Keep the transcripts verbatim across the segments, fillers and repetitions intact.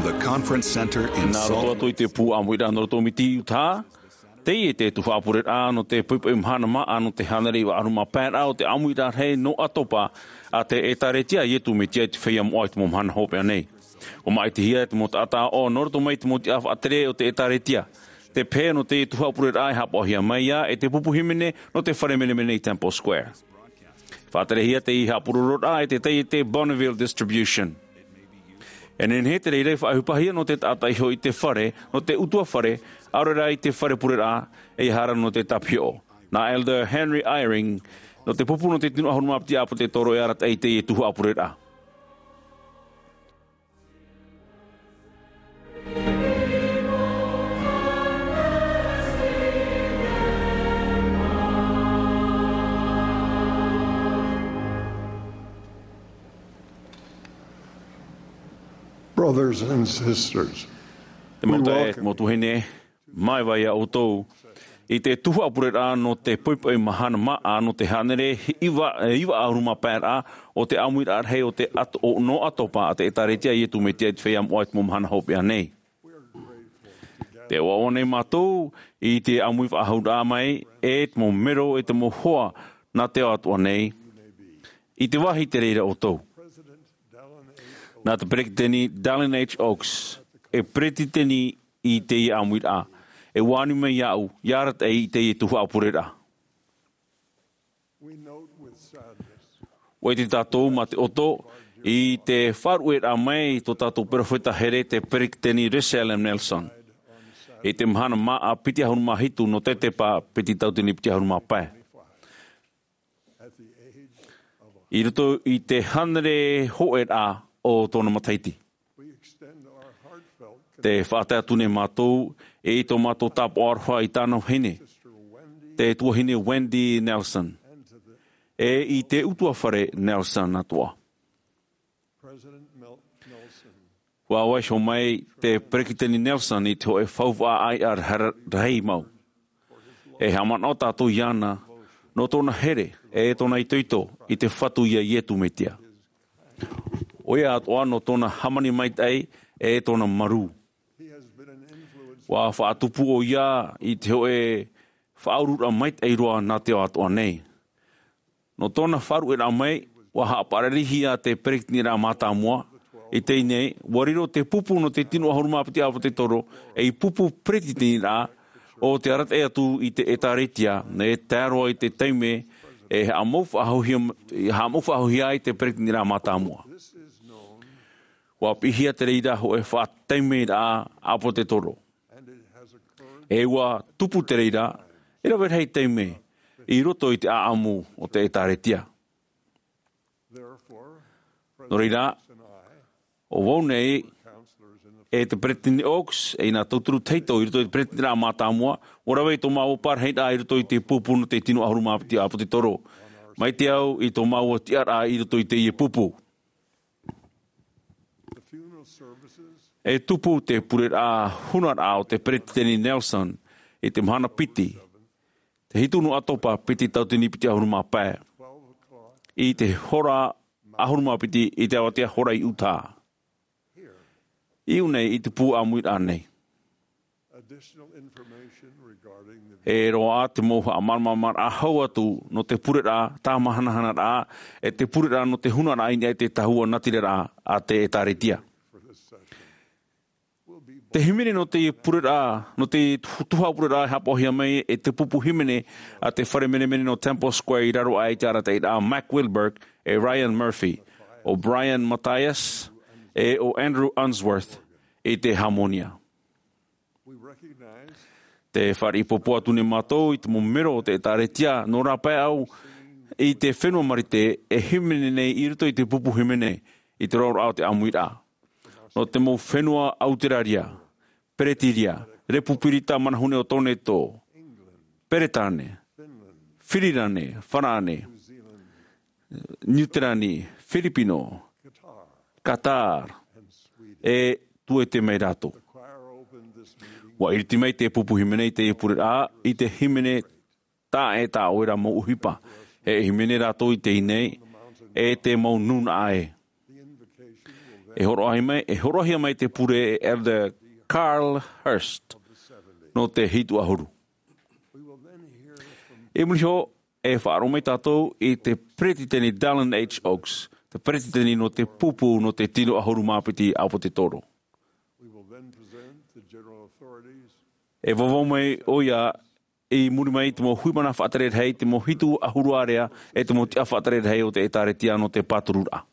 The Conference Center in Nā roto Salt atu i te pū ʻāmuiraʻa nō roto Miti, Utah. Teie te tuhaʻa pureraʻa nō te poʻipoʻi mahana māʻa nō te hānere iva ʻahuru mā pae raʻa o te ʻāmuiraʻa rahi nō ʻAtopa a te ʻĒtārētia Ietu Metia i te Feiā Moʻa i te mau mahana hopeʻa nei. ʻUa māʻitihia te mau taʻata ʻāʻau nō roto mai i te mau tiʻa faʻatere o te ʻĒtārētia. Te pehe nō te tuhaʻa pureraʻa e haʻapaʻohia mai ā e te pupu hīmene nō te fare menemene i Temple Square. Faʻaterehia teie haʻapurororaʻa e te taiete Bonneville Distribution. E nehenehe te reira i faʻaʻohipahia nō te taʻata iho i te fare, nō te ʻutuāfare, ʻaore rā i te fare pureraʻa, ʻeiaha rā nō te tāpihoʻo. Nā Elder Henry Eyring, nō te pupu nō te tino ʻahuru mā piti ʻāpōsetolo e arataʻi i teie tuhaʻa pureraʻa. Brothers and sisters, Te mau taeaʻe, te mau tuahine, māuiui iā ʻoutou i te tuhaʻa pureraʻa nō te poʻipoʻi mahana māʻa nō te hānere iva, iva ʻahuru mā pae raʻa o te ʻāmuiraʻa rahi o te ʻato-, o, nō ʻAtopa a te ʻĒtārētia Ietu Metia i te Feiā Moʻa i te mau mahana hopeʻa nei. Tē ʻoaʻoa nei mātou i te ʻāmui faʻahouraʻa mai e te mau mero e te mau hoa nā te ao atoʻa nei, i te vāhi te reira ʻoutou. Nā te Peretiteni Dallin H. Oaks e peretiteni i teie ʻāmuiraʻa, e ʻua ani mai iāʻu, ʻia arataʻi i teie tuhaʻa pureraʻa. ʻUa ʻite tātou mā te ʻoto i te faʻaruʻeraʻa mai tō tātou perofeta here te Peretiteni Russell M. Nelson. I te mahana māʻa piti ʻahuru mā hitu nō Tetepa piti tauatini piti ʻahuru mā pae. I roto i te hānere hōʻē raʻa o tōna matahiti. Tē faʻatae atu nei mātou i tō mātou tāpaʻo aroha i tāna vahine, te tuahine Wendy Nelson, e i te ʻutuāfare Nelson atoʻa. ʻUa vaiiho mai te Peretiteni Nelson i te hōʻē faufaʻa ʻāiʻa ra-, rahi mau. E haʻamanaʻo tātou iāna nō tōna here e tōna itoito i te Fatu iā Ietu Metia. ʻOia atoʻa nō tōna hāmani maitaʻi e tōna marū. ʻUa faʻatupu ʻoia i te hōʻē faʻaururaʻa maitaʻi roa nā te ao atoʻa nei. Nō tōna faʻaruʻeraʻa mai, ʻua haʻapararihia te Peretiteniraʻa Mātāmua. I teie nei, ʻua riro te pupu nō te tino ʻahuru mā piti ʻāpōsetolo ei pupu peretiteniraʻa, ʻo tē arataʻi atu i te ʻĒtārētia, e tae roa i te taime e haʻamau faʻahouhia, haʻamau faʻahouhia ai te Peretiteniraʻa Mātāmua. ʻUa piʻihia te reira hōʻē faʻataimeraʻa ʻāpōsetolo. E ʻua tupu te reira, e rave rahi taime, i roto i te ʻāʻamu o te ʻĒtārētia. Nō reira, ʻo vau nei, e te Peretiteni Oaks, e nā tauturu tahito i roto i te Peretiteniraʻa Mātāmua, ʻua rave i tō māua parahiraʻa i roto i te pupu nō te tino ʻahuru mā piti ʻāpōsetolo. Mai te au i tō māua tiʻaraʻa i roto i teie pupu. E tupu te pureraʻa hunaraʻa o te Peretiteni Nelson i te mahana piti, te hitu nō ʻAtopa piti tauatini piti ʻahuru mā pae, i te hora ʻahuru mā piti i te avatea hora i Utah. I ʻō nei i te pū ʻāmuiraʻa nei. E roaʻa te mau haʻamāramaramaraʻa hau atu nō te pureraʻa tāmahanahanaraʻa, e te pureraʻa nō te hunaraʻa i niʻa i te tahua natiraraʻa a te ʻĒtārētia. Te hīmene nō te pureraʻa, nō te tu-, tuhaʻa pureraʻa e haʻapaʻohia mai e te pupu hīmene a te fare menemene nō Temple Square i raro aʻe i te arataʻiraʻa a Mac Wilberg, e Ryan Murphy, ʻo Brian Mathias, e ʻo Andrew Unsworth i te hāmonia. Tē fāriʻi pōpō atu nei mātou i te mau mero o te ʻĒtārētia nō rāpae au i te fenua Marite e hīmene nei i roto i te pupu hīmene i te roaraʻa o te ʻāmuiraʻa. Nō te mau fenua Auteraria, Peretiria, Repupirita Manahune o Toneto, Peretāne, Firirane, Farāne, Niuterani, Firipino, Qatar, e tuete mai rātou. ʻUa iriti mai te pupu hīmene i te pureraʻa i te hīmene tā ʻoe e tā ʻoe ra mau ʻohipa. E hīmene rātou i teie nei, e te mau nūnaʻa ē. E hōroʻahia mai, e hōroʻahia mai te pure e Elder Carl Hurst nō te hitu ʻahuru. I muri iho, e faʻaroʻo mai tātou i te Peretiteni Dallin H. Oaks, te Peretiteni nō te pupu nō te tino ʻahuru mā piti ʻāpōsetolo. E vauvau mai ʻoia i muri mai i te mau hui mana faʻatere rahi, te mau hitu ʻahuru ārea, e te mau tiʻa faʻatere rahi o te ʻĒtārētia nō te pātururaʻa.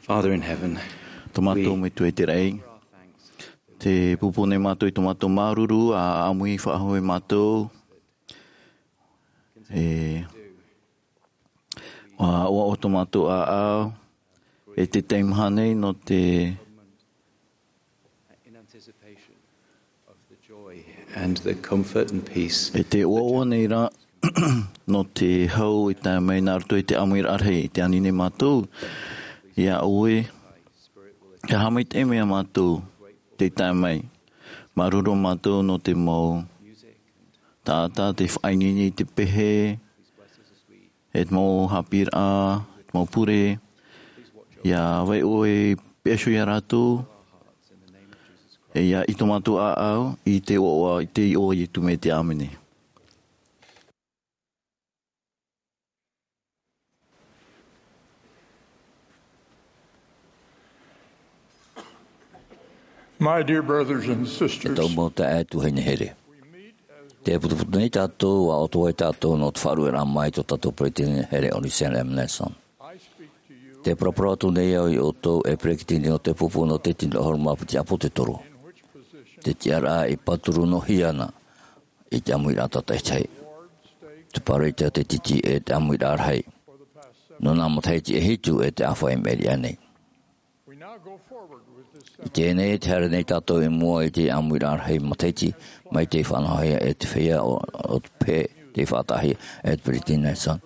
Father in heaven, tō mātou Metua i te raʻi, te pūpū nei mātou i tō mātou māuruuru, ʻa ʻāmui faʻahou e mātou, e, ʻua, ʻua ʻoaʻoa tō mātou ʻāʻau, e te teimaha nei nō te and the comfort and peace. E te ʻoaʻoa nei rā, nō te hau i tae mai nā roto i te ʻāmuiraʻa rahi, i te ani nei mātou, iā ʻoe, ʻia haʻamaitaʻi mai iā mātou, tei tae mai, māuruuru mātou nō te mau, Taʻata, tē faʻaineine i te pehe, e te mau haʻapiʻiraʻa, e te mau pure, ʻia vai ʻoe e peʻaso ia rātou, e ʻia ʻite mātou ʻāʻau, i te iʻoa, i te iʻoa o Iesu Mesia, ʻāmene. My dear brothers and sisters, E tau mau taeaʻe tuahine here. Tē putuputu nei tātou, ʻua ʻoto ai tātou nō te faʻaruʻeraʻa mai tō tātou peretiteni here ʻo Russell M. Nelson. Tē paraparau atu nei au ia ʻoutou e peretiteni o te pupu nō te tino ʻahuru mā piti ʻāpōsetolo. Te tiʻaraʻa i pāturu noa ana i te ʻāmuiraʻa tātaʻitahi. Te pāroita, te titi, e te ʻāmuiraʻa rahi. Nō nā matahiti e hitu e te ʻāfaʻi i maʻiri aʻe nei. I teie nei, tē haere nei tātou i mua i te ʻāmuiraʻa rahi matahiti, mai tei faʻanahohia e te feiā o, o te pehe, tei faʻataʻahia e te peretiteni Nelson.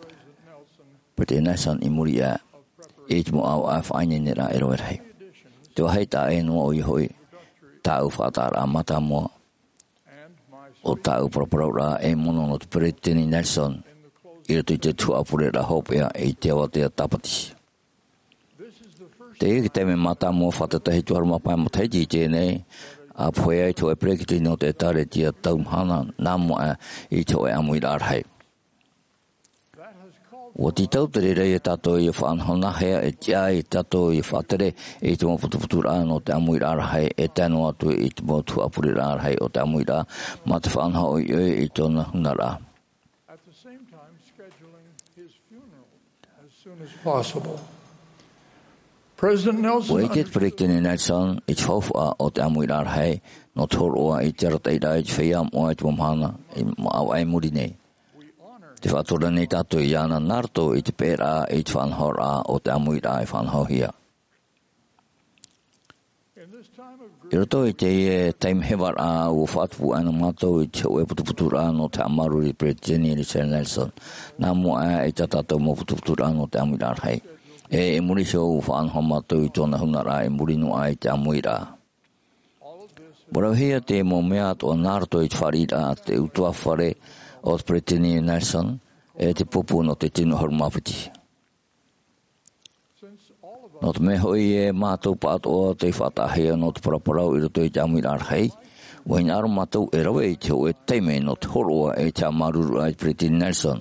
Peretiteni Nelson i muri iho i te mau ʻāvaʻe faʻaineineraʻa e rave rahi. Te vāhi taʻa ʻē noa ʻoia hoʻi, tāʻu faʻataʻaraʻa mātāmua, ʻo tāʻu paraparauraʻa ei mono nō te peretiteni Nelson, i roto i te tuhaʻa pureraʻa hopeʻa i te avatea tāpati. Teie te taime mātāmua fātata hitu ʻahuru mā pae matahiti i teie nei, ʻa pohe ai te hōʻē peretiteni o te ʻĒtārētia tau mahana, nā mua aʻe i te hōʻē ʻāmuiraʻa rahi. ʻUa tītau te reira ia tātou ʻia faʻanahonahohia e tiʻa ai tātou ʻia faʻatere i te mau putuputuraʻa nō te ʻāmuiraʻa rahi, e tae noa atu i te mau tuhaʻa pureraʻa rahi o te ʻāmuiraʻa, mā te faʻanaho ʻoiʻoi i tōna hunaraʻa. At the same time, scheduling his funeral as soon as possible. President Nelson ʻUa ʻite te under- peretiteni Nelson i te faufaʻa o te ʻāmuiraʻa rahi, nō te hōroʻa i te arataʻiraʻa i te feiā moʻa i te mau mahana i, ʻāvaʻe i muri nei. Tē faʻatura nei tātou iāna nā roto i te peʻeraʻa i te faʻanahoraʻa o te ʻāmuiraʻa i faʻanahohia. I roto i teie taime hevaraʻa, ʻua faʻatupu ana mātou i te hōʻē putuputuraʻa nō te haʻamāuruuru i te peretiteni Russell Nelson, nā mua aʻe i tā tātou mau putuputuraʻa nō te ʻāmuiraʻa rahi. E, i muri iho, ʻua faʻanaho mātou i tōna hunaraʻa i muri noa aʻe i te ʻāmuiraʻa. ʻUa ravehia te mau mea atoʻa nā roto i te fāriʻiraʻa a te ʻutuāfare o te peretiteni Nelson, e te pupu nō te tino ʻahuru mā piti. Nō te mea hoʻi, e mātou pāʻatoʻa tei faʻataʻahia nō te paraparau i roto i te ʻāmuiraʻa rahi, ʻua hinaʻaro mātou e rave i te hōʻē taime nō te hōroʻa i te haʻamāuruururaʻa i te peretiteni Nelson.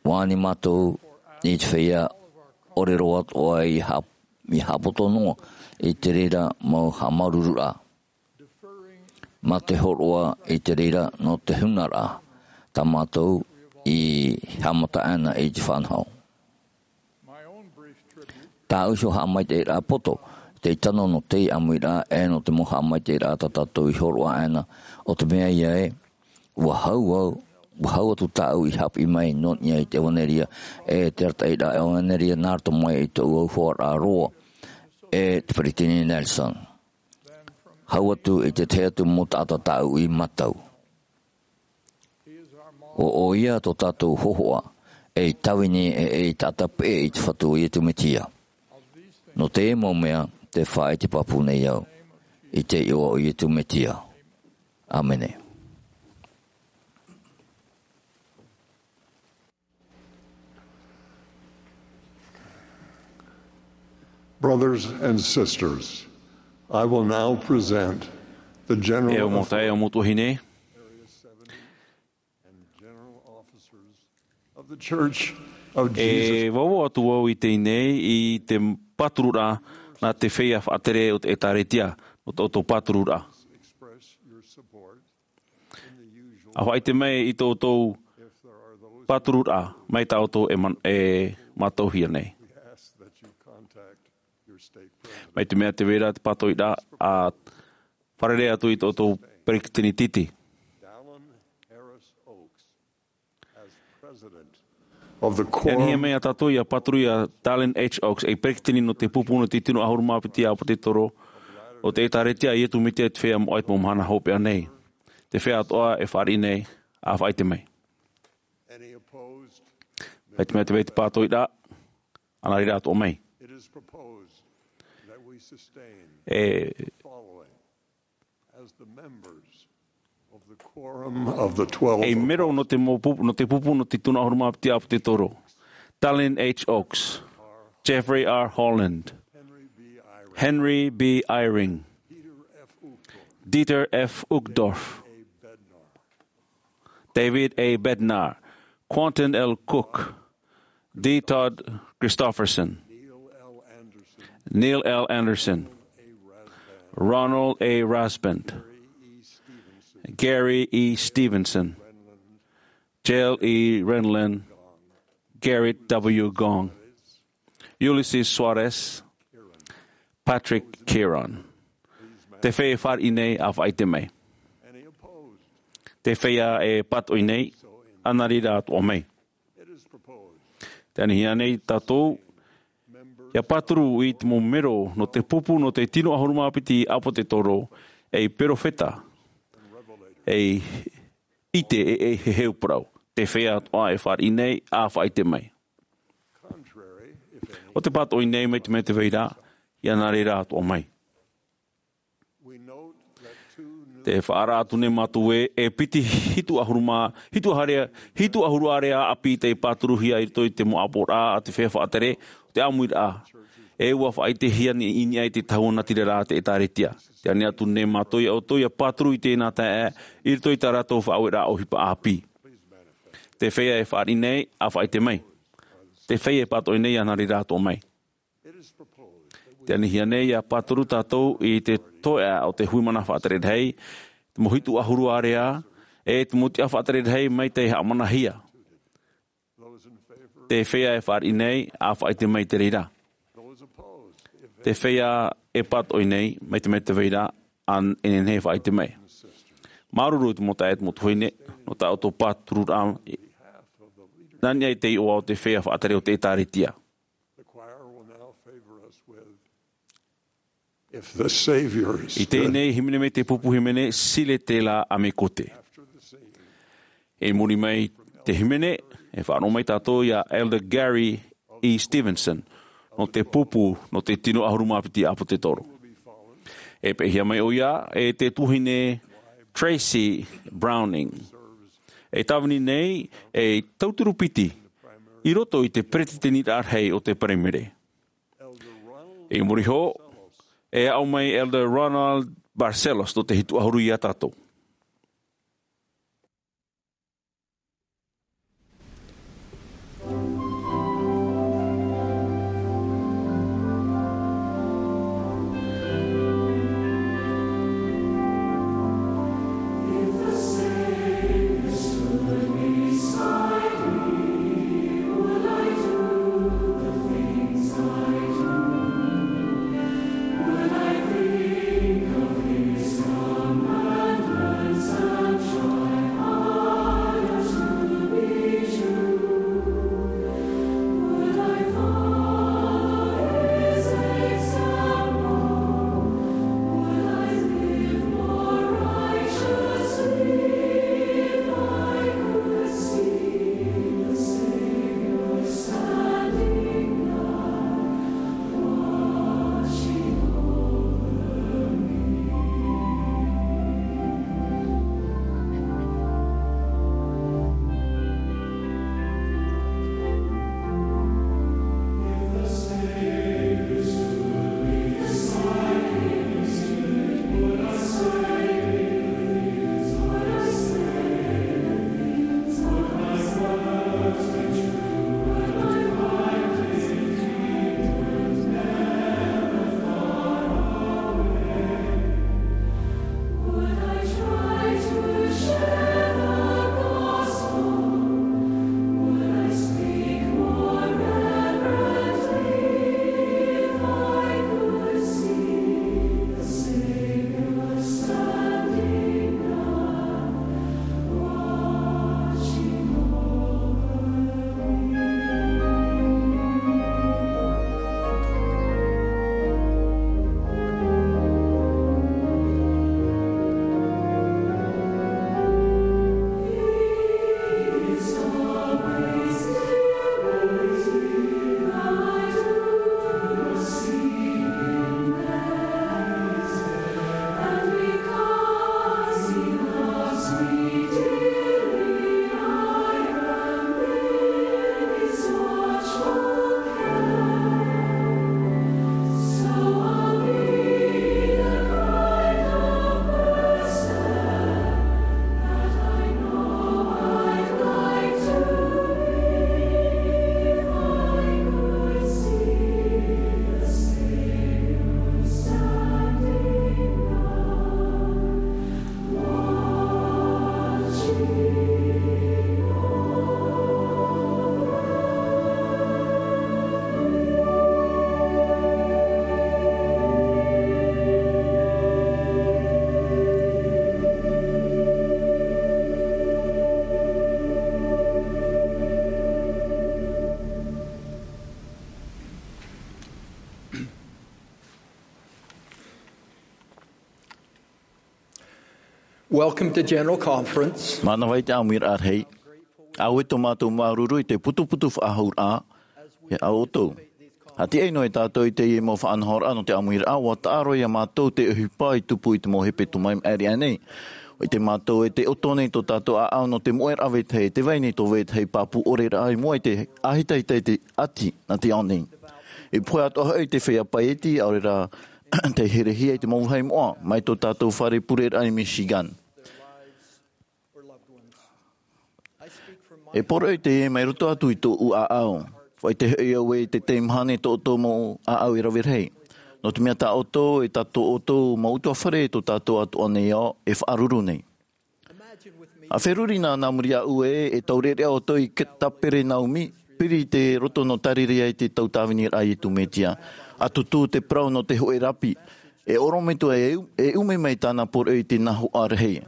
ʻUa ani mātou i te feiā ʻore roa atoʻa i hā-, i haʻapoto noa i te reira mau haʻamāuruururaʻa, mā te hōroʻa i te reira nō te hunaraʻa tā mātou i haʻamata ana i te faʻanaho. Tāʻu iho haʻamaitaʻiraʻa poto, tei tano nō te ʻāmuiraʻa, e nō te mau haʻamaitaʻiraʻa tā tātou i hōroʻa ana, ʻo te mea ïa ē, ʻua hau au, ʻua hau atu tāʻu i haʻapiʻi mai nō niʻa i te ʻevanelia, e te arataʻiraʻa ʻevanelia nā roto mai i tōʻu auhoaraʻa roa, e te peretiteni Nelson. Hau atu i te tahi atu mau taʻata tāʻu i mātau. ʻO, ʻo ia tō tātou hōhoʻa, ei tāvini, e ei taʻata peʻe i te Fatu o Iesu Mesia. Nō te mau mea, tē faʻaʻite pāpū nei au, i te iʻoa o Iesu Mesia. ʻĀmene. Brothers and sisters, I will now present the general E au mau taeaʻe, e au mau tuahine. Area seventy and general officers of the Church of Jesus. E vauvau atu vau i teie nei i te pātururaʻa nā te feiā faʻatere o te ʻĒtārētia, nō tō ʻoutou pātururaʻa. Express your support. ʻA faʻaʻite mai i tō ʻoutou pātururaʻa, mai tā ʻoutou e man-, e mātauhia nei. Mai te mea tē vai ra te pātoʻiraʻa, ʻa fārerei atu i tō ʻoutou peretiteni titi. E anihia mai ā tātou ʻia pāturu ia Dallin H. Oaks, ei peretiteni nō te pupu nō te tino ʻahuru mā piti ʻāpōsetolo o te ʻĒtārētia a Iesu Mesia i te Feiā Moʻa i te mau mahana hopeʻa nei. Te feiā atoʻa e fāriʻi nei, ʻa faʻaʻite mai. Mai te mea tē vai te pātoʻiraʻa, ʻa nā reira atoʻa mai. E As the members Of the quorum of the twelve Ei mero apostles, nō te, mau pupu, nō te pupu nō te tino ʻahuru mā piti ʻāpōsetolo: Dallin H. Oaks, Jeffrey R. Holland, Henry B. Eyring, Dieter F. Uchtdorf, David A. Bednar, Quentin L. Cook, D. Todd Christofferson, Neil L. Andersen, Ronald A. Rasband, Gary E. Stevenson, Jell E. Renlund, Gerrit W. Gong, Ulisses Soares, Patrick Kieran. Te feiā e fāriʻi nei, ʻa faʻaʻite mai. Te feiā e pātoʻi nei, ʻa nā reira atoʻa mai. Tē anihia nei tātou ʻia pāturu i te mau mero nō te pupu nō te tino ʻahuru mā piti ʻāpōsetolo, ei perofeta, ei ʻite, e, e heheu parau. Te feiā atoʻa e fāriʻi nei, ʻa faʻaʻite mai. ʻO te pātoʻi nei, mai te mea tē vai ra, ʻia nā reira atoʻa mai. Te faʻaara atu nei mātou ē, e piti hitu ʻahuru mā, hitu ārea, hitu ʻahuru ārea ʻāpī tei pāturuhia i roto i te mau ʻāpoʻoraʻa a te feiā faʻatere o te ʻāmuiraʻa. E ʻua faʻaʻitehia nei i niʻa i te tahua natirara a te ʻĒtārētia. Tē ani atu nei mātou ia ʻoutou ʻia pāturu i teie taeaʻe i roto i tā rātou faʻaueraʻa ʻohipa ʻāpī. Te feiā e fāriʻi nei, ʻa faʻaʻite mai. Te feiā e pātoʻi nei, ʻia nā reira atoʻa mai. Tē anihia nei ʻia pāturu tātou i te toeʻa o te hui mana faʻatere rahi, te mau hitu ʻahuru ārea, e te mau tiʻa faʻatere rahi mai tei haʻamanahia. Te feiā e fāriʻi nei, ʻa faʻaʻite mai i te reira. Te feiā e pātoʻi nei, mai te mea tē vai ra, ʻa nehenehe e faʻaʻite mai. Māuruuru i te mau taeaʻe, te mau tuahine, nō tā ʻoutou pātururaʻa, nā niʻa i te iʻoa o te feiā faʻatere o te ʻĒtārētia. The choir will now favor us with If the Savior is I teie nei hīmene, mai te pupu hīmene, Si le tēlā ʻa me ko te. After the singing, I muri mai te hīmene, e faʻaroʻo mai tātou ia Elder Gary E. Stevenson, nō te pupu nō te tino ʻahuru mā piti ʻāpōsetolo. E peʻehia mai ʻoia e te tuahine Tracy Browning, e tāvini nei ei tauturu piti i roto i te peretiteniraʻa rahi o te Paraimere. I muri iho, e aʻo mai Elder Ronald Barcelos nō te hitu ʻahuru ia tātou. Welcome to General Conference. Mānava i te ʻāmuiraʻa rahi. ʻAuē tō mātou māuruuru i te putuputu faʻahouraʻa iā ʻoutou. ʻA tiʻa noa tātou i teie mau faʻanahoraʻa nō te ʻāmuiraʻa, ʻua taʻa roa iā mātou te ʻohipa i tupu i te mau hepetoma i maʻiri aʻe nei. ʻO ʻite mātou e tē ʻoto nei tō tātou ʻāʻau nō te moʻeraʻa vetahi, e tē vai nei tō vetahi pāpū ʻore raʻa i mua i te ʻāhitahita i te ʻati nā te ao nei. I pohe atoʻa hoʻi te feiā paieti, ʻaore rā tei herehia i te mau vāhi moʻa, mai tō tātou fare pureraʻa i Michigan. E poroʻi teie mai roto atu i tōʻu ʻāʻau. ʻUa ʻite hoʻi au ē tē teimaha nei tō ʻoutou mau ʻāʻau e rave rahi. Nō te mea tā ʻoutou, e tā tō ʻoutou mau ʻutuāfare, tō tātou atoʻa nei ao, e faʻaruru nei. ʻA feruri nā, nā muri iāʻu ē, e taureʻareʻa ʻoutou i Kaperenaumi, piri i te roto nō Tarirea i te tau tāviniraʻa a Iesu Mesia. ʻA tutū te parau nō te hōʻē rapi. E ʻorometua e, e ʻume mai tāna poroʻi i te nahoʻa rahi.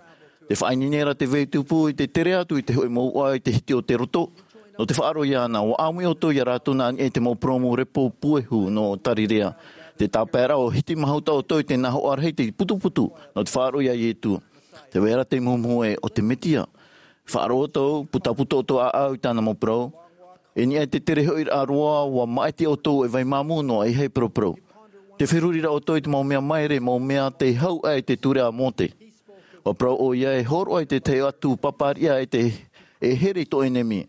Tē faʻaineine ra te vai tupu i te tere atu i te hōʻē mouʻa i te hiti o te roto. Nō te faʻaroʻo iāna, ʻua ʻāmui ʻoutou iā rātou nā niʻa i te mau purōmu repo puehu nō Tarirea. Tē tāpaeraʻa ʻua hiti mahuta ʻoutou i te nahoʻa rahi te putuputu, nō te faʻaroʻo iā Iesu. Tē vai ra te muhumuhu ē, ʻo te Mesia. Faʻaroʻo ʻoutou, putapū tō ʻoutou ʻāʻau i tāna mau parau. I niʻa i te tere hoʻiraʻa roa, ʻua māʻiti ʻoutou e vai māmū noa, ʻeiaha e paraparau. Tē feruri ra ʻoutou i te mau mea māere, mau mea tei hau aʻe i te ture a Mōse. ʻUa parau ʻoia, e hōroʻa i te tahi atu pāpāriʻa e te, e here i tō ʻenemi.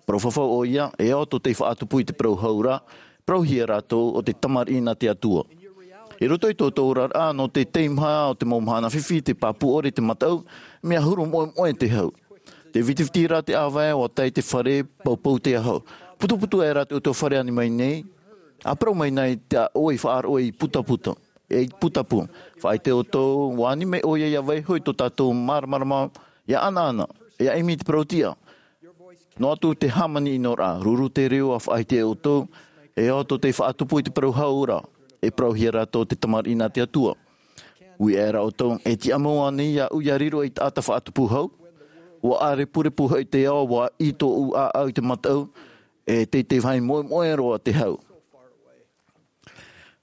Parau fafau ʻoia, e ao tō tei faʻatupu i te parau hau ra, parauhia rātou ʻo te tamariʻi nā te Atua. I roto i tō ʻoutou oraraʻa nō te teimaha o te mau mahana fifi, te pāpū ʻore, te mataʻu, mea huru moʻemoʻe te hau. Tē vitiviti ra te ʻāvae, ʻua tae te fare, poupou te aho. Putuputu aʻera te ʻutuāfare ani mai nei, ʻa parau mai nei tā ʻoe i faʻaroʻo i putapū. E putapū. Faʻaʻite ʻoutou, ʻua ani mai ʻoia ʻia vaiiho i tō tātou māramarama, ʻia ʻanaʻana, ʻia ʻimi i te parau-tiʻa. Noa atu te hāmani-ʻino-raʻa, ruru te reo ʻa faʻaʻite ʻoutou, e ao tō tei faʻatupu i te parau hau ra, e parauhia rātou ʻo te tamariʻi nā te Atua. Ui aʻera ʻoutou, e tiʻamau ānei iāʻu ʻia riro ei taʻata faʻatupu hau? ʻUa ʻārepurepu hoʻi te ao, ʻua ʻī tōʻu ʻāʻau i te mataʻu, e tei te vai moʻemoʻe roa te hau.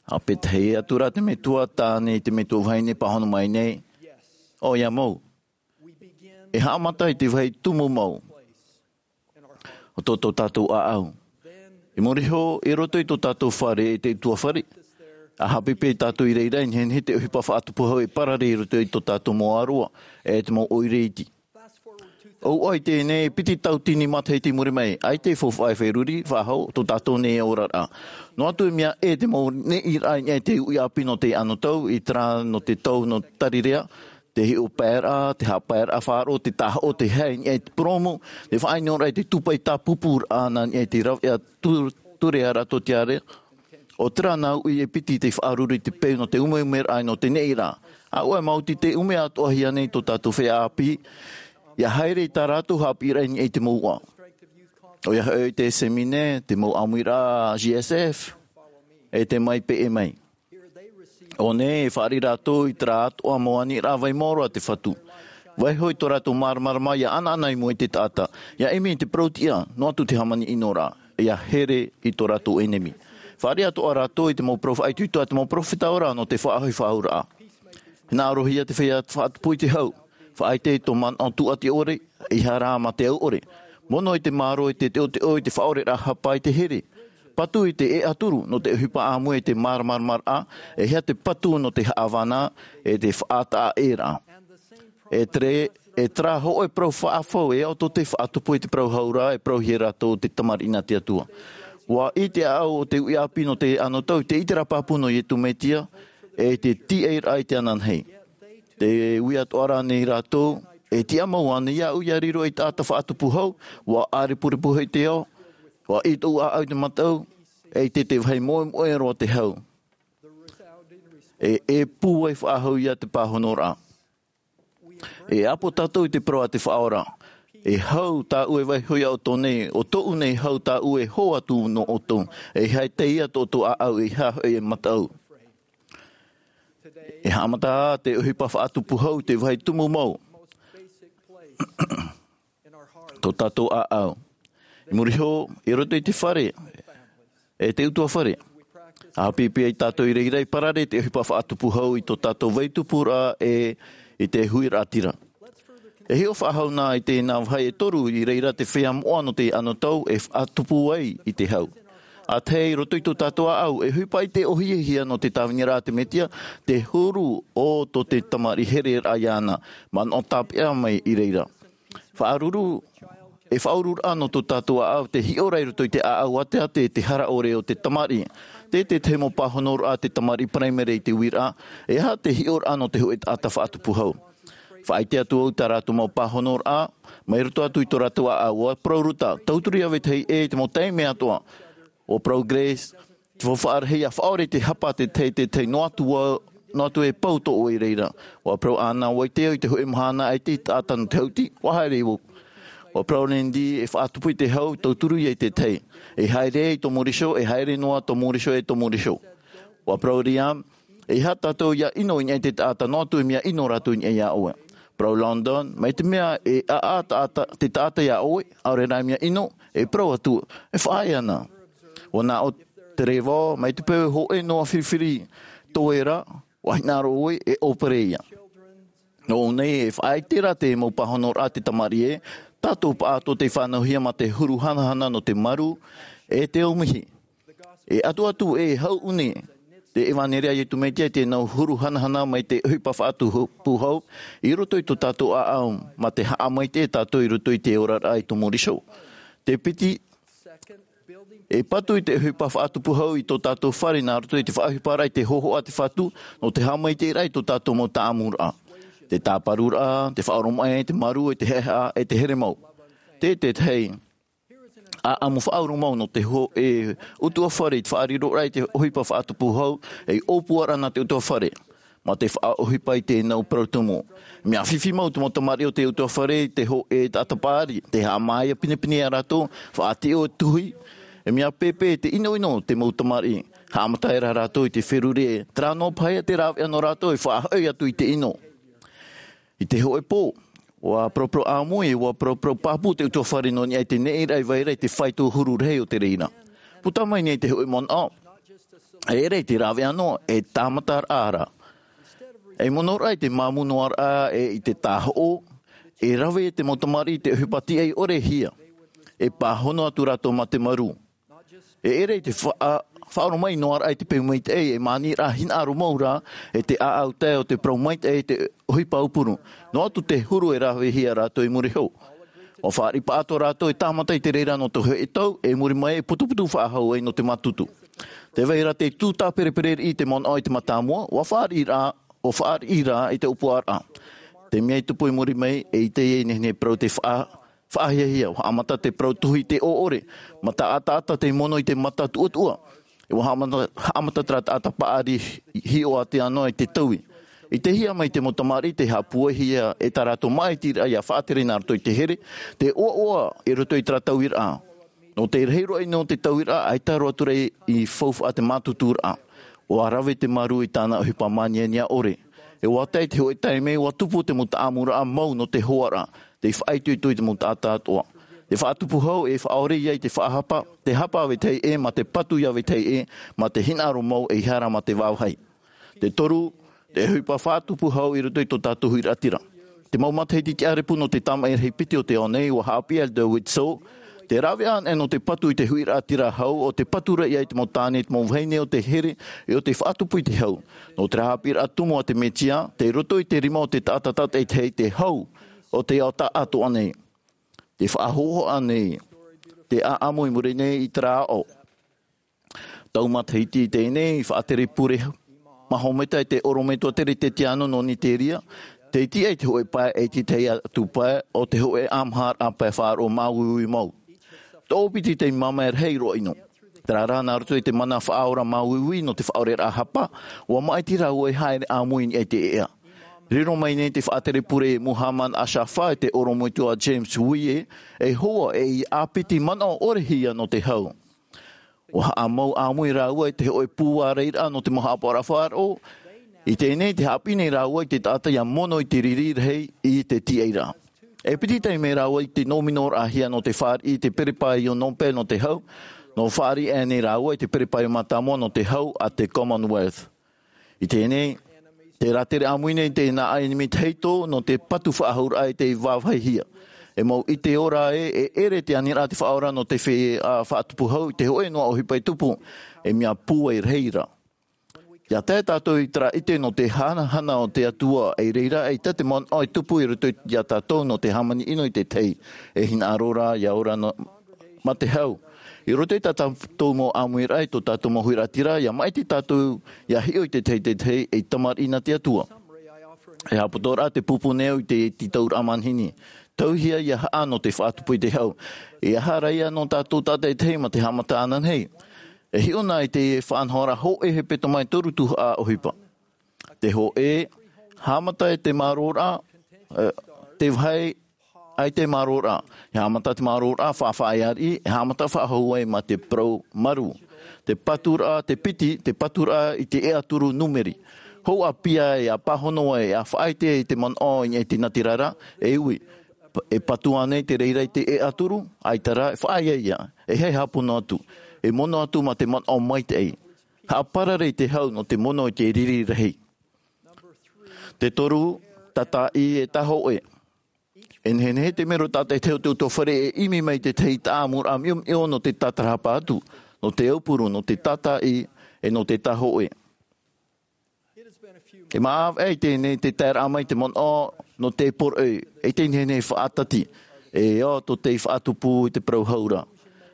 ʻA pētahi atu ra te metua tāne i te metua vahine pāhono mai nei, ʻoia mau. E haʻamata i te vāhi tumu mau o tō, tō tātou ʻāʻau. I muri iho, i roto i tō tātou fare, e te ʻutuāfare, ʻa haʻapeʻapeʻa tātou i reira, e nehenehe te ʻohipa faʻatupu hau e parare i roto i tō tātou mau ʻāroa, e te mau ʻoire iti. ʻOia i teie nei, piti tauatini matahiti i muri mai, ʻaita e faufaʻa e feruri, faʻahou, tō tātou nei oraraʻa. Noa atu e mea ʻē te mau neʻiraʻa i niʻa i te uʻi ʻāpī nō te anotau, i terā nō te tau nō Tarirea, te hiʻopoʻaraʻa, te haʻapaeraʻa faʻaroʻo, te tāhoʻo, te hae i niʻa i te purōmu, te faʻaʻinoraʻa i te tūpaʻi tāpūpūraʻa nā niʻa i te raveʻa tu-, ture a rātou tiare. ʻO terā nā uʻi e piti tei faʻaruru i te peu nō te umeumeraʻa nō te neʻiraʻa. ʻAuē, maoti tē ʻume atoʻahia nei tō tātou feiā ʻāpī, ʻia haere i tā rātou haʻapiʻiraʻa i niʻa i te mouʻa. ʻOia hoʻi te Semine, te mau ʻāmuiraʻa J S F, e te Mai Peʻe Mai. ʻO nei, e fāriʻi rātou i terā atoʻa mau aniraʻa vai maoro a te Fatu. Vaiiho i tō rātou māramarama ʻia ʻanaʻana i mua i te taʻata, ʻia ʻimi i te parau-tiʻa, noa atu te hāmani-ʻino-raʻa, ʻia here i tō rātou ʻenemi. Fāriʻi atoʻa rātou i te mau parau faʻaitoito a te mau perofeta ora nō te faʻahoʻi faʻahouraʻa. Hinaʻarohia te feiā faʻatupu i te hau. Faʻaʻite i tō manaʻo tūʻati ʻore, ʻeiaha rā mā te au ʻore. Mono i te mārō, i te teʻoteʻo, i te faʻaoreraʻa hapa, i te here. Patu i te ʻēʻa turu nō te ʻohipa ʻāmui, i te māramaramaraʻa, ʻeiaha te patu nō te haʻavānaʻa, e te faʻataʻaʻēraʻa. E tere, e terā hōʻē parau faʻafau, e ao tō tei faʻatupu i te parau hau ra, e parauhia rātou ʻo te tamariʻi nā te Atua. ʻUa ʻī te ʻāʻau o te uʻi ʻāpī nō te anotau i te ʻiteraʻa pāpū nō Iesu Mesia, e te tīaʻiraʻa i te ananahi. Tē ui atoʻa ra nei rātou, e tiʻamau ānei iāʻu ʻia riro ei taʻata faʻatupu hau, ʻua ʻārepurepu hoʻi te ao, ʻua ʻī tōʻu ʻāʻau i te mataʻu, e ʻaita e vai moʻemoʻe roa te hau. E, e pūai faʻahou ia te pāhonoraʻa. E ʻapo tātou i te parau a te Faʻaora. E hau tāʻu e vaiiho iā ʻoutou nei, ʻo tōʻu nei hau tāʻu e hō atu nō ʻoutou. ʻEiaha e tae ia tō ʻoutou ʻāʻau, ʻeiaha hoʻi e mataʻu. E haʻamata te ʻohipa faʻatupu hau i te vāhi tumu mau. Tō tātou ʻāʻau. I muri iho, i roto i te fare, e te ʻutuāfare. ʻA haʻapiʻipiʻi ai tātou i reira i parare te ʻohipa faʻatupu hau i tō tātou vai tupuraʻa e i te huiraʻatira. E hiʻo faʻahou nā i te nā vahi e toru i reira te feiā moʻa nō te anotau e faʻatupu ai i te hau. A tahi i roto i tō tātou ʻāʻau e ʻohipa i te ʻohipa nō te tāviniraʻa a te mesia, te huru o tō te tamariʻi here raʻa iāna, manaʻo tāpeʻa mai i reira. Faʻaruru e faʻaururaʻa nō tō tātou ʻāʻau te hiʻo ra i roto i te ʻāʻau ʻāteʻate e te hara ʻore o te tamariʻi. Te te te mau pāhonoraʻa te tamariʻi paraimere i te uiraʻa, e aha te hiʻoraʻa nō te hoʻe taʻata faʻatupu hau? Faʻaite atu au tā rātou mau pāhonoraʻa mai roto atu i tō rātou ʻāʻau. Ua parau ruta tauturu ia vetahi ʻē i te mau taime atoʻa. Ua parau grace, te faufaʻa rahi ia faʻaore te hapa te te te te noa atu ua noa atu e pau tō ʻoe i reira. Ua parau ana ua ite au i te hoʻe mahana e te taʻata nō te hauti ua haere i vau. Ua parau lindy e faʻatupu i te hau tauturu ia i te tahi, e haere i tō moriso e haere noa tō moriso e tō moriso. Ua parau liam, e aha tātou ia ʻino i niʻa i te taʻata noa atu e mea ʻino rātou i niʻa iā ʻoe? Parau london mai te mea e ʻaʻa taʻata te taʻata iā ʻoe, ʻaore rā mea ʻino. E parau atu e faʻaea ana. Ua nā ʻo te reva mai te peu e hoʻe noa firifiri tō ē rā, ua hinaʻaro ʻoe e ʻōpere ia. Nō nei e faʻaite ra te mau pāhonoraʻa te tamariʻi ē, tātou paʻatoʻa tei fānauhia mā te huru hanahana nō te maru e te aumihi. E atu atu e hau ʻuni te evanelia a iesu mesia i te nau huru hanahana mai te ʻohipa faʻatupu hau i roto i tō tātou ʻāʻau mā te haʻamaitaʻi tātou i roto i te oraraʻa i tō moriso. Te piti, e patu i te ʻohipa faʻatupu hau i tō tātou fare nā roto i te faʻaʻohiparaʻa i te hōhoʻa te fatu nō te haʻamaitaʻiraʻa i tō tātou mau taʻamuraʻa, te tāparuraʻa, te faʻaoromaʻi, te maru e te haʻehaʻa e te here mau. Te te tahi ʻaʻamu faʻauru mau nō te hoʻe ʻutuʻafare i te faʻariroraʻa i te ʻohipa faʻatupu hau, ei ʻōpuaraʻa nā te ʻutuʻafare mā te faʻaʻohipa i te nau parau tumu. Mea fifi mau te mau tamariʻi o te ʻutuʻafare i te hoʻe taʻata paʻari, te haʻamāia pinepine iā rātou, faʻatiʻo tuhi. E mea pēpē te ʻinoʻino te mau tamariʻi, haʻamata aʻera rātou i te feruri e terā noa paha ia te rāveʻa nō rātou e faʻahoʻi atu i te ʻino. I te hoʻe pō, ua paraparau ʻāmui e ua paraparau pāpū te ʻutuʻafare nō niʻa i te neʻiraʻa i vai ra i te faito huru rahi o te reira. Puta mai nei te hoʻe manaʻo, e ʻere i te rāveʻa noa e tāmataraʻa ra. E mono raʻa i te māmū noa raʻa e i te tāhoʻo, e rave te mau tamariʻi i te ʻohipa tiʻai ʻore hia, e pāhono atu rātou mā te maru. E ʻere i te faʻaoromaʻi noa raʻa i te peu maitaʻi e māniraʻa hinaʻaro mau rā, e te ʻāʻau tae o te parau maitaʻi e te ʻohipa aupuru, noa atu te huru e ravehia rātou i muri iho. Ua fāriʻi paʻatoʻa rātou e tāmata i te reira nō te hoʻe tau e muri mai e putuputu faʻahou ai nō te mātutu. Te vai ra te tū tāperepereraʻa i te manaʻo i te mātāmua ua fāriʻi rā, ua fāriʻi rā i te ʻōpuaraʻa. Te mea i tupu i muri mai e ʻite ia i nehenehe parau te faʻa faʻahiahia ua haʻamata te parau tuhi i te ʻoʻore, mā taʻataʻata te mono i te mata tuʻatuʻa. E ua haʻamata haʻamata terā taʻata paʻari hiʻo atu ana i te taui. I te hia mai te mau tamariʻi te haʻapūaihia e tā rātou māʻitiraʻa ia faʻatere nā roto i te here, te ʻoaʻoa i roto i terā tauiraʻa. Nō te rahi roa ʻino o te tauiraʻa ʻaita roa atu rā i faufaʻa te mātuturaʻa. Ua rave te maru i tāna ʻohipa māniania ʻore. E ua tae te hoʻe taime ua tupu te mau taʻamuraʻa mau nō te hoaraʻa, te faʻaitoito i te mau taʻata atoʻa. Te faʻatupu hau e faʻaore ia i te faʻahapa, te hapa a vetahi ʻē mā te patu ia vetahi ʻē, mā te hinaʻaro mau e hara mā te vāvāhi. Te toru, te ʻohipa faʻatupu hau i roto i tō tātou huiraʻatira. Te mau matahiti tiʻarepu nō te tamaʻi rahi piti o te ao nei ua haʻapiʻi a elder widtsoe, te rāveʻa anaʻe nō te patu i te huiraʻatira hau o te patu raʻa i te mau tāne te mau vahine o te here, e o te faʻatupu i te hau. Nō te haʻapiʻiraʻa tumu a te mesia tei roto i te rima o te taʻata tātaʻitahi te hau o te ao taʻatoʻa nei. Te faʻahohoʻa nei te ʻaʻamu i muri nei i terā aʻo. Tau matahiti i teie nei i faʻatere pure mahometa e te ʻorometua teretetiano nō niteria, te tiʻa i te hoʻe pae e te tahi atu pae o te hoʻe ʻamaharaʻa pae faʻaroʻo māuiui mau. Tōpiti tei māmā e rahi roa ʻino. Terā rā nā roto i te mana faʻaora māuiui nō te faʻaoreraʻa hapa, ua māʻiti rāua e haere ʻāmui i niʻa i te ʻeʻa. Riro mai nei te faʻatere pure muhammad ashafa e te ʻorometua james wye, e hoa e i ʻāpiti manaʻo ʻore hia nō te hau. Ua haʻamau ʻāmui rāua i te hoʻe pūaraʻa nō te mau haʻapaʻoraʻa faʻaroʻo. I teie nei te haʻapiʻi nei rāua i te taʻata ia mono i te riri rahi i te tiʻairaʻa. E piti taime rāua i te nōminoraʻahia nō te fāriʻi i te perepaio nōpele nō te hau, nō fāriʻi aʻe nei rāua i te perepaio mātāmua nō te hau a te commonwealth. I teie nei Te rātere ʻāmui nei te nā ʻai nimi tahito nō te patu faʻahouraʻa i te vāvāhia. E mau ʻite ora ē, e ʻere te aniraʻa te faʻaora nō te feiā faʻatupu hau i te hōʻē noa ʻohipa e tupu, e mea pūai rahi ra. Ia tae tātou i terā ʻite nō te hanahana o te Atua, i reira e ʻaita te manaʻo e tupu i roto iā tātou nō te hāmani ʻino i te tahi, e hinaʻaro ra ia ora nō, mā te hau. I roto i tā tātou mau ʻāmuiraʻa, i tō tātou mau huiraʻatira, ia maʻiti tātou ia hiʻo i te tahi, te tahi, ei tamariʻi nā te Atua. E haʻapotoraʻa te pupu nei au i te tītauraʻa manihini. Tauihia ia haʻa nō te faʻatupu i te hau. E aha rā ia nō tātou tātaʻitahi mā te haʻamata ananahi. E hiʻo na i te faʻanahoraʻa hōʻē hepetoma e toru tuhaʻa ʻohipa. Te hōʻē, haʻamata e te māroraʻa, e, te vāhi ʻaita e māroraʻa. E haʻamata te māroraʻa faʻaʻāriʻi, e haʻamata faʻahou ai mā te parau marū. Te paturaʻa, te piti, te paturaʻa i te ʻeʻa turu numeri. Hou ʻāpī ai, ʻa pāhono ai, ʻa faʻaʻite i te manaʻo i niʻa i te natirara, e ui. E patu ānei te reira i te ʻeʻa turu, ʻaita rā, e faʻaea ia, e haʻapono atu, e mono atu mā te manaʻo maitaʻi. Haʻaparare i te hau nō te mono i te riri rahi. Te toru, tātaʻi e tāhōʻē. E nehenehe te mero tātaʻitahi o te ʻutuāfare e ʻimi mai te tahi tāʻamuraʻa miomio nō te tātarahapa atu, nō te aupuru, nō te tātaʻi, e nō te tāhōʻē. E māʻa ʻē i teie nei te taeraʻa mai te manaʻo nō te poroʻi, e te nehenehe faʻatati, e ʻo tō te faʻatupu i te parau hau ra.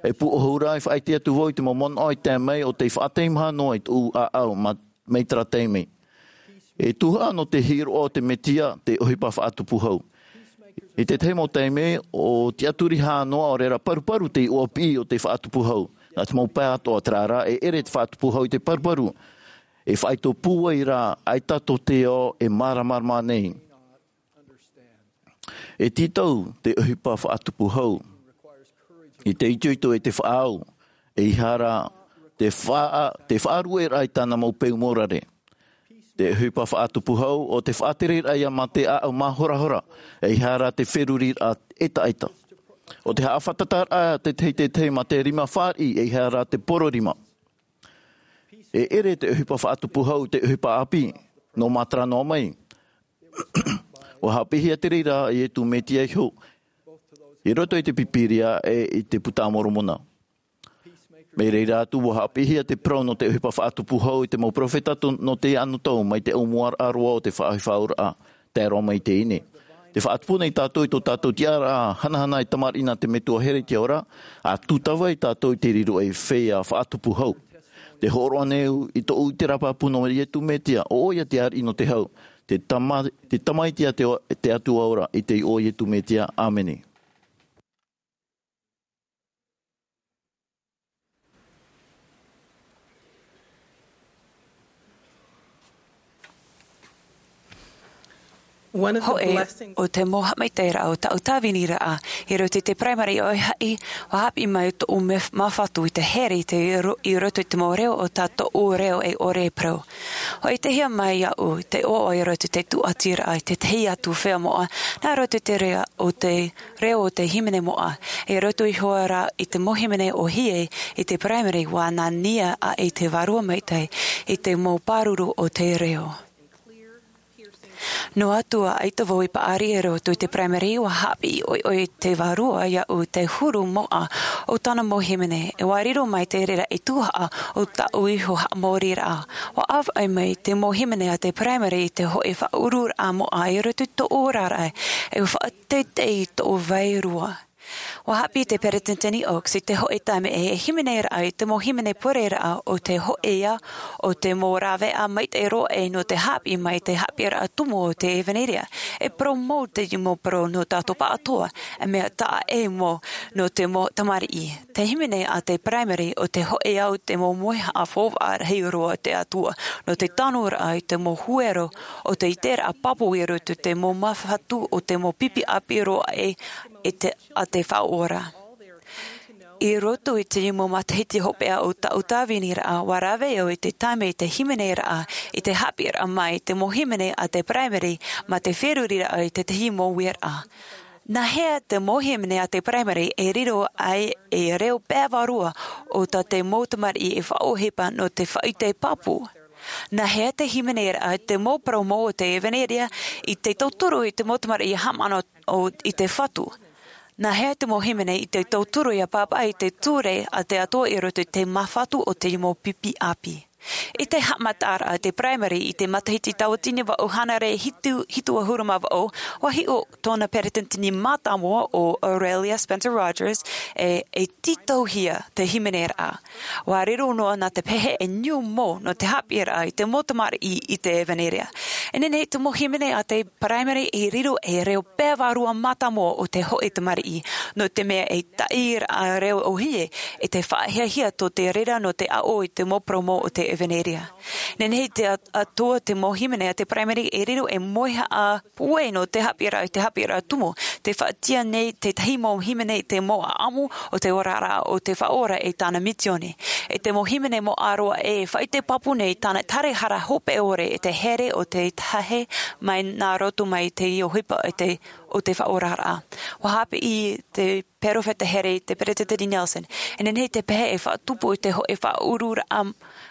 E pūʻohu ra, e faʻaʻite atu vau i te mau manaʻo i tae mai o te faʻateimaha noa i tōʻu ʻāʻau mā mai terā taime. E tuhaʻa nō te hiroʻa o te Mesia te ʻohipa faʻatupu hau. I te tahi mau taime, ʻo tiʻaturi hā noa ʻaore rā paruparu te iʻoa piʻi o te faʻatupu hau. Nā te mau pae atoʻa terā rā, e ʻere te faʻatupu hau i te paruparu. E faʻaitoito pūai rā, ʻaita tō te ao e māramarama nei. E tītau te ʻohipa faʻatupu hau. I te itoito e te faʻaau, ʻeiaha rā te faʻa-, te faʻarueraʻa i tāna mau peu mōrare. Te ʻohipa faʻatupu hau, ʻo te faʻatereraʻa ia mā te ʻāʻau māhorahora, ʻeiaha rā te feruriraʻa ʻetaʻeta. ʻO te haʻafātataraʻa te tahi te tahi mā te rima fāriʻi, ʻeiaha rā te poro rima. E ʻere te ʻohipa faʻatupu hau te ʻohipa ʻāpī, nō mātara noa mai. ʻUa haʻapiʻihia te reira a Iesu Mesia iho, i roto i te Pīpīria e i te Puta a Moromona. Mai reira atu, ʻua haʻapiʻihia te parau nō te ʻohipa faʻatupu hau i te mau peropheta to-, nō te anotau, mai te ʻōmuaraʻa roa o te faʻaʻohiparaʻa, tae roa mai i teie nei. Tē faʻatupu nei tātou i tō tātou tiʻaraʻa hanahana e tamariʻi nā te Metua here i te ao ra, ʻa tūtava ai tātou i te riro ei feiā faʻatupu hau. Tē hōroʻa nei au i tōʻu ʻite pāpū nō Iesu Mesia, ʻo ʻoia te ariʻi nō te hau, te tama-, te tamaiti a te, te Atua ora, i te iʻoa o Iesu Mesia. ʻĀmene. Hōʻē o te mau haʻamaitaʻiraʻa o taʻu tāviniraʻa i roto i te Primary ʻoia hoʻi, ʻua haʻapiʻi mai tōʻu mea māfatu i te here i te ro-, i roto i te mau reo o tā tōʻu reo e ʻore e parau. ʻUa ʻitehia mai iāʻu te ʻoaʻoa i roto i te tūʻatiraʻa i te tahi atu feiā moʻa, nā roto i te reo o te reo o te hīmene moʻa, i roto iho ā rā i te mau hīmene ʻōhie i te Primary, ʻua nā niʻa aʻe i te vārua maitaʻi i te mau pāruru o te reo. Noa atu ā ʻaita vau i paʻari i roto i te Primary, ʻua haʻapiʻi ʻoiʻoi te vārua iāʻu te huru moʻa o tāna mau hīmene, e ʻua riro mai te reira ei tuhaʻa o tāʻu iho haʻamoriraʻa. ʻUa ʻāvaʻe mai te mau hīmene a te Primary i te hōʻē faʻaururaʻa moʻa i roto i tōʻu oraraʻa, e ʻua faʻa- teitei i tōʻu vairua. ʻUa haʻapiʻi te Peresideni Oaks i te hōʻē taime e hīmeneraʻa i te mau hīmene pureraʻa o te hōʻē ā, o te mau rāveʻa maitaʻi roa ē nō te haʻapiʻi mai i te haʻapiʻiraʻa tumu o te ʻevanelia. E parau mau teie mau parau nō tātou pāʻatoʻa, e mea taʻa ʻē mau nō te mau tamariʻi. Te hīmene a te Primary ʻo te hōʻē ā o te mau mauhaʻa faufaʻa rahi roa a te Atua, nō te tanuraʻa i te mau huero o te ʻiteraʻa pāpū i roto i te mau māfatu o te mau pipi ʻāpī roa ē, e te, a te Faʻaora. I roto i te mau matahiti hopeʻa o tāʻu tāviniraʻa, ʻua rave au i te taime i te hīmeneraʻa, i te haʻapiʻiraʻa mai i te mau hīmene a te Primary, mā te feruriraʻa i te tahi mau uiraʻa. Nā hea te mau hīmene a te Primary e riro ai ei reo pae vārua o tā te mau tamariʻi e faʻaʻohipa nō te faʻaʻite pāpū? Nā hea te hīmene raʻa te mau parau mau o te evanelia i te tauturu i te mau tamariʻi ia haʻamana i te fatu? Nā hea te mau hīmene i te tauturu ia pāpaʻi i te ture a te atua i roto i te mau fatu o te mau pipi ʻāpī? I te haʻamataraʻa te paraimere i te matahiti tauatini vaʻu hānere hitu hitu ʻahuru mā vaʻu, ua hiʻo tōna peretiteni mātāmua o Aurelia Spencer Rogers e e tītauhia te hīmene raʻa. Ua riro noa nā te pehe e niu mau nō te haʻapiʻiraʻa i te mau tamariʻi i te evanelia. E nehenehe te mau hīmene a te paraimere e riro e reo pea vārua mātāmua o te hoʻe tamariʻi, nō te mea e taʻi raʻa reo ʻohie e te faʻahiahia tō te reira nō te aʻo i te mau parau mau o te evanelia. Nehenehe te atua te mau hīmene a te paraimere e riro e moehaʻa puai nō te haʻapiʻiraʻa i te haʻapiʻiraʻa tumu. Te faʻatia nei tētahi mau hīmene i te mau ʻaʻamu o te oraraʻa o te faʻaora e tāna misioni. E te mau hīmene mau ʻāroa e faʻaite pāpū nei tāna tarahara hope ʻore e te here o te tahe mai nā roto mai te ʻohipa o te faʻaoraraʻa. Ua haʻapiʻi te perofeta here i te peretiteni nelson e nehenehe te pehe e faʻatupu i te hoʻe faʻaururaʻa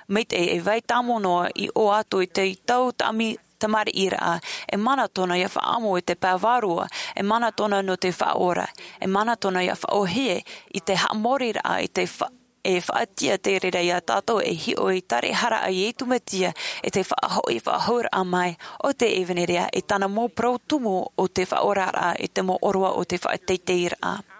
maitaʻi e vai tāmau noa i ʻō atu i te tau tamariʻiraʻa. E mana tōna ia faʻaʻamu i te pae vārua. E mana tōna nō te faʻaora. E mana tōna ia faʻaʻohie i te haʻamoriraʻa i te e faʻatia te reira iā tātou e hiʻo i te tarahara a iesu mesia e te faʻahoʻi faʻahouraʻa mai o te evanelia i tāna mau parau tumu o te faʻaoraraʻa i te mau ʻōroʻa o te faʻateiteiraʻa.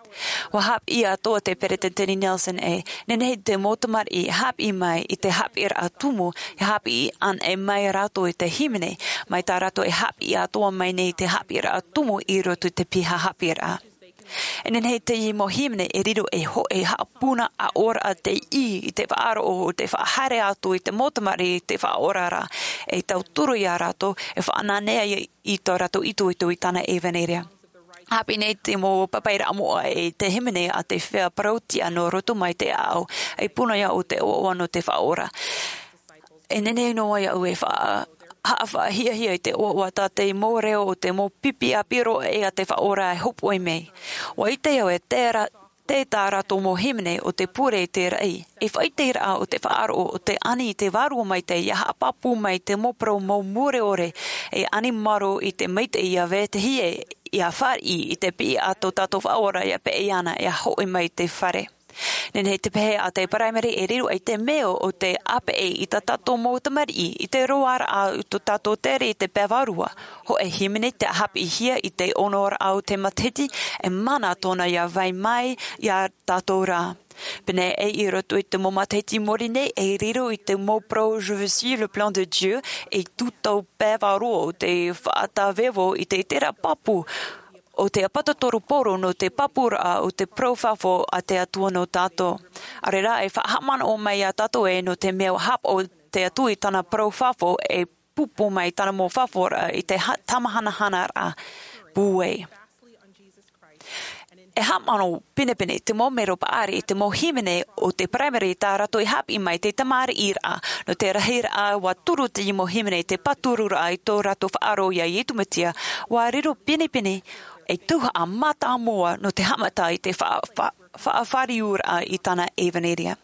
Ua haʻapiʻi atoa te peretiteni nelson e nehenehe te mau tamariʻi e haʻapiʻi mai i te haʻapiʻiraʻa tumu e haʻapiʻi anaʻe mai rātou i te hīmene mai tā rātou e haʻapiʻi atoa mai nei i te haʻapiʻiraʻa tumu i roto i te piha haʻapiʻiraʻa. E nehenehe te mau hīmene e riro e hoʻe haʻapuna ʻaʻoraʻa te ʻī i te faʻaroʻo o te faʻahaere atu i te mau tamariʻi i te faʻaoraraʻa e tauturu iā rātou e faʻananea i tō rātou itoito i tāna evanelia. Haʻapiʻi nei te mau papairaʻa moʻa e te hīmene a te fea parau tiʻa nō roto mai te ʻaʻau e puna iā ʻu te ʻoaʻoa nō te faʻaora. E nehenehe noa iā ʻu e faʻahaʻahiahia i te ʻoaʻoa tā te mau reo o te mau pipi ʻāpī roa e a te faʻaora e hōpoʻi mai. Ua ʻite au e tērā tē tā rātou mau hīmene o te pure i te raʻi e faʻaiteraʻa o te faʻaroʻo o te ani i te vārua maitaʻi ia haʻapāpū mai te mau parau mau mure ʻore e ani maro i te maitaʻi ia vetahi e ia fāriʻi i te piʻi a tō tātou faʻaora ia peʻe ana ia hoʻi mai i te fare. Nehenehe te pehe a te paraimere e riro ai te mea o te ʻāpeʻe i tā tātou mau tamariʻi i te roaraʻa o tō tātou tere i te pae vārua. Hoʻe hīmene te haʻapiʻihia i te onoraʻa o te matahiti e mana tōna ia vai mai iā tātou rā. Pēnei i roto i te mau matahiti i muri nei e riro i te mau parau je veux suivre le plan de dieu i tū tau pae vārua o te faʻatāvevo i te tera pāpū o te ʻapatotoru poro nō te pāpūraʻa o te parau fafo a te atua nō tātou. Arerā e faʻahaʻamanaʻo mai iā tātou e nō te mea ua haʻapaʻo te atua i tāna parau fafo e pupu mai tāna mau fafauraʻa i te tamahanahanaraʻa pūai. E haʻamanaʻo pinepine te mau mero paʻari i te mau hīmene o te paraimere i tā rātou i haʻapiʻi mai te tamariʻiraʻa nō te rahiraʻa ua turu te mau hīmene i te pātururaʻa i tō rātou faʻaroʻo iā iesu mesia. Ua riro pinepine e tuhaʻa mātāmua nō te haʻamata i te faʻafāriuraʻa i tāna evanelia.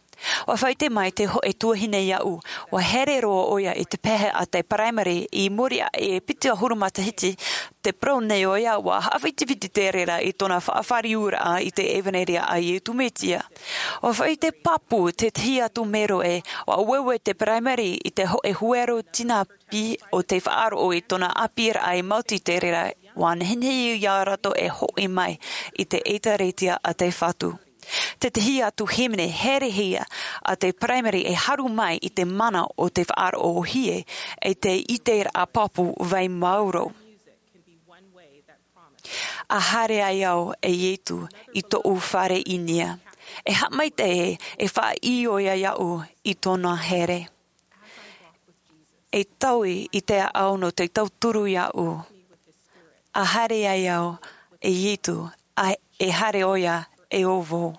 Ua faʻaite mai te hoʻe tuahine iāʻu ua here roa ʻoia i te pehe a te paraimere i muri aʻe e piti ʻahuru matahiti. Te parau nei ʻoia ua haʻafitifiti te reira i tōna faʻafāriuraʻa i te evanelia a iesu mesia. Ua faʻaite pāpū tētahi atu mero e ua ueue te paraimere i te hoʻe huero tinapī o te faʻaroʻo i tōna ʻāpīraʻa e maoti te reira ua nehenehe iā rātou e hoʻi mai i te ʻēkālesia a te fatu. Tētahi atu hīmene herehia a te paraimere e haru mai i te mana o te faʻaroʻo ʻohie e te ʻiteraʻa pāpū vai māuruuru. A haere ai au e iesu i tōʻu fare i nia e haʻamaitaʻi e faʻaʻī ʻoia iāʻu i tōna here. E taui i te ʻaʻau nō te tauturu iāʻu. A haere ai au e iesu e haere ʻoia e ʻo vau.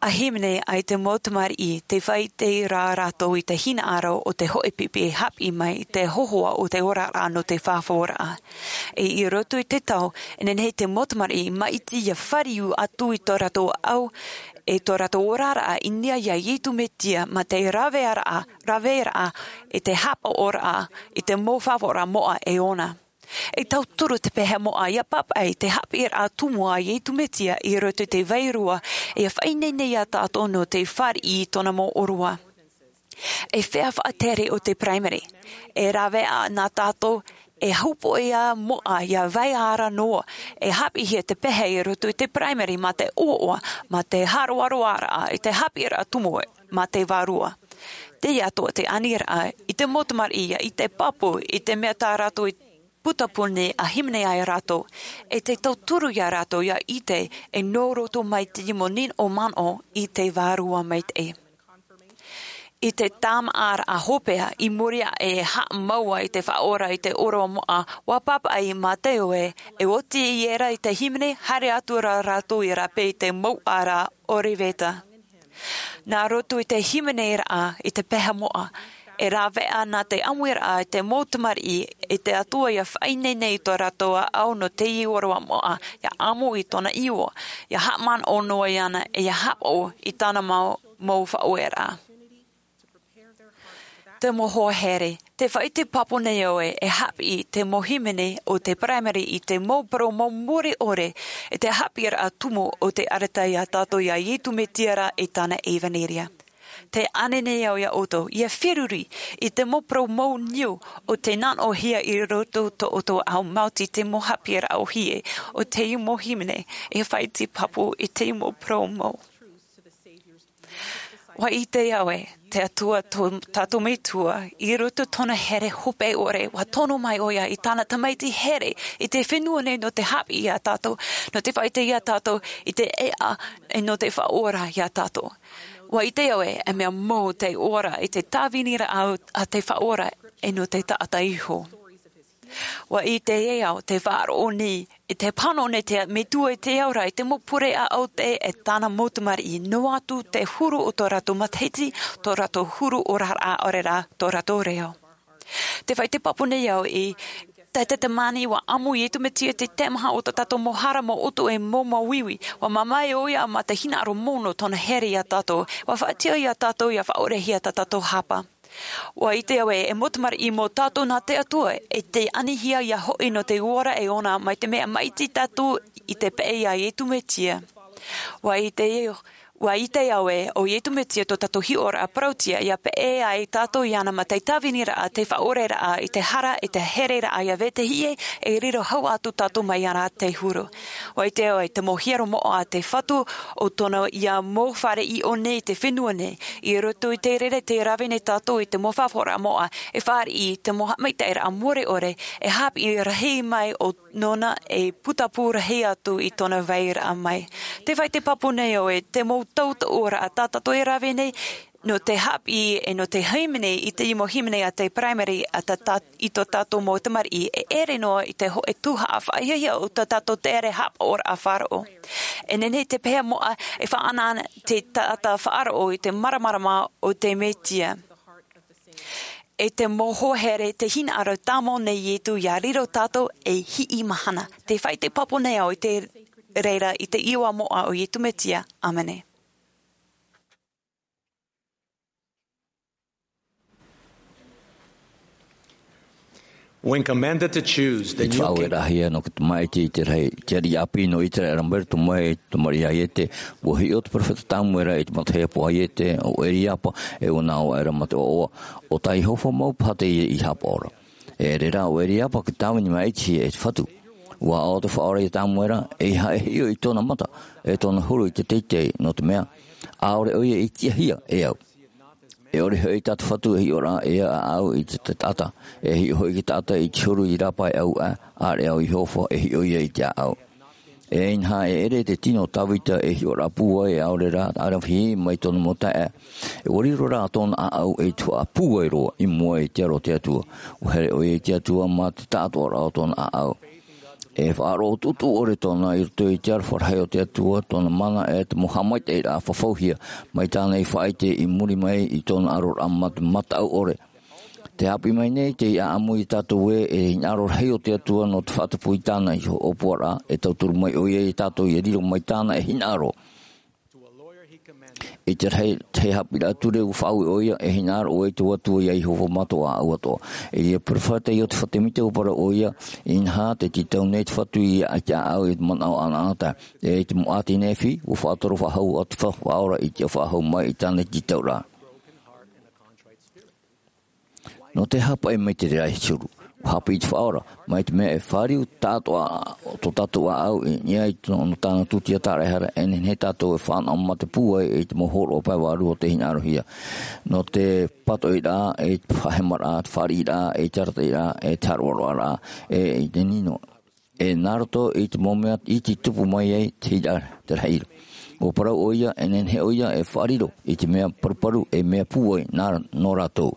A hīmene ai te mau tamariʻi te faʻaite rā rātou i te hinaʻaro o te hoʻe pipi e haʻapiʻi mai i te hohoʻa o te oraraʻa nō te fafauraʻa. E i roto i te tau e nehenehe te mau tamariʻi maʻiti ia fāriu atu i tō rātou ʻaʻau e tō rātou oraraʻa i niʻa iā Iesu Mesia mā te raveraʻa, raveraʻa i te haʻapaʻoraʻa i te mau faʻaora moʻa e ʻōna. E tauturu te pehe moʻa ia pāpaʻi te haʻapiʻiraʻa tumu a Iesu Mesia i roto i te vārua, e faʻaineine iā tātou nō te fāriʻi i tōna mau ʻōroʻa. E feiā faʻatere o te Paraimere, e rave nā tātou, e hōpoiʻa moʻa ia vai ara noa, e haʻapiʻihia te pehe i roto i te Paraimere mā te ʻoaʻoa, mā te haroaroaraʻa i te haʻapiʻiraʻa tumu mā te vārua. Teie atoʻa te aniraʻa i te mau tamariʻi ia ʻite pāpū i te mea tā rātou i putapū nei a hīmene ai rātou, e te tauturu iā rātou ia ʻite e nō roto mai te mau nīnaʻo manaʻo i te Vārua Maitaʻi. I te tāmāʻaraʻa hopeʻa i muri aʻe e haʻamau ai te Faʻaora i te ʻōroʻa moʻa, ʻua pāpaʻi mā te ʻoe, e oti i ērā i te hīmene, haere atu rā rātou i rāpae i te mouʻa ra Ōriveta. Nā roto i te hīmeneraʻa i te pehe moʻa, e rāveʻa nā te ʻāmuiraʻa i te mau tamariʻi, i te Atua ia faʻaineine i tō rātou ʻāʻau nō teie ʻōroʻa moʻa, ia ʻāmui i tōna iʻoa, ia haʻamanaʻo noa iāna, e ia haʻapaʻo i tāna mau, mau faʻaueraʻa. Te mau hoa here, tē faʻaʻite pāpū nei au ē, e haʻapiʻi te mau hīmene o te Paraimere i te mau parau mau mure ʻore, e te haʻapiʻiraʻa tumu o te ʻarata iā tātou iā Iesu Mesia ra i tāna ʻevaneria. Tē ʻānei nei au iā ʻoutou, ia feruri i te mau parau mau niu o tē nānoʻohia i roto tō ʻoutou ʻāʻau maoti te mau haʻapiʻiraʻa ʻōhie o te mau hīmene, e faʻaʻite pāpū i te mau parau mau. ʻUa ʻite au ē, te Atua tō tātou Metua, i roto tōna here hopeʻa ʻore, ʻua tono mai ʻoia i tāna tamaiti here, i te fenua nei nō te haʻapiʻi iā tātou, nō te faʻaʻite iā tātou, i te ʻēʻa, e nō te faʻaora iā tātou. ʻUa ʻite au ē, e mea mau te ora i te tāviniraʻa a te Faʻaora, e nō te taʻata iho. ʻUa ʻite ē au te faʻaroʻo nei, i te pāhono nei te Metua i te ao ra, i te mau pure ʻāʻau te, e tāna mau tamariʻi, noa atu te huru o tō rātou matahiti, tō rātou huru oraraʻa ʻaore rā, tō rātou reo. Tē faʻaʻite pāpū nei au i te, te tamani ʻua ʻāmui Iesu Mesia i te tae maha o tō tātou mau hara, mau ʻutuʻa, mau, mau uiui. ʻUa mamae ʻoia mā te hinaʻaro mau nō tōna here iā tātou. ʻUa faʻatiʻa iā tātou, ia faʻaʻorehia tā tātou hapa. ʻUa ʻite au ē, e mau tamariʻi mau tātou nā te Atua, e tē anihia ia hoʻi nō te ora e ʻōna mai te mea maʻiti tātou i te peʻe iā Iesu Mesia. ʻUa ʻite, ʻua ʻite au ē, ʻo Iesu Mesia tō tātou hiʻoraʻa parauʻtiʻa ia peʻe ai tātou iāna mā te tāviniraʻa, te faʻaoreraʻa, i te hara, i te hereraʻa ia vetahi ʻē, e riro hau atu tātou mai iāna te huru. ʻUa ʻite au ē, te mau hiero moʻa a te Fatu, ʻo tōna ia mau fare i ʻō nei i te fenua nei, i roto i te reira tē rave nei tātou i te mau faʻaora moʻa, e fāriʻi i te mau haʻamaitaʻiraʻa mure ʻore, e haʻapiʻi rahi mai ʻo nōna e putapū rahi atu i tōna vairaʻa mai. Tē faʻaʻite pāpū nei au ē, te mau tautooraʻa tā tātou e rave nei, nō te haʻapiʻi e nō te hīmene i te mau hīmene a te Paraimere a tā, tā, i tō tātou mau tamariʻi, e ʻere noa i te hōʻē tuhaʻa faʻahiahia o tā tātou tere haʻapaʻoraʻa faʻaroʻo. E nehenehe te pehe moʻa e faʻaʻanaʻana te taʻata faʻaroʻo i te māramarama o te Mesia. E te mau hoa here te hinaʻaro tāmau nei Iesu ia riro tātou ei hiʻi mahana. Tē faʻaʻite pāpū nei au i te reira i te iʻoa moʻa o Iesu Mesia. ʻĀmene. When commanded to choose the I te new king, faʻaueraʻahia nō te tamaiti i te rahi, te ariʻi ʻāpī nō Iteraera mai roto mai i te tamariʻi a Iete, ʻua hiʻo te perofeta Samuera i te matahiapo a Iete, ʻo Eriapa, e ʻua nā ʻō aʻera mā te ʻoaʻoa, ʻo tā Iehova mau paha teie i haʻapaʻo ra. E ʻere rā ʻo Eriapa, ka tāvini maʻitihia e te Fatu. ʻUa ʻaʻo te Faʻaora ia Samuera, ʻeiaha e hiʻo i tōna mata, e tōna huru i te teitei, nō te mea, ʻaore ʻoia i tiʻahia e au. E ʻore hoʻi tā te Fatu e hiʻo ra e ʻaʻau i te, te taʻata, e hiʻo hoʻi te taʻata i te huru i rāpae ʻau aʻe, ʻāreʻa ʻo Iehova e hiʻo ia i te ʻaʻau. E inaha e ʻere te tino o Tavita e hiʻoraʻa pūai, ʻaore rā, ʻaravihi mai tōna mau taeaʻe. E ʻua riro rā tōna ʻaʻau ei tuhaʻa pūai roa i mua i te aro o te Atua. ʻUa here ʻoia i te Atua mā te taʻatoʻaraʻa o tōna ʻaʻau. E faʻaroʻo tuʻutuʻu ʻore tōna i roto i te aroha rahi o te Atua, tōna mana e te mau haʻamaitaʻiraʻa fafauhia, mai tāna i faʻaʻite i muri mai i tōna aroraʻa mā te mataʻu ʻore. Tē haʻapiʻi mai nei te ʻāʻamu ia tātou ē, e hinaʻaro rahi o te Atua nō te faʻatupu i tāna iho ʻōpuaraʻa, e tauturu mai ʻoia ia tātou ia riro mai tāna e hinaʻaro. I te rahi, te haʻapiʻiraʻa ture ua faʻaue ʻoia, e hinaʻaro ʻoe i tō Atua ia Iehova mā tō ʻāʻau atoʻa. E ia perofeta Iosepha Semita ua parau ʻoia, inaha, tē tītau nei te Fatu ia i te ʻāʻau i te manaʻo ʻanaʻanatae. E i te mau ʻāti Nephi, ua faʻatoro faʻahou atu te Faʻaora i te faʻahou mai i tāna tītauraʻa. Nō te hāpaʻi mai te reira e te huru, ua haʻapiʻi te Faʻaora, mai te mea e fāriu tāʻātoʻa tō tātou ʻāʻau i niʻa i tō, nō tāna tūtia tāraʻehara, e nehenehe tātou e fānaʻo mā te pūai i te mau hōroʻa pae vārua o tē hinaʻarohia. Nō te pātoʻiraʻa, e te faʻahemaraʻa, te fāriʻiraʻa, e te arataʻiraʻa, e te haroʻaroʻaraʻa, e i te nino. E nā roto i te mau mea iti tupu mai ai te hira, te rahi ra. Ua parau ʻoia, e nehenehe ʻoia e faʻariro i te mea paruparu, e mea pūai nā, nō rātou.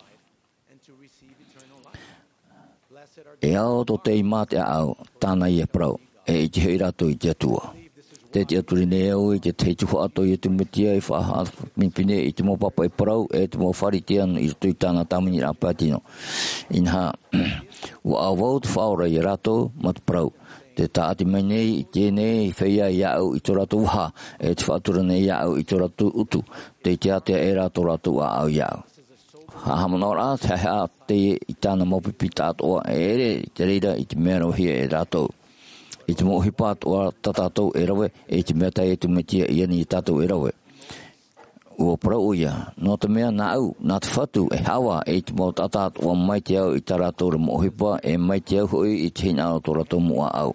E ao tō tei mā te ʻāʻau, tāna ia parau, e ʻite hoʻi rātou i te Atua. Tē tiʻaturi nei au i te tahi tuhaʻa tō Iesu Mesia i faʻahāpinepine i te mau pāpaʻi parau, e te mau Pharisea i roto i tāna tāviniraʻa pae tino. Inaha, ua ʻāvau te Faʻaora ia rātou, mā te parau, tē tāʻati mai nei i teie nei feiā iāʻu i tō rātou vaha, e tē faʻatura nei iāʻu i tō rātou utu, tei ātea ʻē rā tō rātou ʻāʻau iāʻu. Haʻamanaʻo rā, te haʻehaʻa teie i tāna mau pipi tāʻātoʻa, e ʻere i te reira i te mea ravehia e rātou. I te mau ʻohipa atoʻa tā tātou e rave, e i te mea tā Iesu Mesia i ani ia tātou e rave. Ua parau ʻoia, nō te mea nāʻu, nā te Fatu e haʻavā i te mau taʻata atoʻa mai te ao i tā rātou ra mau ʻohipa, e mai te ao hoʻi i te hinaʻaro o tō rātou mau ʻāʻau.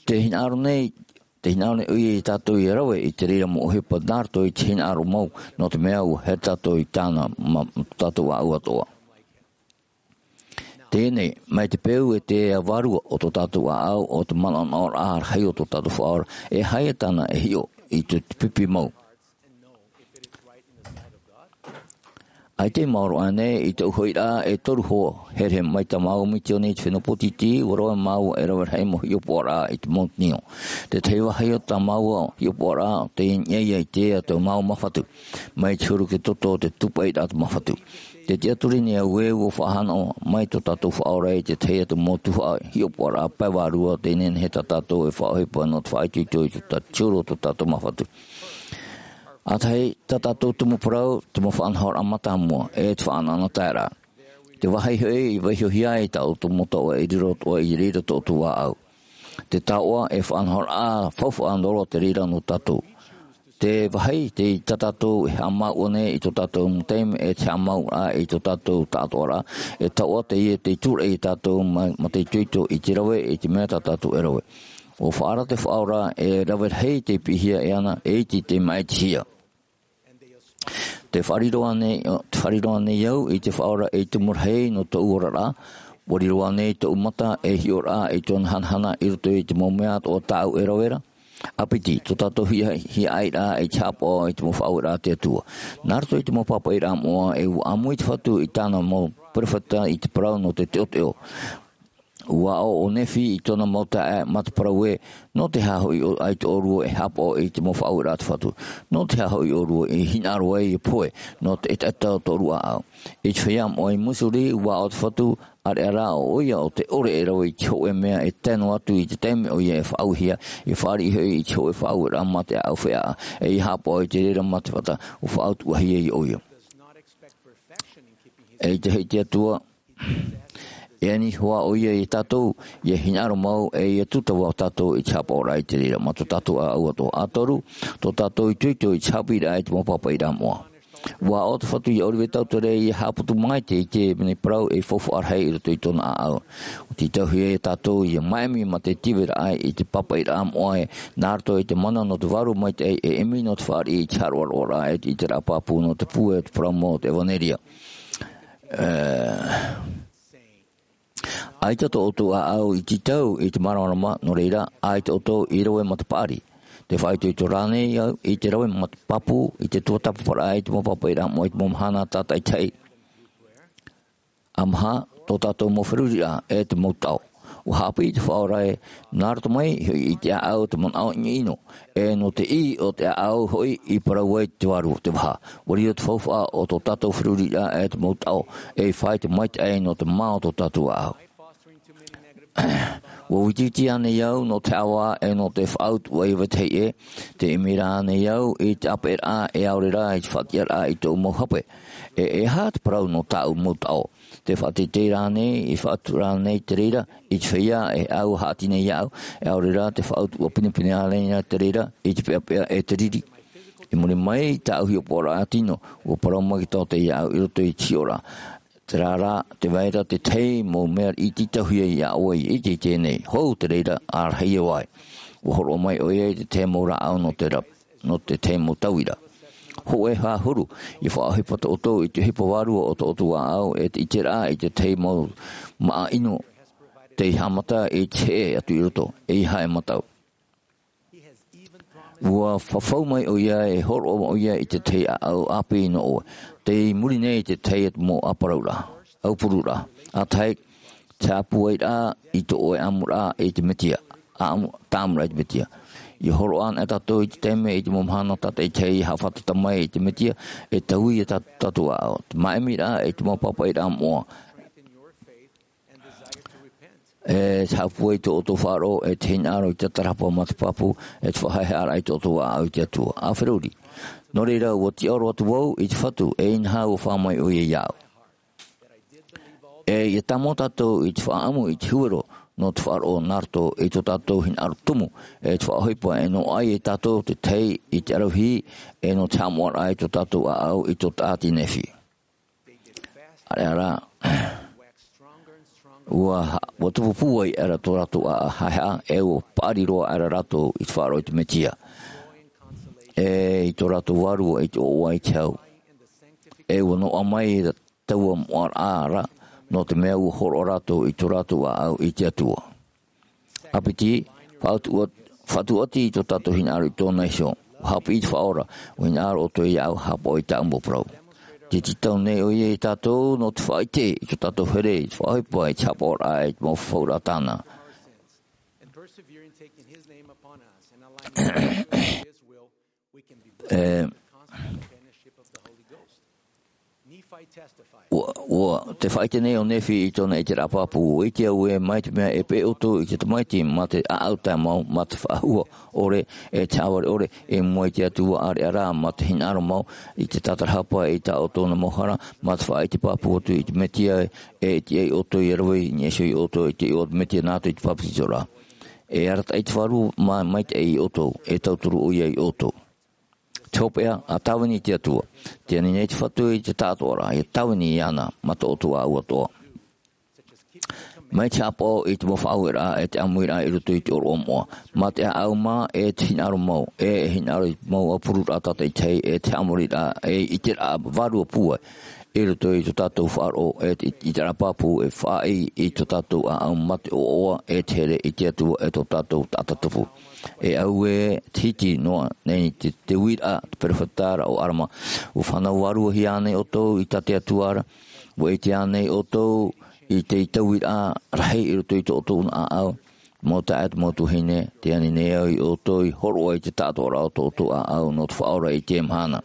Tē hinaʻaro nei, tē hinaʻaro nei ʻoia ia tātou ia rave i te reira mau ʻohipa nā roto i te hinaʻaro mau, nō te mea ua here tātou i tāna, mā, tō tātou ʻāʻau atoʻa. Teie nei, mai te peu e te vārua o tō tātou ʻāʻau, o te manaʻonaʻoraʻa rahi o tō tātou Faʻaora, e aha ia tāna e hiʻo i te, te pipi mau. ʻAita e maoro ānei i te uhoʻiraʻa e toru hoʻi, here mai tā māua misiōni i te fenua Pōtītī, ua rave māua e rave rahi mau hiʻopoʻaraʻa i te Mount Nio. Te tahi vāhi o tā māua hiʻopoʻaraʻa, tei niʻa ia i te ea tō māua māfatu, mai te huru ki te toto o te tūpaʻiraʻa o te māfatu. Tē tiʻaturi nei au ē, ua faʻahanaʻo mai tō tātou Faʻaora i te tahi atu mau tuhaʻa hiʻopoʻaraʻa pae vārua, tē nehenehe tā tātou e faʻaʻohipa nō te faʻaitoito i tō tā-, te huru o tō tātou māfatu. ʻA tahi, tā tātou tumu parau, te mau faʻanahoraʻa mātāmua, e te faʻanahoraʻa taeraʻa. Te vāhi hoʻi, i vaiihohia ai tā ʻoutou mau taoʻa e riro atoʻa i reira tō ʻoutou ʻāʻau. Te taoʻa e faʻanahoraʻa faufaʻa noa roa te reira nō tātou. Te vāhi, tei tā tātou e haʻamāuʻa nei i tō tātou mau taime, e te haʻamāuʻaraʻa i tō tātou taʻatoʻaraʻa, e taoʻa teie tei tūraʻi ia tātou mā, mā te itoito i te rave, i te mea tā tātou e rave. ʻUa faʻaara te Faʻaora e rave rahi tei piʻihia e ana, e iti tei maʻitihia. Tē faʻariro ānei, tē faʻariro ānei au i te Faʻaora ei tumu rahi nō tōʻu oraraʻa? ʻUa riro ānei tōʻu mata ei hiʻoraʻa i tōna hanahana i roto i te mau mea atoʻa tāʻu e rave ra? ʻA piti, tō tātou hiaʻai, hiaʻairaʻa i te haʻapaʻo i te mau faʻaueraʻa a te Atua. Nā roto i te mau pāpaʻiraʻa moʻa, e ʻua ʻāmui te Fatu i tāna mau perofeta i te parau nō te teʻoteʻo. ʻUa aʻo ʻo Nephi i tōna mau taeaʻe mā te parau ē, nō te aha hoʻi ʻo, ʻaita ʻōrua e haʻapaʻo i te mau faʻaueraʻa a te Fatu? Nō te aha hoʻi ʻōrua i hinaʻaro ai e pohe nō te ʻetaʻeta o tōʻu ʻāʻau? I te feiā moʻa i Missouri, ʻua aʻo te Fatu, ʻāreʻa rā ʻo ʻoia ʻo tē ʻore e rave i te hōʻē mea e tae noa atu i te taime ʻoia e faʻaauhia, e fāriʻi hoʻi i te hōʻē faʻaueraʻa mā te ʻāʻau feʻaʻa, e ia haʻapaʻo i te reira mā te fata, ʻua faʻautuʻahia ia ʻoia. E ʻite hoʻi te Atua, e ani hoʻi ʻoia ia tātou, ia hinaʻaro mau, e ia tūtava tātou i te haʻapaʻoraʻa i te reira, mā tō tātou ʻāʻau atoʻa. ʻA toru, tō tātou itoito i te haʻapiʻiraʻa i te mau pāpaʻiraʻa moʻa. ʻUa aʻo te Fatu ia Oliver Cowdery ia haʻaputu maitaʻi i te mea parau ei faufaʻa rahi i roto i tōna ʻāʻau. ʻUa tītauhia ia tātou ia maʻemi mā te tiveraʻa i te pāpaʻiraʻa moʻa ē, nā roto i te mana nō te vārua maitaʻi, e ʻimi nō te fāriʻi i te haroʻaroʻaraʻa, e te ʻiteraʻa pāpū nō te pūai o te parau mau o te ʻevanelia. Ē, ʻaita tō ʻoutou ʻāʻau i tītau i te māramarama, nō reira, ʻaita ʻoutou i rave mā te paʻari. Tē faʻaitoito rānei au i te rave mā te pāpū, i te tuatāpaparaʻa, i te mau pāpaʻiraʻa moʻa, i te mau mahana tātaʻitahi? ʻA maha, tō tātou mau feruriraʻa, e te mau taʻo. ʻUa haʻapiʻi te Faʻaora ē, nā roto mai hoʻi i te ʻāʻau te manaʻo ʻinoʻino, e nō te ʻī o te ʻāʻau hoʻi i parau ai te vārua, te vaha. ʻUa riro te faufaʻa o tō tātou feruriraʻa, e te mau taʻo, ei fāito maitaʻi nō te mā o tō tātou ʻāʻau. Ua vitiviti ānei au nō te ʻāvaʻa e nō te faʻautuʻa i vetahi ʻē? Te ʻimi rānei au i te ʻāpeʻeraʻa e ʻaore rā i te faʻatiʻaraʻa i tōʻu mau hape? E, e aha te parau nō tāʻu mau taʻo? Te faʻateitei rānei, i faʻatuʻu rānei te reira i te feiā e au haʻati nei iāʻu, e ʻaore rā te faʻautuʻa pinepine ānei te reira i te peʻapeʻa e te riri? I muri mai i tāʻu hiʻopoʻaraʻa tino, ua parau maitaʻi te taote iāʻu i roto i te hiʻoraʻa. Terā rā, tē vai ra te tahi mau mea iti tauhia iā ʻoe i teie nei. Hou te reira, ʻārahi e vai. Ua hōroʻa mai ʻoia i te tahi mau rāʻau nō te ra-, nō te tahi mau tauira. Hōʻē ʻahuru, i faʻaʻohipa tō ʻoutou i te ʻohipa vārua o tō ʻoutou ʻāʻau, e te ʻiteraʻa i te tahi mau māʻa ʻino tei haʻamata i te heʻe atu i roto, ʻeiaha e mātau. Ua fafau mai ʻoia, e hōroʻa ʻoia i te tahi ʻāʻau ʻāpī nō ʻoe, tei muri nei i te tahi atu mau ʻāparauraʻa, ʻaupururaʻa. ʻA tahi, te haʻapūairaʻa i tō ʻoe ʻamuraʻa i te Mesia, ʻamu-, tāʻamuraʻa i te Mesia. I hōroʻa anaʻe tātou i te taime, i te mau mahana tātaʻitahi i haʻafātata mai i te Mesia, e taui ia tā-, tātou ʻāʻau. Te māʻimiraʻa i te mau pāpaʻiraʻa moʻa. E haʻapūai tō ʻoutou faʻaroʻo, e te hinaʻaro i te tātarahapa mā te pāpū, e te faʻahaʻehaʻaraʻa i tō ʻoutou ʻāʻau i te Atua. ʻA feruri. Nō reira, ua tiʻaoro atu vau i te Fatu, e inaha ua fā mai ʻoia iāʻu. E, ʻia tāmau tātou i te faʻaʻamu i te huero nō te faʻaroʻo nā roto i tō tātou hinaʻaro tumu, e te faʻaʻohipa e noaʻa ai tātou te tahi i te ʻaravihi, e nō te haʻamoʻaraʻa i tō tātou ʻāʻau i tō Taʻata Nephi. ʻAreʻa rā, ua ha-, ua tupu pūai aʻera tō rātou ʻāʻau haʻehaʻa, e ua paʻari roa aʻera rātou i te faʻaroʻo i te Mesia. E i tō rātou vārua i te ʻoaʻoa i te hau. E ua noaʻa mai taua moʻaraʻa ra, nō te mea ua hōroʻa rātou i tō rātou ʻāʻau i te Atua. ʻA piti, faʻatuʻa-, faʻatuʻati i tō tātou hinaʻaro i tōna iho. Ua haʻapiʻi te Faʻaora, ua hinaʻaro ʻoutou iāʻu, haʻapaʻo i tāʻu mau parau. Tē tītau nei ʻoia iā tātou nō te faʻaʻite i tō tātou here, i te faʻaʻohipa, i te haʻapaʻoraʻa, i te mau fafauraʻa tāna. E, ua, ua, te faʻaʻite nei ʻo Nephi i tōna ʻiteraʻa pāpū, ʻua ʻite au ē, mai te mea e peʻe ʻoutou i te tamaiti mā te ʻāʻau tae mau, mā te faʻahua ʻore, e te haʻavare ʻore, i mua i te Atua, ʻareʻa rā, mā te hinaʻaro mau, i te tātarahapa, i tā ʻoutou mau hara, mā te faʻaʻite pāpū atu i te Mesia, e, e tiʻa iā ʻoutou ia rave i niʻa iho iā ʻoutou, i te iʻoa o te Mesia nā roto i te papetitoraʻa. E arataʻi te Faʻaora mā-, maitaʻi iā ʻoutou, e tauturu ʻoia iā ʻoutou. Te hopeʻa, ʻa tāvini i te Atua. Tē ani nei te Fatu i te taʻatoʻaraʻa, ʻia tāvini iāna, mā tō ʻoutou ʻāʻau atoʻa. Mai te haʻapaʻo i te mau faʻaueraʻa, e te ʻāmuiraʻa i roto i te ʻōroʻa moʻa. Mā te ʻāʻau mā, e te hinaʻaro mau, e, e hinaʻaro i te mau ʻaupururaʻa tātaʻitahi, e te haʻamoriraʻa, e ʻiteraʻa vārua pūai. I roto i tō tātou faʻaroʻo, e te, i te ʻiteraʻa pāpū, e faʻaʻī i tō tātou ʻāʻau mā te ʻoaʻoa, e te here i te Atua, e tō tātou taʻata tupu. E auē, te hiti noa nei te, te uiraʻa, te perofeta ra ʻo Arama. ʻUa fānau vārua hia ānei ʻoutou i tā te Atua ra? ʻUa ʻite ānei ʻoutou i te, i te uiraʻa rahi i roto i tō ʻoutou ʻāʻau? Mau taeaʻe, mau tuahine, tē ani nei au iā ʻoutou i hōroʻa i te taʻatoʻaraʻa o tō ʻoutou ʻāʻau nō te Faʻaora i teie mahana.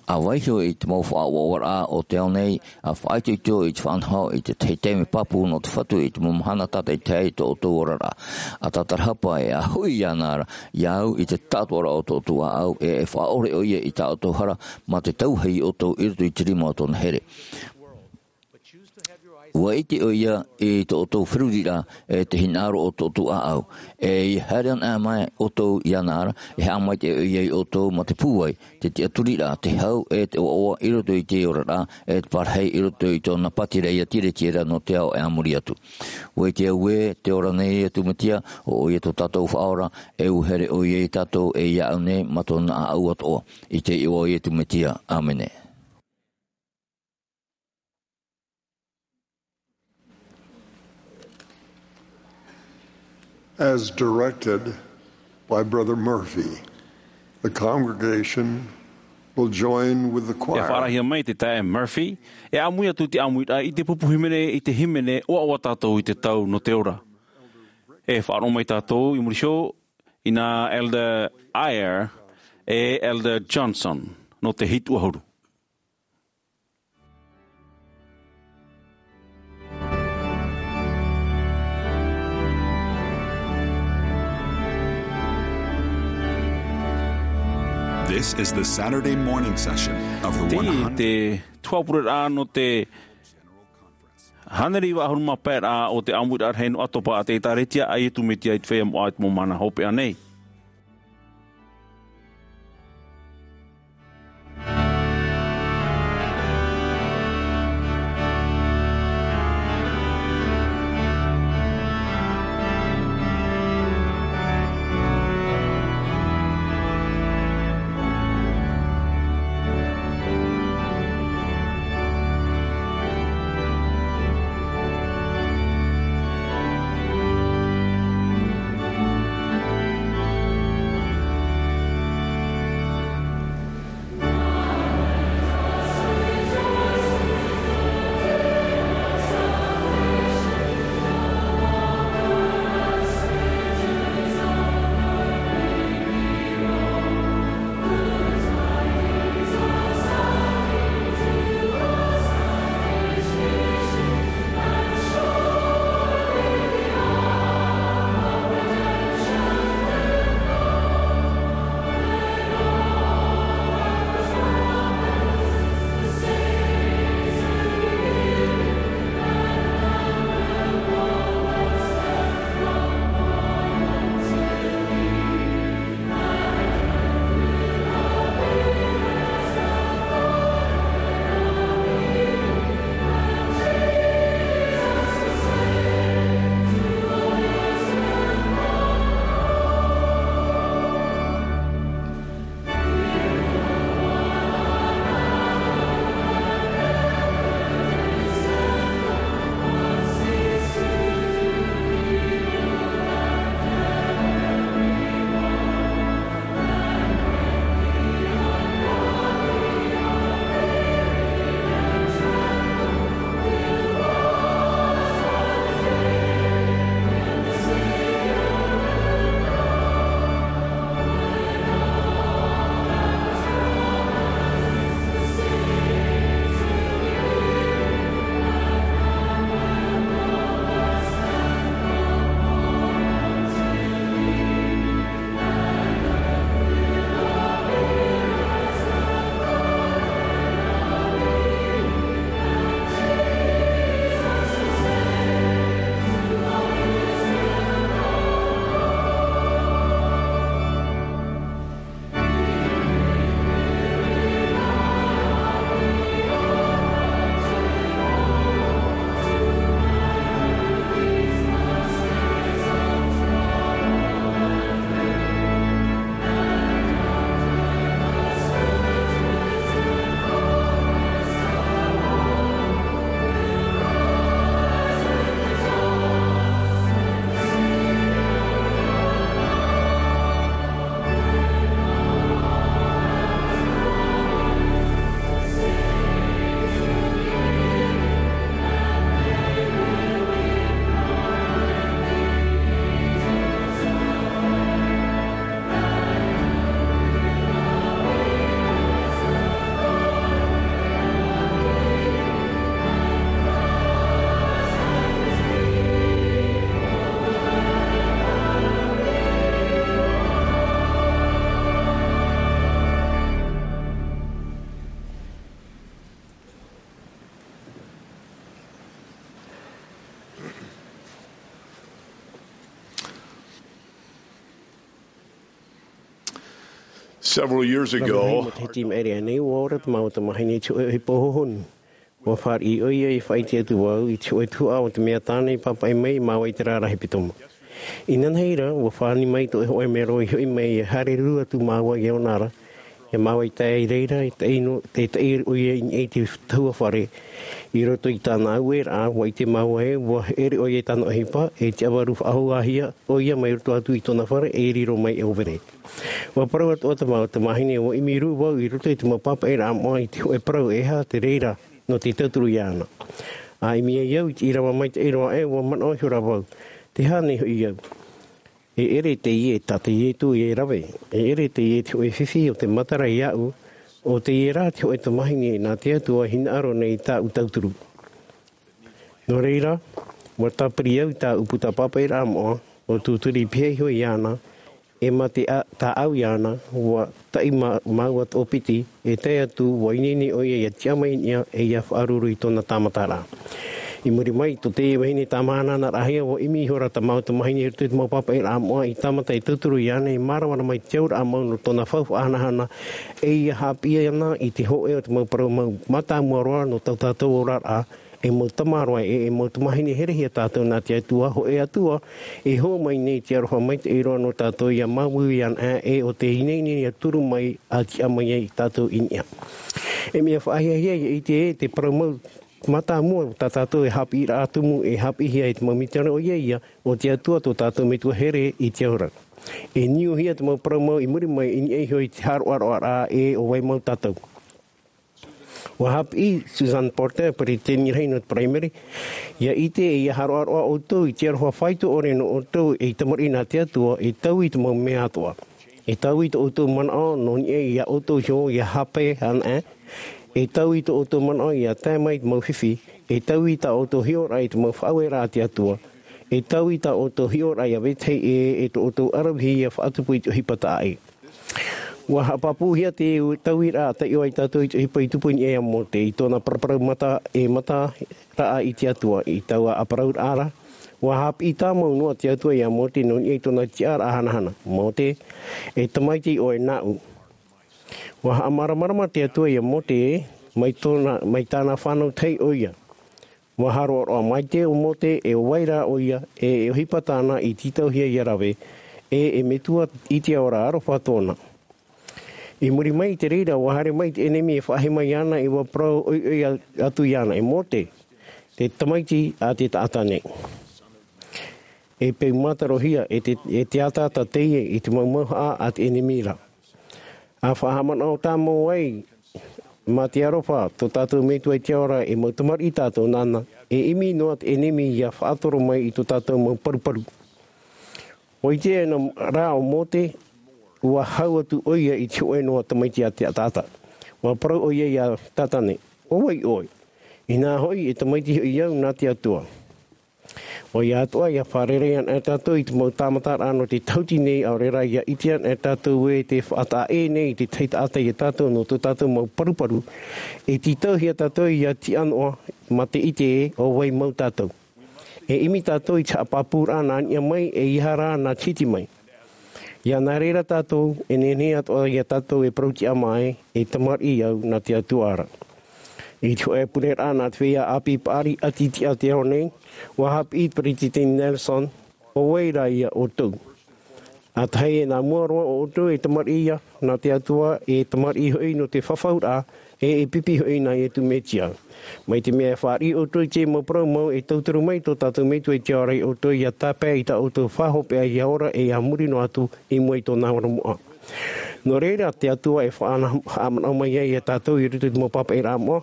ʻA vaiiho i te mau faʻaʻoaʻoaraʻa o te ao nei, ʻa faʻaitoito i te faʻanaho i te tahi taime pāpū nō te Fatu i te mau mahana tātaʻitahi i tō ʻoutou oraraʻa. ʻA tātarahapa ē, ʻa hoʻi iāna ra, iāʻu i te taʻatoʻaraʻa o tō ʻoutou ʻāʻau, e, e faʻaʻore ʻoia i tā ʻoutou hara, mā te tauahi iā ʻoutou i roto i te rima o tōna here. ʻUa ʻite ʻoia i tō ʻoutou feruriraʻa, e te hinaʻaro o tō ʻoutou ʻāʻau. E ʻia haere anaʻe mai ʻoutou iāna ra, e haʻamaitaʻi ʻoia iā ʻoutou mā te pūai, te tiʻaturiraʻa, te hau, e te ʻoaʻoa i roto i te oraraʻa, e te parahi i roto i tōna pātireia tiretiera nō te ao e a muri atu. ʻUa ʻite au ē, tē ora nei atu Mesia, ʻo ʻoia tō tātou Faʻaora, e ʻua here ʻoia iā tātou, e iāʻu nei, mā tōna ʻāʻau atoʻa. I te iʻoa o Iesu Mesia. ʻĀmene. As directed by Brother Murphy, the congregation will join with the choir. E faʻaarahia mai te taeaʻe Murphy, e ʻāmui atu te ʻāmuiraʻa i te pupu hīmene, i te hīmene, ʻOaʻoa Tātou i te Tau nō te Ora. E faʻaroʻo mai tātou i muri iho, i nā Elder Eyre, e Elder Johnson, nō te hitu ʻahuru. This is the Saturday morning session of the Teie te tuhaʻa pureraʻa nō te hānere iva ʻahuru mā pae raʻa o te ʻāmuiraʻa rahi nō ʻAtopa a te ʻĒkālesia a Iesu Mesia i te feiā moʻa i te mau mahana hopeʻa nei. Several years ago, matahiti i maʻiri aʻe nei, ʻua ora te mau tamahine i te hōʻē ʻohipa hōhonu. ʻUa fāriʻi ʻoia i faʻaʻite atu vau i te hōʻē tuhaʻa o te mea tāna i pāpaʻi mai māua i te rārahi pito mā. Inanahi ra, ʻua fāni mai tō hōʻē mero i hoʻi mai e haere rū atu māua i ʻōna ra, ʻia māua i tae i reira, i taʻi nō, tei taʻi ʻoia i niʻa i te tahua fare, i roto i tāna aueraʻa, ʻua ʻite māua ē, ʻua ʻere ʻoia i tāna ʻohipa, e te ʻavaru faʻahou-ā-hia ʻoia mai roto atu i tōna fare, e riro mai e ʻōvere. ʻUa parau atoʻa te mau tamahine, ʻua ʻimi rū vau i roto i te mau pāpaʻiraʻa moʻa i te hōʻē parau e aha te reira nō te tauturu iāna. ʻA ʻimi ai au i te ʻīrava maitaʻi roa ē, ʻua manaʻo ihora vau, te aha nei hoʻi au. E ʻere teie tā te Iesu e rave, e ʻere teie te hōʻē fifi o te matara iāʻu, ʻo teie rā te hōʻē tamahine nā te Atua i hinaʻaro nei i tāʻu tauturu. Nō reira, ʻua tāpiri au i tāʻu puta pāpaʻiraʻa moʻa, ʻua tūturi pihaʻi iho iāna, e mā te tāʻau iāna, ua taʻi māua tōpiti, e tae atu ua ineine ʻoia ia tiʻa mai i niʻa e ia faʻaruru i tōna tāmataraʻa. I muri mai tō teie vahine tāmāhanahana rahi ua ʻimi ihora tā māua tamahine i roto i te mau pāpaʻiraʻa moʻa i tāmata e tauturu iāna e māramarama i te auraʻa mau nō tōna fau faʻahanahana, e ia haʻapiʻi ana i te hōʻē o te mau parau mau mātāmua roa nō tō tātou oraraʻa, e mau tamaroa e e mau tamahine herehia tātou nā te atua hōʻē atua, e hō mai nei te aroha maitaʻi roa nō tātou ia māuiui ana e o te ineine ia turu mai a tiʻa mai ai tātou i niʻa. E mea faʻahiahia ia ʻite e te parau mau mātāmua tā tātou e haʻapiʻiraʻa tumu e haʻapiʻihia e te mau mitiana ʻoia ia o te atua tō tātou metua here i te aura. E niuhia te mau parau mau i muri mai i niʻa iho i te haroʻaroʻaraʻa e o vai mau tātou. Ua haʻapiʻi suzanne porter peretiteni rahi nō te paraimere, ia ʻite e ia haroʻaroʻa ʻoutou i te aroha faito ʻore nō ʻoutou ei tamariʻi nā te atua e taui i te mau mea atoʻa. E taui tō ʻoutou manaʻo nō niʻa ia ʻoutou iho ia hape ana e e taui tō ʻoutou manaʻo ia tae mai i te mau fifi, e taui tā ʻoutou hiʻoraʻa i te mau faʻaueraʻa a te atua, e taui tā ʻoutou hiʻoraʻa ia vetahi e e tō ʻoutou aravihi ia faʻatupu i te ʻohipa taʻaʻe. Ua haʻapāpūhia te tauiraʻa a taiʻo ai tātou i te ʻohipa i tupu i niʻa ia mote i tōna paraparau mata e mata raʻa i te atua i taua ʻaparauraʻa ra. Ua haʻapiʻi tāmau noa te atua ia mote nō niʻa i tōna tiʻaraʻa hanahana. Mote, e tamaiti ʻoe nāʻu. Ua haʻamāramarama te atua ia mote e mai tōna mai tāna fānau tahi ʻoia. Ua haroʻaroʻa maite o mote e o vai rā ʻoia e e ʻohipa tāna i tītauhia ia rave e e metua i te aora aroha tōna. I muri mai i te reira ua haere mai te ʻenemi e faʻahi mai ana e ua parau ʻoiʻoi atu iāna e mote, te tamaiti a te taʻata nei. E peu mātarohia e te e te ataata teie i te mau mauhaʻa a te ʻenemi ra. A faʻahaʻamanaʻo tāmau ai mā te aroha tō tātou metua i te aora e mau tamariʻi tātou nāna, e ʻimi noa te ʻenemi ia faʻatoro mai i tō tātou mau paruparu. Ua ʻite ana rā o mote, ua hau atu ʻoia i te hōʻē noa tamaiti a te taʻata. Ua parau ʻoia ia tātane, o vai ʻoe? Inā hoʻi e tamaiti hoʻi au nā te atua. ʻOia atoʻa ia fārerei ana e tātou i te mau tāmataraʻa nō te tahuti nei ʻaore rā ia ʻite ana e tātou e te faʻataʻa ʻē nei i te tahi taʻata ia tātou nō tō tātou mau paruparu. E tītauhia tātou ia tiʻa noa mā te ʻite e o vai mau tātou. E ʻimi tātou i te haʻapāpūraʻa nā niʻa mai e ia rā nā te hiti mai. Ia nā reira tātou e nehenehe atoʻa ia tātou e parau tiʻa mai e tamariʻi au nā te atua ra. I te hōʻē pureraʻa nā te feiā ʻāpī paʻari ʻati tiʻa te ao nei, ua haʻapiʻi peretiteni nelson, o vai rā ia ʻoutou? A tahi e nā mua roa o ʻoutou e tamariʻi ia nā te atua e tamariʻi hoʻi nō te fafauraʻa e e pipi hoʻi nā iesu mesia. Mai te mea e fāriʻi ʻoutou i te mau parau mau e tauturu mai tō tātou metua i te aora i ʻoutou ia tāpae i tā ʻoutou faʻahopeʻa ia ora e ia muri noa atu i mua i tōna ora moʻa. Nō reira te atua e faʻahaʻamanaʻo mai ai ia tātou i roto i te mau pāpaʻiraʻa moʻa.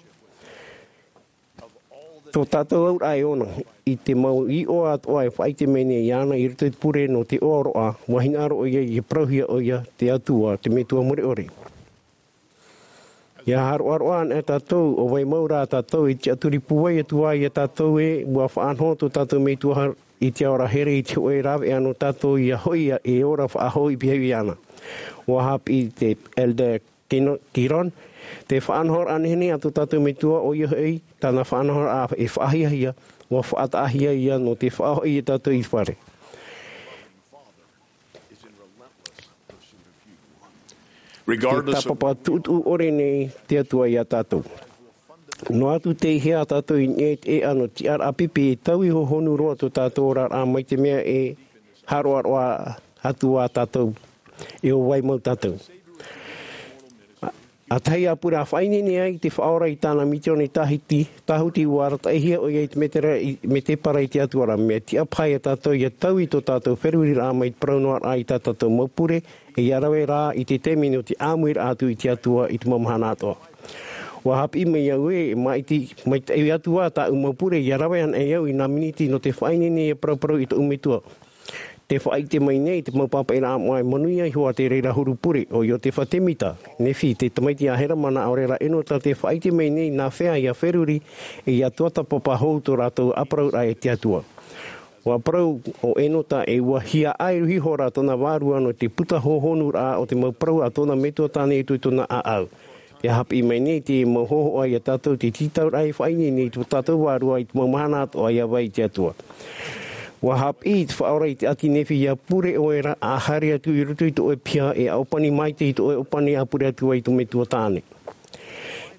Tō tātou auraʻa e ʻona i te mau iʻoa atoʻa e faʻaʻite mai nei iāna i roto i te pure nō te ʻoaʻoa, ua hinaʻaro ʻoia ia parauhia ʻoia te atua te metua mure ʻore. Ia haroʻaroʻa ana e tātou o vai mau rā tātou i te tiʻaturi pūai atu ai ia tātou e ua faʻanoho tō tātou metua i te aora here i te hōʻē rāveʻa nō tātou ia hoʻi e ora faʻahou i pihaʻi ana. Ua haʻapiʻi te elder kiron, te faʻanahoraʻa nehenehe a tō tātou metua ʻoia hoʻi tāna faʻanahoraʻa e faʻahiahia, ua faʻataʻahia ia nō te faʻahoʻi ia tātou i te fare. Te tāpapa tuʻutuʻu ʻore nei te atua ia tātou. Noa atu te hea a tātou i niʻa i te ʻeʻa nō te tiʻaraʻa pipi e taui hohonu roa tō tātou oraraʻa mai te mea e haroʻaroʻa atu a tātou e o vai mau tātou. A tahi ʻāpura faʻaineine ai te faʻaora i tāna mitione tāhuti ua arataʻihia ʻoia i te metepara i te atua ra mea tiʻa paha ia tātou ia taui tō tātou feruriraʻa mai te parau noa raʻa i tā tātou mau pure, e ia rave rā i te taime nō te ʻāmuiraʻa atu i te atua i te mau mahana atoʻa. Ua haʻapiʻi mai au e maʻiti maitaʻi atu ā tāʻu mau pure ia rave ana e au i nā miniti nō te faʻaineine ia paraparau i tōʻu metua. Te faʻaʻite mai nei te mau pāpaʻiraʻa moʻa e manuia iho a te reira huru pure o iotefa temita, nefi te tamaiti a herama nā ʻaore rā ʻenota te faʻaʻite mai nei nā fea ia feruri e ia tuatāpapa hou tō rātou ʻāparauraʻa e te atua. ʻUa parau ʻo Enota ē ʻua hiaʻai iho ra tōna vārua nō te puta hōhonuraʻa o te mau parau a tōna metua tāne i tōna ʻāʻau. Te haʻapiʻi mai nei te mau hōhoʻa ia tātou te tītauraʻa e faʻaineine i tō tātou vārua i te mau mahana atoʻa ʻia vai i te Atua. ʻUa haʻapiʻi te Faʻaora i te ʻāti Nephi ʻia pure ʻoe ra, ʻa haere atu i roto i tō ʻoe piha, e ʻōpani maitaʻi i tō ʻoe ʻōpani ʻa pure atu ai i tō metua tāne.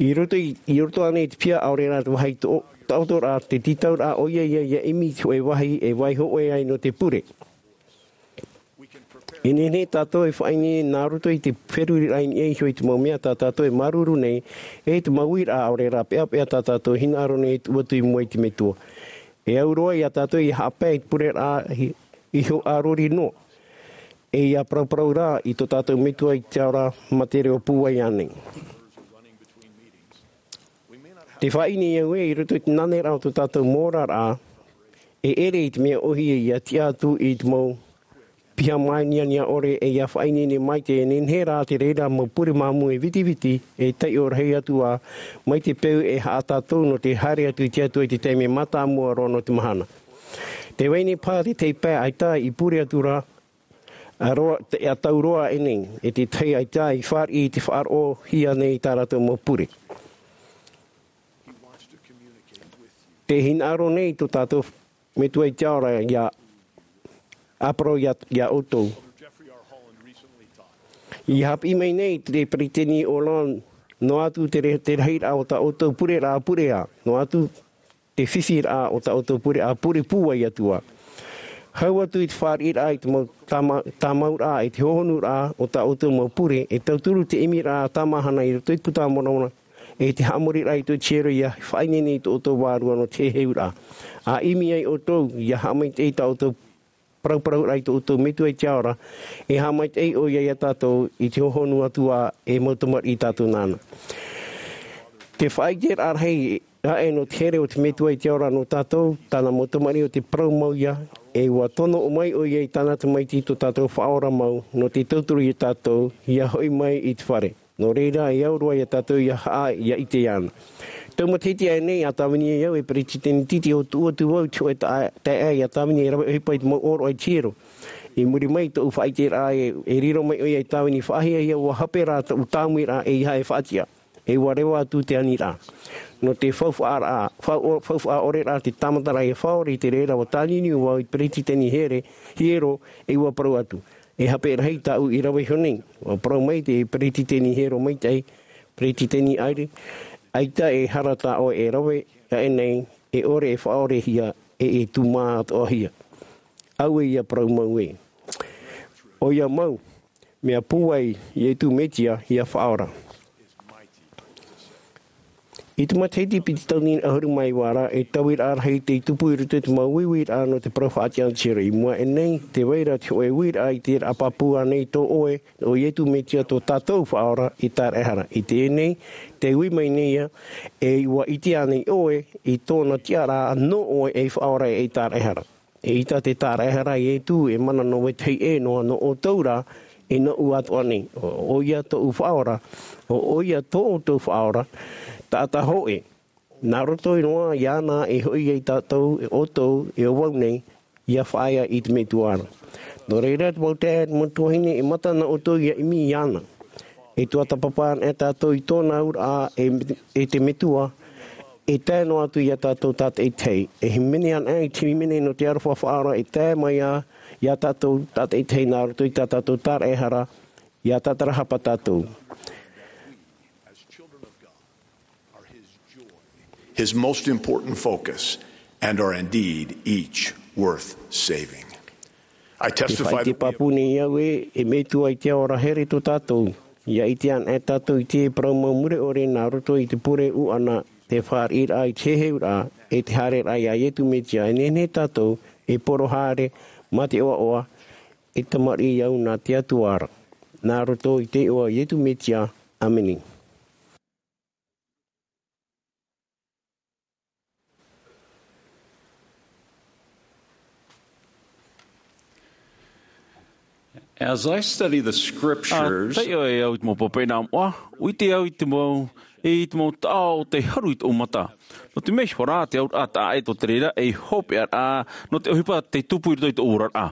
I roto i, i roto ānei i te piha, ʻaore rā te vāhi tō, taʻoto rā, te tītauraʻa ʻoia ia, ʻia ʻimi i te hōʻē vāhi e vaiiho ʻoe ai nō te pure. E nehenehe tātou e faʻaineine nā roto i te feruriraʻa i niʻa iho i te mau mea tā tātou e māuruuru nei, e te mau uiraʻa ʻaore rā peʻapeʻa tā tātou e hinaʻaro nei e tuʻu atu i mua i te Metua. E au roa ia tātou ʻia haʻapae i te pureraʻa i, i hōʻē ʻārori noa. E ʻia parauparau rā i tō tātou Metua i te Ao ra mā te reo pūai ānei. Te faʻaineine au ē, i roto i te naneraʻa o tō tātou moʻaraʻa, e ʻere i te mea ʻōhie ʻia tiʻa atu i te mau piha māniania ʻore, e ʻia faʻaineine maitaʻi e nehenehe rā te reira mau pure māmū e vitiviti, e taiʻo rahi atu ā, mai te peu e haʻa tātou nō te haere atu i te Atua i te taime mātāmua roa nō te mahana. Tē vai nei paha te tei pae ʻaita i pure atu ra, ʻa roa, te, ʻa tau roa ānei, e te tahi ʻaita i fāriʻi i te faʻaroʻohia nei i tā rātou mau pure. Te hinaʻaro nei tō tātou Metua i te Ao ra ʻia ʻāparau ia, ia ʻoutou. ʻIa haʻapiʻi mai nei te Peretiteni Holland, noa atu te re-, te rahiraʻa o tā ʻoutou pureraʻa pure ā, noa atu te fifiraʻa o tā ʻoutou pure ā pure pūai atu ā. Hau atu i te fāriʻiraʻa i te mau tāma-, tāmauraʻa, i te hōhonuraʻa o tā ʻoutou mau pure, e tauturu te ʻimiraʻa tāmāhana i roto i te Puta a Moromona, e te haʻamoriraʻa i tō ʻoutou hiero ʻia faʻaineine i tō ʻoutou vārua nō te heheuraʻa. ʻA ʻimi ai ʻoutou, ʻia haʻamaitaʻi i tā ʻoutou parauparau ra i tō ʻoutou Metua i te Ao ra, e haʻamaitaʻi ʻoia ia tātou i te hōhonu atu ā e mau tamariʻi tātou nāna. Te faʻaʻiteraʻa rahi aʻe nō te here o te Metua i te Ao ra nō tātou, tāna mau tamariʻi ʻo tē parau mau ïa, e ʻua tono mai ʻoia i tāna Tamaiti tō tātou Faʻaora mau, nō te tauturu ia tātou, ʻia hoʻi mai i te fare. Nō reira, e au roa ia tātou ʻia haʻa, ʻia ʻite iāna. Tau matahiti aʻe nei, ʻa tāvini ai au e Peretiteni Titi ʻo tuʻu atu vau i te hōʻē taʻa-, taeaʻe ʻia tāvini e rave ʻohipa i te mau ʻōroʻa i te hiero. I muri mai i tōʻu faʻaʻiteraʻa e, e riro mai ʻoia i tāvini faʻahiahia, ʻua hape rā tōʻu tāmuiraʻa e ʻeiaha e faʻatiʻa. E ʻua reva atu te aniraʻa. Nō te faufaʻaraʻa, fau-, faufaʻa ʻore rā te tāmataraʻa e faʻaora i te reira ʻua tāniuniu vau i te Peretiteni Here, Hiero, e ʻua parau atu. E hape rahi tāʻu i rave iho nei. ʻUa parau mai te Peretiteni Hiero maitaʻi, Peretiteni Eyring, ʻaita e hara tā ʻoe e rave aʻe nei, e ʻore e faʻaorehia, e, e tūmā atoʻahia. Auē ïa parau mau ē. ʻOia mau, mea pūai Ietu Metia ʻia Faʻaora. I te matahiti piti tauatini ʻahuru mā iva ra, e tauiraʻa rahi tei tupu i roto i te mau uiuiraʻa nō te parau faʻatiʻa o te hiero. I mua aʻe nei, tē vai ra te hōʻē uiraʻa i te raʻa pāpū ānei tō ʻoe, ʻo Ietu Metia tō tātou Faʻaora ei tāraʻehara. I teie nei, tē ui mai nei ïa, e ʻua ʻite ānei ʻoe i tōna tiʻaraʻa nō ʻoe ei Faʻaora ei tāraʻehara. Eʻita te tāraʻehara a Ietu e mana nō vetahi ʻē noa nō ʻoutou rā, e nōʻu atoʻa nei. ʻO, ʻoia tōʻu Faʻaora, ʻo, ʻoia tō ʻoutou Faʻaora, taʻata hōʻē. Nā roto noa iāna e hoʻi ai tātou, e ʻoutou, e ʻo vau nei, ʻia faʻaea i te Metua ra. Nō reira, te mau taeaʻe, te mau tuahine, e mata na ʻoutou ʻia ʻimi iāna. E tuatāpapa ana tātou i tōna auraʻa, e, e te Metua, e tae noa atu ia tātou tātaʻitahi. E hīmene ana i te hīmene nō te aroha Faʻaora, e tae mai ā, ia tātou tātaʻitahi nā roto i tā tātou tāraʻehara, ʻia tātarahapa tātou. His most important focus, and are indeed each worth saving. I Te testify faʻaʻite that we have pāpū nei au ē, e Metua i te Ao ra, here tō tātou. ʻIa ʻite ana tātou i te parau mau mure ʻore nā roto i te pure ʻuʻana, te fāriʻiraʻa i te heheuraʻa, e te haereraʻa ia Ietu Metia, e nehenehe tātou e poro haere mā te ʻoaʻoa, e tamariʻi au nā te Atua ra. Nā roto i te iʻoa o Ietu Metia, ʻāmene. As I study the scriptures, taiʻo e au i te mau papaʻi nā moʻa, ʻua ʻite au i te mau, i te mau taʻo o te haru i tōʻu mata. Nō te mea iho rā, te auraʻa taʻa ʻē tō te reira, e hopeʻa rā, nō te ʻohipa tei tupu i roto i tōʻu oraraʻa.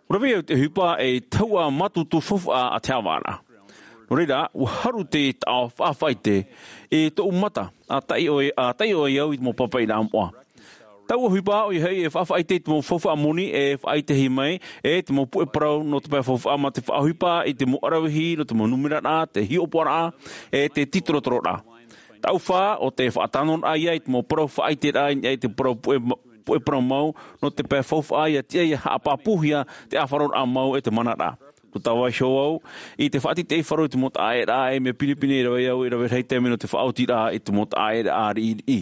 ʻUa rave au i te ʻohipa e tahuʻa mātutu faufaʻa a te haʻavāraʻa. Nō reira, ʻua haru te taʻo faʻafaʻaʻite i tōʻu mata, ʻa taiʻo e, ʻa taiʻo e au i te mau papaʻi nā moʻa. Taua ʻohipa, ʻoia hoʻi e faʻafaʻaʻite i te mau faufaʻa moni e faʻaʻitehia mai, e te mau puʻe parau nō te pae faufaʻa mā te faʻaʻohipa i te mau ʻaravihi, nō te mau nūmeraraʻa, te hiʻopoʻaraʻa, e te tītorotororaʻa. Taʻu fā, ʻo te faʻatānoraʻa ia i te mau parau faʻaʻiteraʻa i niʻa i te parau puʻe ma-, puʻe parau mau, nō te pae faufaʻa ʻia tiʻa ʻia haʻapāpūhia te ʻāfaroraʻa mau e te manaraʻa. ʻUa tāvaiho au i te faʻatītīʻaifaro i te mau taʻaʻēraʻa e mea pinepine e rave au, e rave rahi taime nō te faʻaotiraʻa i te mau taʻaʻēraʻa riʻiriʻi.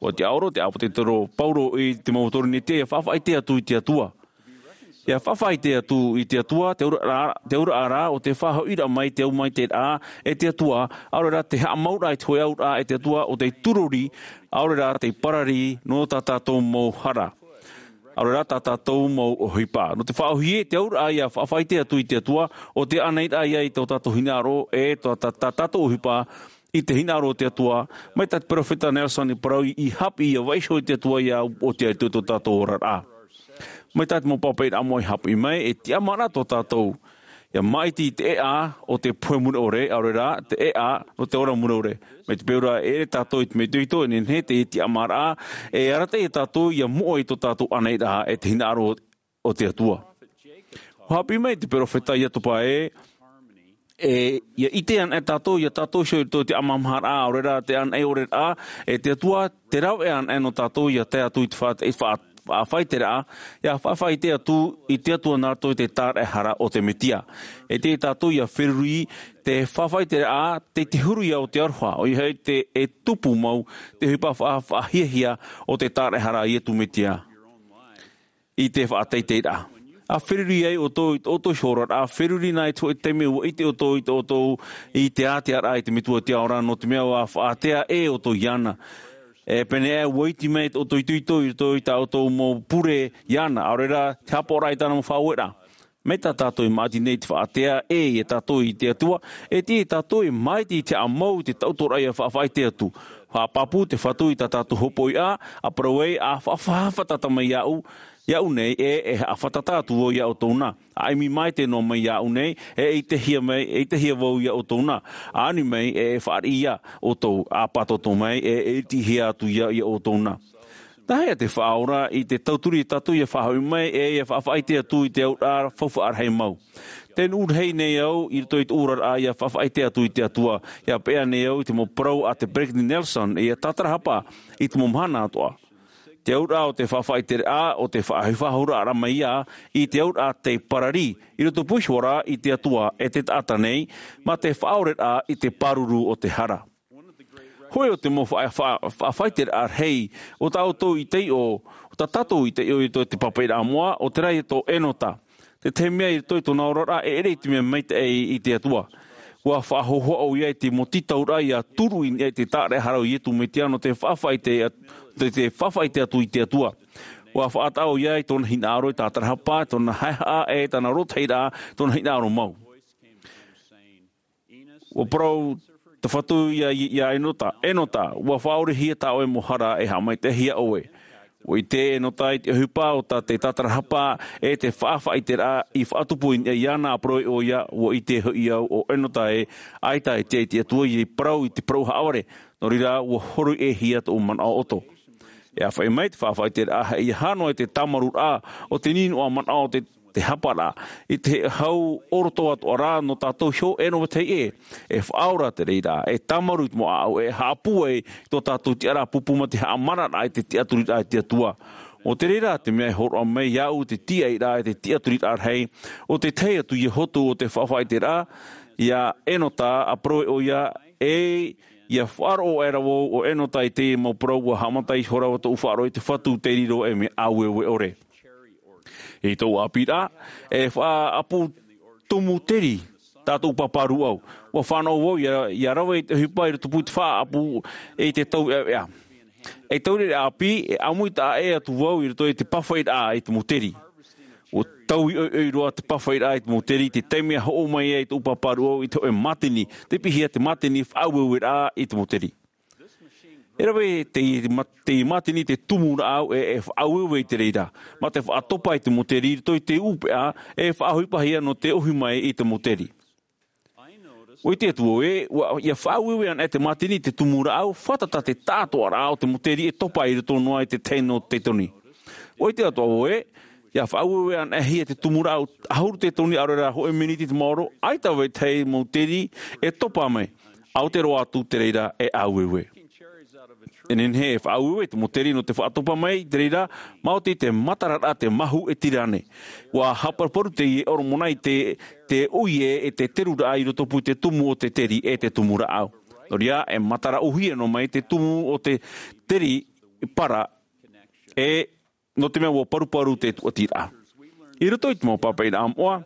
ʻUa tiʻaoro te ʻāpōsetolo Paulo i te mau Korinetia ʻia faʻafaʻaʻite atu i te Atua. ʻIa faʻafaʻaʻite atu i te Atua, te auraʻa, te auraʻa rā, ʻo te faʻahoʻiraʻa mai te autōraʻa e te Atua, ʻaore rā te haʻamauraʻa i te hōʻē auraʻa e te Atua, ʻo tei turori, ʻaore rā tei parari, nō tā tātou mau hara. ʻAore rā tā tātou mau ʻohipa. Nō te faʻaʻōhie, te auraʻa ʻia faʻafaʻaʻite atu i te Atua, ʻo te ʻānaʻiraʻa ia i tō tātou hinaʻaro, e tō tā, tā tātou ʻohipa, i te hinaʻaro o te Atua, mai tā te peropheta Nelson i parau i, i haʻapiʻi ʻia vaiiho i te Atua ʻia upoʻotiʻa i tō, tō tātou oraraʻa. Mai tā te mau papaʻi nā moʻa i haʻapiʻi mai, e tiʻamāraʻa tō tātou. ʻIa māʻiti i te ʻēʻa o te pohe mure ʻore, ʻaore rā, te ʻēʻa o te ora mure ʻore. Mai te peu ra e ʻere tātou i te mea itoito, e nehenehe te tiʻamāraʻa, e arataʻi ia tātou ʻia moʻe i tō tātou ʻānaʻiraʻa, e te hinaʻaro o te Atua. ʻUa haʻapiʻi mai te peropheta Iakoba ē, e, ʻia ʻite anaʻe tātou, ʻia tātou iho i roto i te ʻāmaʻamaharaʻa, ʻaore rā te ʻānaʻe ʻore rā, e te Atua, tē rave anaʻe nō tātou ʻia tae atu i te faʻa-, i faʻa-, faʻafaʻaʻite rā, ʻia faʻafaʻaʻite atu i te Atua nā roto i te tāraʻehara o te Mesia. E tiʻa ia tātou ʻia feruri te faʻafaʻaʻite rā, tei te huru ia o te aroha, ʻoia hoʻi te, e tupu mau, te ʻohipa faʻa-, faʻahiahia o te tāraʻehara a Iesu Mesia. I te faʻateiteiraʻa. ʻA feruri ai ʻoutou i tō ʻoutou iho oraraʻa, feruri nā i te hōʻē taime ʻua ʻite ʻoutou i tō ʻoutou i te ātearaʻa i te Metua o te ao ra, nō te mea ʻua faʻatea ʻē ʻoutou iāna. E pēneiaʻe ʻua iti mai tō ʻoutou itoito i roto i tā ʻoutou mau pure iāna, ʻaore rā te haʻapaʻoraʻa i tāna mau faʻaueraʻa. Mai tā tātou e māʻiti nei i te faʻatea ʻē ia tātou i te Atua, e tiʻa ia tātou e māʻiti i te haʻamau i te taʻotoraʻa ʻia faʻafaʻaʻite atu. Haʻapāpū te Fatu i tā tātou hopoiʻa, ʻa parau ai, ʻa faʻa-, faʻa-, fātata mai iāʻu, iāʻu nei, e, e haʻafātata atu vau ia ʻoutou na. ʻA ʻimi maitaʻi noa mai iāʻu nei, e ʻitehia mai, e ʻitehia vau ia ʻoutou na. ʻA ani mai, e, e fāriʻi ia ʻoutou, ʻa pātōtō mai, e, e ʻitehia atu ia, ia ʻoutou na. Nā hea te Faʻaora i te tauturu ia tātou ʻia faʻahoʻi mai, e ʻia faʻafaʻaʻite atu i te auraʻa faufaʻa rahi mau. Tē nuʻu rahi nei au i roto i tōʻu oraraʻa ʻia faʻafaʻaʻite atu i te Atua, ʻia peʻa nei au i te mau parau a te Peresideni Nelson, e ʻia tātarahapa i te mau mahana atoʻa. Te auraʻa o te faʻafaʻaʻiteraʻa, ʻo te faʻahifahouraʻa mai ia i te auraʻa tei parari, i roto pū iho ra i te Atua e te taʻata nei, mā te faʻaoreraʻa i te pāruru o te hara. Hōʻē o te mau faʻa-, faʻa-, faʻafaʻaʻiteraʻa rahi, ʻo tā ʻoutou i taiʻo, ʻo tā tātou i taiʻo i roto i te papaʻiraʻa moʻa, ʻo terā ia tō Enota. Te tahi mea i roto i tōna oraraʻa, e ʻere i te mea maitaʻi i te Atua. ʻUa faʻahohoʻa ʻoia i te mau tītauraʻa ʻia turu i niʻa i te tāraʻehara o Iesu Mesia nō te faʻafaʻaʻite, te, te faʻafaʻaʻite atu i te Atua. ʻUa faʻataʻa ʻoia i tōna hinaʻaro e tātarahapa, tōna haʻehaʻa, e tāna rōtahiraʻa, tōna hinaʻaro mau. ʻUa parau te Fatu ia, ia Enota, Enota, ʻua faʻaorehia tā ʻoe mau hara e haʻamaitaʻihia ʻoe. ʻUa ʻite Enota i te ʻohipa o tā te tātarahapa e te faʻafaʻaʻiteraʻa i faʻatupu i niʻa iāna, ʻa parau ʻoia, ʻua ʻite hoʻi au ʻo Enota ē, ʻaita e tiʻa i te Atua i parau i te parau haʻavare, nō reira ʻua horoʻihia tōʻu manaʻo ʻoto. E ʻāfaʻi mai te faʻafaʻaʻiteraʻa, ʻeiaha noa i te tāmarūraʻa o te nīnoa manaʻo o te te haparaʻa, i te hau ʻorotoa atoʻa rā nō tātou iho e nō vetahi ʻē, e faʻaora te reira, e tāmarū i te mau ʻāʻau, e haʻapūai i tō tātou tiʻaraʻa pūpū mā te haʻamararaʻa i te tiʻaturiraʻa i te Atua. ʻO te reira, te mea e hōroʻa mai iāʻu te tiʻairaʻa, e te tiʻaturiraʻa rahi, ʻo te tahi atu ia hotu o te faʻafaʻaʻiteraʻa, ia Enota, ʻa parau ʻoia, e, ʻia faʻaroʻo aʻera vau ʻo Enota i te mau parau ʻua haʻamata iho rā tōʻu faʻaroʻo i te Fatu tei riro ei mea ʻāueue ʻore. I tōʻu ʻāpīraʻa, e faʻaʻapu tumu teri tā tōʻu pāpā rūʻau. ʻUa fānaʻo vau ʻia, ʻia rave i te ʻohipa i roto pū i te faʻaʻapu i te tauʻeʻaʻeʻa. E taureʻareʻa ʻāpī, e ʻāmui taʻa ʻē atu vau i roto i te pāfaʻiraʻa i te mau teri. ʻUa, taui ʻoiʻoi roa te pāfaʻiraʻa i te mau teri, te taime a hoʻo mai ai tōʻu pāpā rūʻau i te hōʻē mātini, te piʻihia te mātini faʻaueueraʻa i te mau teri. E rave te, te mātini te tumu rāʻau e, e faʻaueue i te reira, mā te faʻatopa i te mau teri i roto i te ʻūpeʻa, e faʻaʻohipahia nō te ʻohi mai i te mau teri. ʻUa ʻite atu vau ē, ʻua, ʻia faʻaueue anaʻe te mātini te tumu rāʻau, fātata te tāʻātoʻaraʻa o te mau teri e topa i roto noa i te tahi nō te toni. ʻUa ʻite atu vau ē, ʻia faʻaueue anaʻe hia te tumu rāʻau ʻahuru te toni, ʻaore rā hōʻē miniti te maoro, ʻaita vau e tahi mau teri e topa mai, ʻaore roa atu te reira e aueue. E nehenehe e faʻaueue te mau teri nō te faʻatopa mai te reira, maoti te matararaʻa te mahu e tira nei. ʻUa haʻaparuparu teie ʻorometua i te, te ʻoire e te teruraʻa i rotopū i te tumu o te teri e te tumu rāʻau. Nō reira, e matara ʻōhie noa mai te tumu o te teri para, e nō te mea ʻua paruparu te tūʻatiraʻa. I roto i te mau pāpaʻiraʻa moʻa,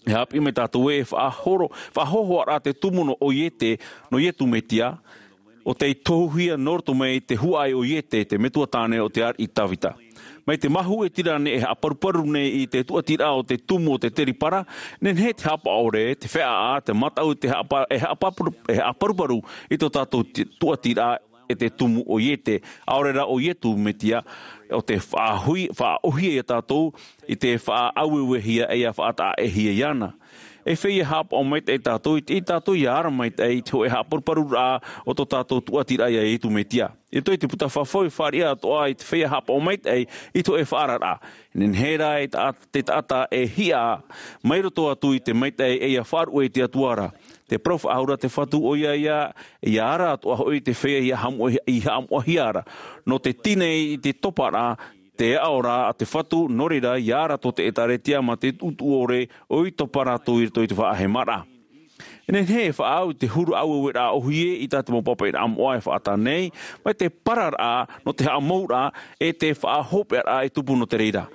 e haʻapiʻi mai tātou ē e faʻahoro, faʻahōhoʻaraʻa te tumu nō ʻoiete, nō Iesu Mesia, ʻo tei tohuhia nō roto mai te huaʻai o Iesu, te metua tāne o te ariʻi Davida. Mai te mahu e tira nei e haʻaparuparu nei i te tūʻatiraʻa o te tumu o te teri para, nehenehe te haʻapaʻo ʻore, te feʻaʻa, te mataʻu, te haʻapa-, e haʻapaparu-, e haʻaparuparu i tō tātou te-, tūʻatiraʻa e te tumu o Iesu, ʻaore rā ʻo Iesu Mesia, ʻo te faʻaʻohi-, faʻaʻōhie ia tātou i te faʻaaueuehia e ʻia faʻataʻahia iāna. E feiā haʻapaʻo maitaʻi tātou, i te, i tātou ʻia ara maitaʻi i te hōʻē haʻaparuparuraʻa o tō tātou tūʻatiraʻa ia Iesu Mesia. I roto i te puta fafau e fāriʻi atoʻa i te feiā haʻapaʻo maitaʻi i te hōʻē faʻaararaʻa. Nehenehe rā e ta-, te taʻata e hiʻa mai roto atu i te maitaʻi e ʻia faʻaruʻe i te Atua ra. Te parau faʻahou ra te Fatu ʻoia ia, ʻia ara atoʻa hoʻi te feiā ʻia haʻamoʻa-, ʻia haʻamoʻahia ra. Nō te tīnei i te toparaʻa, te aʻo ra a te Fatu, nō reira ʻia ara tō te ʻĒtārētia mā te tuʻutuʻu ʻore ʻo ʻoia i topa rātou i roto i te faʻahemaraʻa. E nehenehe e faʻaau i te huru aueueraʻa ʻōhie i tā te mau pāpaʻiraʻa moʻa e faʻatae nei, mai te pararaʻa nō te haʻamouraʻa e te faʻahopeʻaraʻa e tupu nō te reira.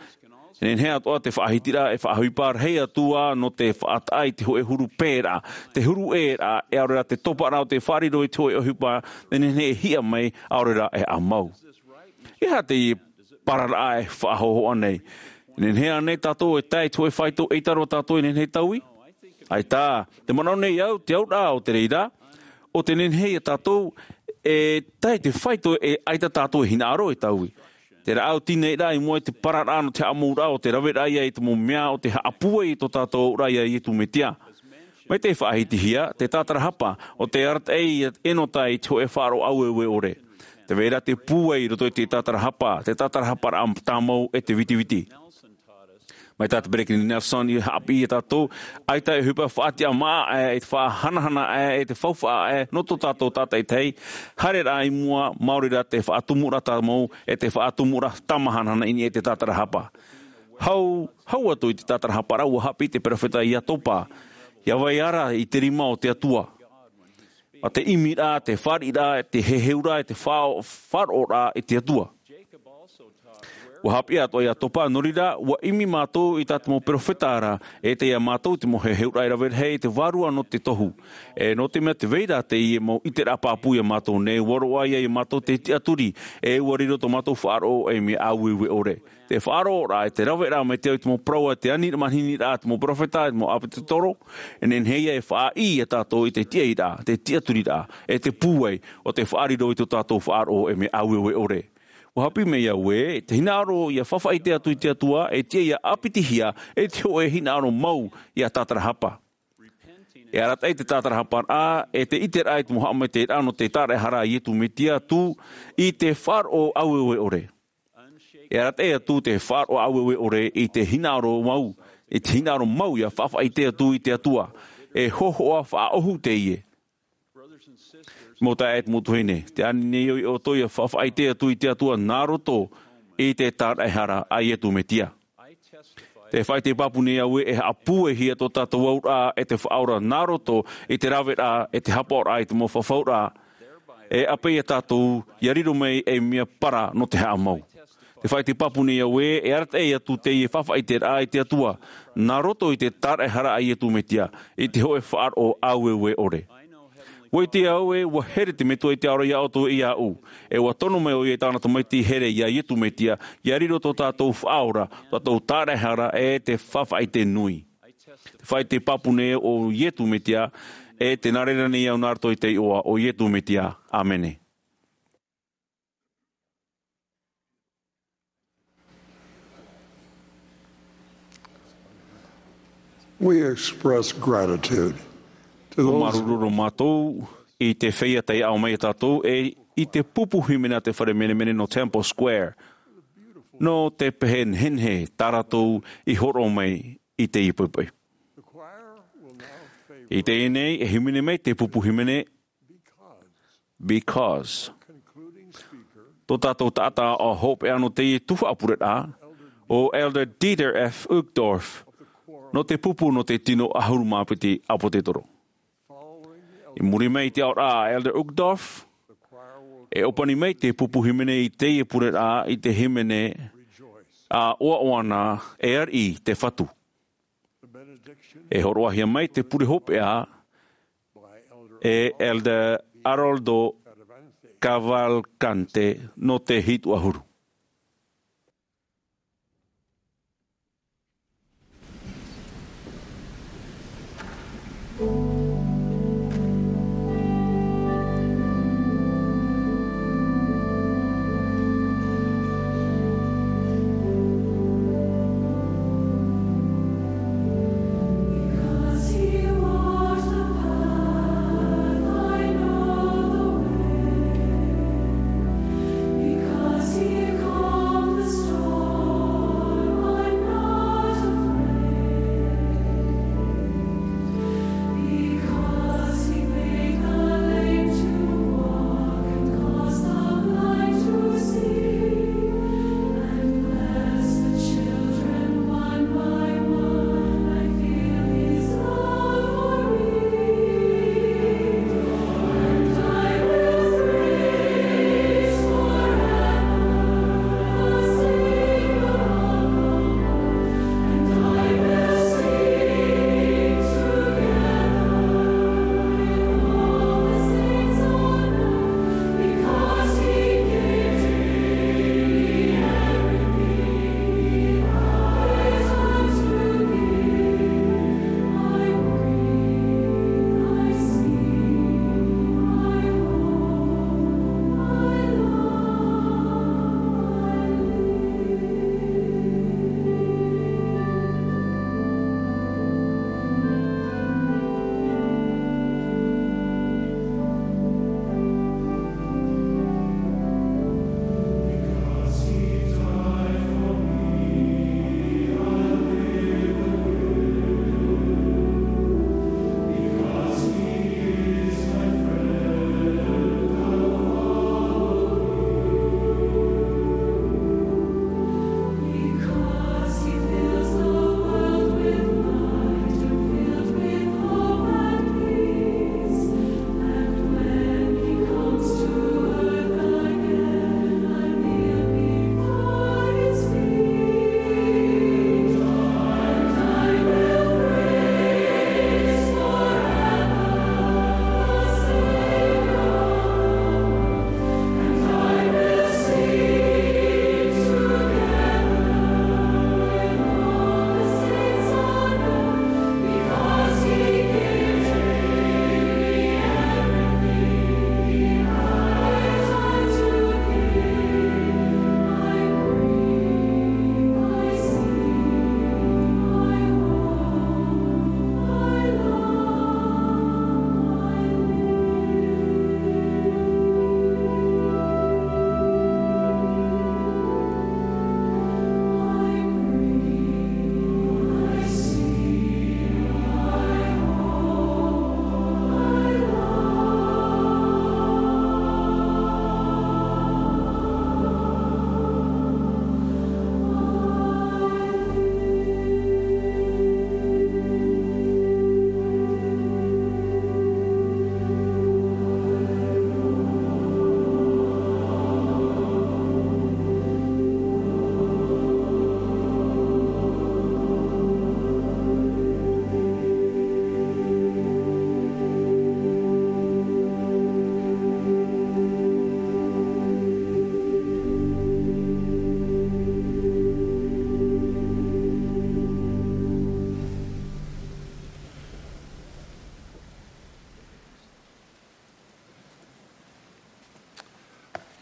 E nehenehe atoʻa te faʻahitiraʻa e faʻaʻohipa rahi atu ā nō te faʻataʻa i te hōʻē huru pēraʻa, te huru ʻēraʻa, e ʻaore rā te toparaʻa o te faʻariro i te hōʻē ʻohipa, e nehenehe e hiʻa mai, ʻaore rā e haʻamau. E aha teie pararaʻa e faʻahōhoʻa nei? E nehenehe ānei tātou e tae i te hōʻē faito ʻeita roa tātou e nehenehe e taui? ʻAita, tē manaʻo nei au, te auraʻa o te reira, ʻo tē nehenehe ia tātou e tae i te faito e ʻaita tātou e hinaʻaro e taui. Te rāʻau tīnei ra i mua i te pararaʻa nō te haʻamouraʻa ʻo te raveraʻa ia i te mau mea ʻo te haʻapūai i tō tātou auraʻa ia Iesu Mesia. Mai te faʻahitihia, te tātarahapa, ʻo te arataʻi ia Enota i te hōʻē faʻaroʻo aueue ʻore. Tē vai ra te pūai i roto i te tātarahapa, te tātarahaparaʻa tāmau e te vitiviti. Mai tā te Peresideni Nelson i haʻapiʻi ia tātou, ʻaita e ʻohipa faʻatiʻamāʻa ʻē, e te faʻahanahana ʻē, e te faufaʻa ʻē, nō tō tātou tātaʻitahi, haereraʻa i mua, maori rā te faʻatumuraʻa tāmau, e te faʻatumuraʻa tāmahanahana i niʻa i te tātarahapa. Hau, hau atu i te tātarahaparaʻa ʻua haʻapiʻi te perofeta ia Topa, ʻia vai ara i te rima o te Atua. Mā te ʻimiraʻa, te fāriʻiraʻa, te heheuraʻa, te faʻa-, faʻaroʻoraʻa i te Atua. ʻUa haʻapiʻi atoʻa ia Topa, nō reira, ʻua ʻimi mātou i tā te mau perofeta ra, e tei ia mātou te mau heheuraʻa e rave rahi i te vārua nō te tohu. E nō te mea tē vai ra teie mau ʻiteraʻa pāpū ia mātou nei, ʻua roaʻa ia mātou te tiʻaturi, e ʻua riro tō mātou faʻaroʻo ei mea aueue ʻore. Te faʻaroʻoraʻa, e te raveraʻa mai te au i te mau parau a te ani mahiniraʻa, te mau perofeta, te mau ʻāpōsetolo, e nehenehe ia e faʻaʻī ia tātou i te tiʻairaʻa, te tiʻaturiraʻa, e te pūai, ʻo te faʻariro i tō tātou faʻaroʻo ei mea aueue ʻore. ʻUa haʻapiʻi mai au ē, te hinaʻaro ʻia faʻaʻite atu i te Atua, e tiʻa ʻia ʻāpitihia, e te hōʻē hinaʻaro mau ʻia tātarahapa. E arataʻi te tātarahaparaʻa, e te ʻiteraʻa i te mau haʻamaitaʻiraʻa nō te tāraʻehara a Iesu Mesia atu i te faʻaroʻo aueue ʻore. E arataʻi atu te faʻaroʻo aueue ʻore i te hinaʻaro mau, i te hinaʻaro mau ʻia faʻaʻite atu i te Atua, e hōhoʻa faʻaʻohu teie. Mau taeaʻe, mau tuahine, tē ani nei au ia ʻoutou ʻia faʻaʻite atu i te Atua nā roto i te tāraʻehara a Iesu Mesia. Tē faʻaʻite pāpū nei au ē, e haʻapūaihia tō tātou auraʻa e te Faʻaora nā roto i te raveraʻa, e te hapaʻoraʻa i te mau fafauraʻa, e ʻāpeʻe ia tātou ʻia riro mai ei mea para nō te haʻamau. Tē faʻaʻite pāpū nei au ē, e arataʻi atu teie faʻaʻiteraʻa i te Atua, nā roto i te tāraʻehara a Iesu Mesia, i te hōʻē faʻaroʻo aueue ʻore. ʻUa ʻite au ē, ʻua here te Metua i te aroha iā ʻoutou e iāʻu. ʻE ʻua tono mai ʻoia i tāna tamaiti here iā Iesu Mesia, ʻia riro tō tātou Faʻaora, tō tātou Tāraʻehara, ʻe te Faʻaʻite Nui. Te faʻaʻite pāpū nei ʻo Iesu Mesia, ʻe tē nā reira nei au nā roto i te iʻoa o Iesu Mesia. ʻĀmene. We express gratitude to those. Māuruuru mātou i te feiā tei ʻaʻo mai iā tātou, ʻe i te pupu hīmene a te fare menemene nō Temple Square, nō te pehe nehenehe tā rātou i hōroʻa mai i teie poʻipoʻi. I teie nei, e hīmene mai te pupu hīmene Because. Tō tātou taʻata hopeʻa nō teie tuhaʻa pureraʻa, ʻo Elder Dieter F. Uchtdorf, nō te pupu nō te tino ʻahuru mā piti ʻāpōsetolo. I muri mai i te aʻoraʻa a Elder Uchtdorf, e ʻōpani mai te pupu hīmene i teie pureraʻa i te hīmene, ʻa ʻoaʻoa na, E Ariʻi te Fatu. E hōroʻahia mai te pure hopeʻa e Elder Aroldo Cavalcante nō te hitu ʻahuru.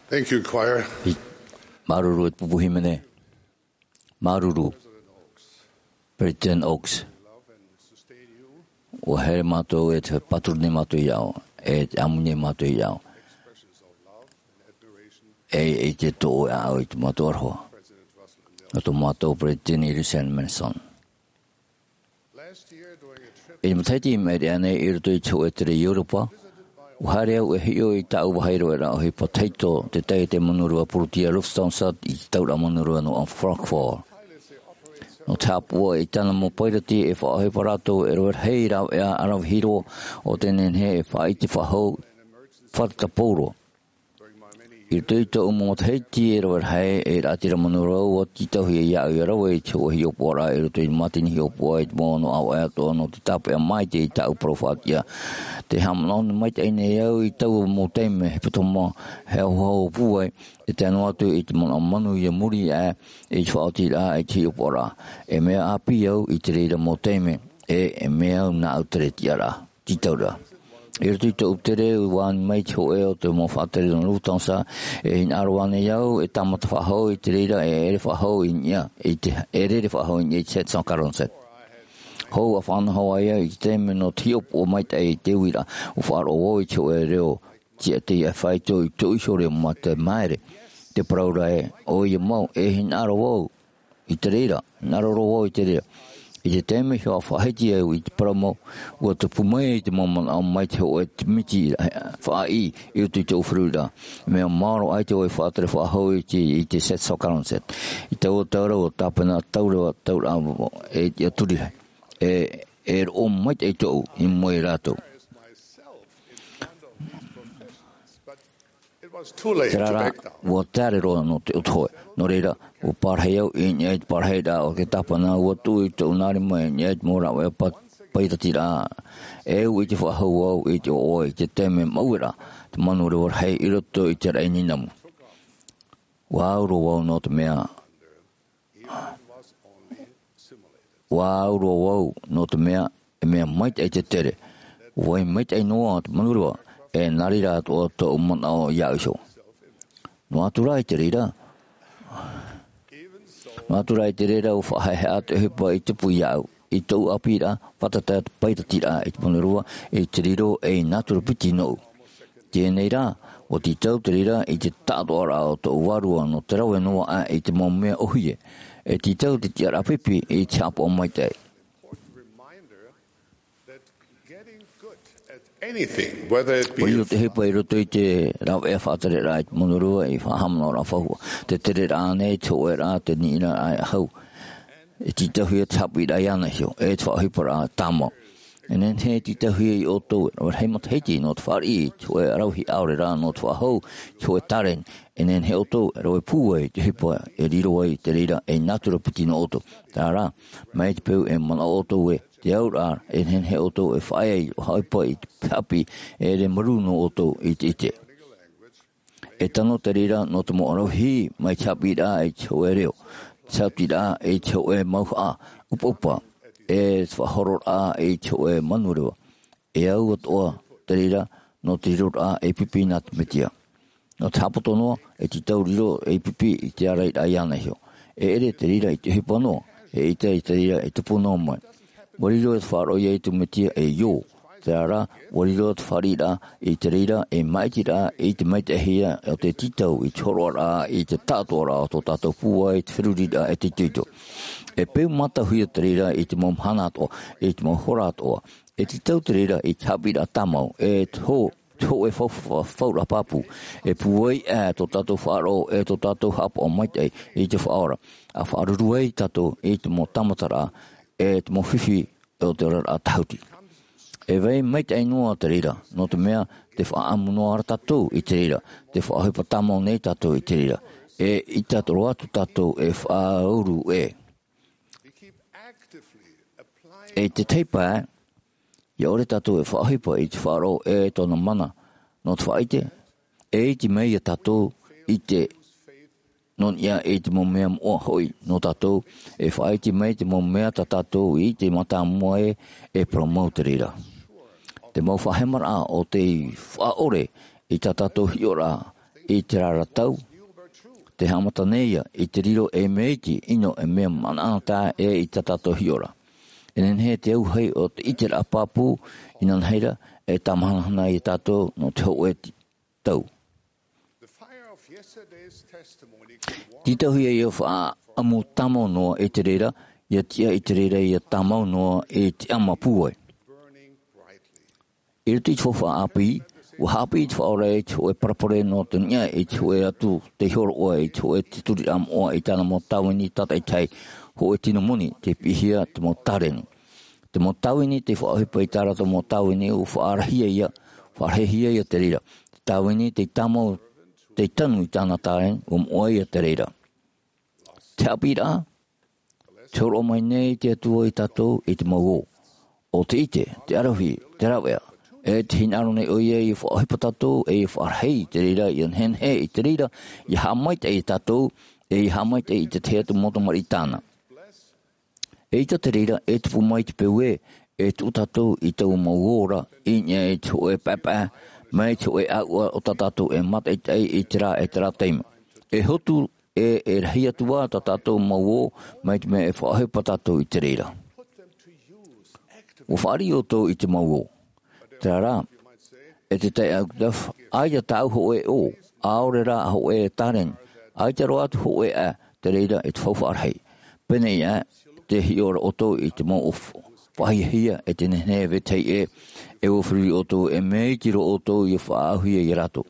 Thank you, choir. Māuruuru e te pupu hīmene. Māuruuru, Peresideni Oaks. ʻUa haere mātou e te pāturu nei mātou iā ʻoe, e te ʻāmui nei mātou iā ʻoe. E, e te toʻo e ʻaʻau i tō mātou aroha. Nō tō mātou Peresideni Russell M. Nelson. I te matahiti i maʻiri aʻe nei i roto i te hōʻē tere i Europa, ʻua haere au e hiʻo i tāʻu vāhi raveraʻa ʻohipa tahito, te taiete manureva Poroti a Lufthansa i te tauraʻa manureva nō Frankfurt. Nō te haʻapaʻo i tāna mau pairati e faʻaʻohipa rātou e rave rahi rāveʻa ʻaravihi roa ʻo tē nehenehe e faʻaʻite faʻahou fātata pauroa. I roto i tōʻu mau matahiti e rave rahi e raʻatira manureva, ʻua tītauhia iāʻu ʻia rave i te hōʻē hiʻopoʻaraʻa i roto i te mātini hiʻopoʻa i te mau ʻāvaʻe atoʻa nō te tāpeʻa maitaʻi i tāʻu parau faʻatiʻa. Tē haʻamanaʻo maitaʻi nei au i taua mau taime, hepetoma, haʻohaʻo pūai, e tae noa atu i te manaʻo manuia muri aʻe i te faʻaotiraʻa i te hiʻopoʻaraʻa. E mea ʻāpī au i te reira mau taime, e, e mea au nāʻu tere tiʻaraʻa. Tītauraʻa. I roto i tōʻu tere, ʻua ani mai te hōʻē o te mau faʻatere nō Lufthansa, e hinaʻaro ānei au e tāmata faʻahou i te reira, e ʻere faʻahou i niʻa, i te, e rere faʻahou i niʻa i te sept cent quarante-sept. Hou ʻa fānaʻo ai au i te taime nō te hiʻopoʻa maitaʻi i te uiraʻa, ʻua faʻaroʻo vau i te hōʻē reo, tiʻa tei ʻafaito i tōʻu iho reo mā te maere, te parau ra ē, ʻoia mau, e hinaʻaro vau, i te reira, hinaʻaro roa vau i te reira. I te taime hoʻi faʻahiti au i te parau mau, ʻua tupu mai te mau manaʻo mai te hōʻē miti faʻaʻī i roto i tōʻu feruriraʻa. Mea maoro ʻaita vau e faʻatere faʻahou i te, i te sept cent quarante-sept. I taua taura ʻua tāpena taura, taura e ia turi. E, e roʻo maitaʻi tōʻu i mua ia rātou. It was too late to back down. Terā rā, ʻua taere roa nō te ʻoto hōʻē. Nō reira, ʻua parahi au i niʻa i te parahiraʻa o te tāpena, ʻua tuʻu i tōʻu nā rima i niʻa i te mau rāveʻa pa-, pairatiraʻa. E au i te faʻahou au i te ʻoaʻoa i te taime maueraʻa, te manureva rahi i roto i te raʻi nīnamu. ʻUa au roa vau nō te mea ʻUa au roa vau, nō te mea, e mea maitaʻi te tere. ʻUa vai maitaʻi noa te manureva, e nā reira atoʻa tōʻu manaʻo iāʻu iho. Noa atu rā i te reira. Noa atu rā i te reira, ʻua faʻahaʻehaʻa te ʻohipa i tupu iāʻu, i tōʻu ʻāpīraʻa, fātata te pairatiraʻa i te manureva, i te riro ei nātura piti nōʻu. Teie nei rā, ʻua tītau te reira i te taʻatoʻaraʻa o tōʻu vārua nō te rave noa aʻe i te mau mea ʻōhie. E tītau te tiʻaraʻa pipi i te haʻapaʻo maitaʻi. Anything, whether it be ʻOia te ʻohipa i roto i te rāveʻa faʻatereraʻa i te manureva, i faʻahaʻamanaʻoraʻa faufaʻa, te tereraʻa nei, te hōʻēraʻa, te niʻiraʻa e hau. E tītauhia te haʻapiʻiraʻa iāna iho, e te faʻaʻohiparaʻa tāmau. E nehenehe e tītauhia iā ʻoutou e rave rahi matahiti nō te fāriʻi i te hōʻē ʻaravihi ʻaore rā nō te faʻahou i te hōʻē taleni. E nehenehe ʻoutou e rave pūai i te ʻohipa e riro ai te reira ei nātura piti nō ʻoutou. Terā rā, mai te peu e manaʻo ʻoutou ē, te auraʻa, e nehenehe ʻoutou e faʻaea i te ʻohipa i te haʻapiʻi, e ʻere marū nō ʻoutou i te ʻite. E tano te reira nō te mau ʻaravihi mai te haʻapiʻiraʻa i te hōʻē reo, te saʻotiraʻa i te hōʻē mauhaʻa ʻupaʻupa, e te faʻahororaʻa i te hōʻē manureva. E au atoʻa te reira nō te riroraʻa ei pipi nā te Mesia. Nō te haʻapoto noa, e tītau riro ei pipi i te ārairaʻa iāna iho. E ʻere te reira i te ʻohipa noa, eʻita i te reira e tupu noa mai. ʻUa riro te faʻaroʻo ia i te Mesia ei ʻō. Terā rā, ʻua riro te fāriʻiraʻa i te reira ei māʻitiraʻa i te maitaʻihia o te tītau i te hōroʻaraʻa i te taʻatoʻaraʻa o tō tātou pūai i te feruriraʻa e te itoito. E peu mātauhia te reira i te mau mahana atoʻa, i te mau hora atoʻa. E tītau te reira i te haʻapiʻiraʻa tāmau, e te hō-, te hōʻē fau-, fau-, fauraʻa pāpū. E pūai aʻe tō tātou faʻaroʻo, e tō tātou haʻapaʻo maitaʻi i te Faʻaora. ʻA faʻaruru ai tātou i te mau tāmataraʻa, e te mau fifi o te oraraʻa tāhuti. E vai maitaʻi noa te reira, nō te mea, tē faʻaʻamu noa ra tātou i te reira, tē faʻaʻohipa tāmau nei tātou i te reira. E ʻaita roa atu tātou e faʻauru ē. E te tahi pae, ʻia ʻore tātou e faʻaʻohipa i te Faʻaroʻo e tōna mana, nō te faʻaʻite, e ʻite mai ia tātou i te nō niʻa i te mau mea moʻa hoʻi nō tātou, e faʻaʻite mai te mau mea tā tātou i ʻite mātāmua ē, e parau mau te reira. Te mau faʻahemaraʻa o tei faʻaʻore i tā tātou hiʻoraʻa, i te rā tau. Te haʻamata nei ia i te riro e mea iti, ʻino e mea manaʻo tā ʻē i tā tātou hiʻoraʻa. E nehenehe te auahi o te ʻiteraʻa pāpū, inanahi rā, e tāmahanahana ia tātou nō te hōʻē ti-, tau. Tītauhia ia faʻaʻamu tāmau noa i te reira, ia tiʻa i te reira ia tāmau noa i te ʻama pūai. I roto i te faufaʻa ʻāpī, ʻua haʻapiʻi te Faʻaora i te hōʻē parabole nō te niʻa i te hōʻē atu tei hōroʻa i te hōʻē tituriraʻa moʻa i tāna mau tāvini tātaʻitahi, hōʻē tino moni tei piʻihia te mau tāreni. Te mau tāvini tei faʻaʻohipa i tā rātou mau tāvini, ʻua faʻarahihia ia, faʻarahihia ia te reira. Te tāvini tei tāmau, tei tanu i tāna tāreni, ʻua moʻa ia te reira. Te haʻapiʻiraʻa, te hōroʻa mai nei te Atua ia tātou i te mau ō. ʻO te ʻite, te ʻaravihi, te rāveʻa, e te hinaʻaro nei ʻoia ia faʻaʻohipa tātou, e ia faʻarahi i te reira, ia nehenehe i te reira, ia haʻamaitaʻi ia tātou, e ia haʻamaitaʻi i te tahi atu mau tamariʻi tāna. Eʻita te reira, e tupu mai te peu ē, e tuʻu tātou i taua mau ō ra, i niʻa i te hōʻē paepae, mai te hōʻē ʻāuʻa o tā tātou e mātaʻitaʻi i terā, e terā taime. E hotu, e, e rahi atu ā tā tātou mau ō, mai te mea e faʻaʻohipa tātou i te reira. ʻUa fāriʻi ʻoutou i te mau ō. Terā rā, e te taeaʻe Gustav, ʻaita tāʻu hōʻē ō, ʻaore rā hōʻē tāreni, ʻaita roa atu hōʻē ʻae, te reira e te faufaʻa rahi. Pēneiaʻe, tē hiʻo ra ʻoutou i te mau ʻōf-, faʻahiahia e te nehenehe e vetahi ʻē, e ʻua feruri ʻoutou, e mea iti roa ʻoutou ia faʻaauhia ia rātou.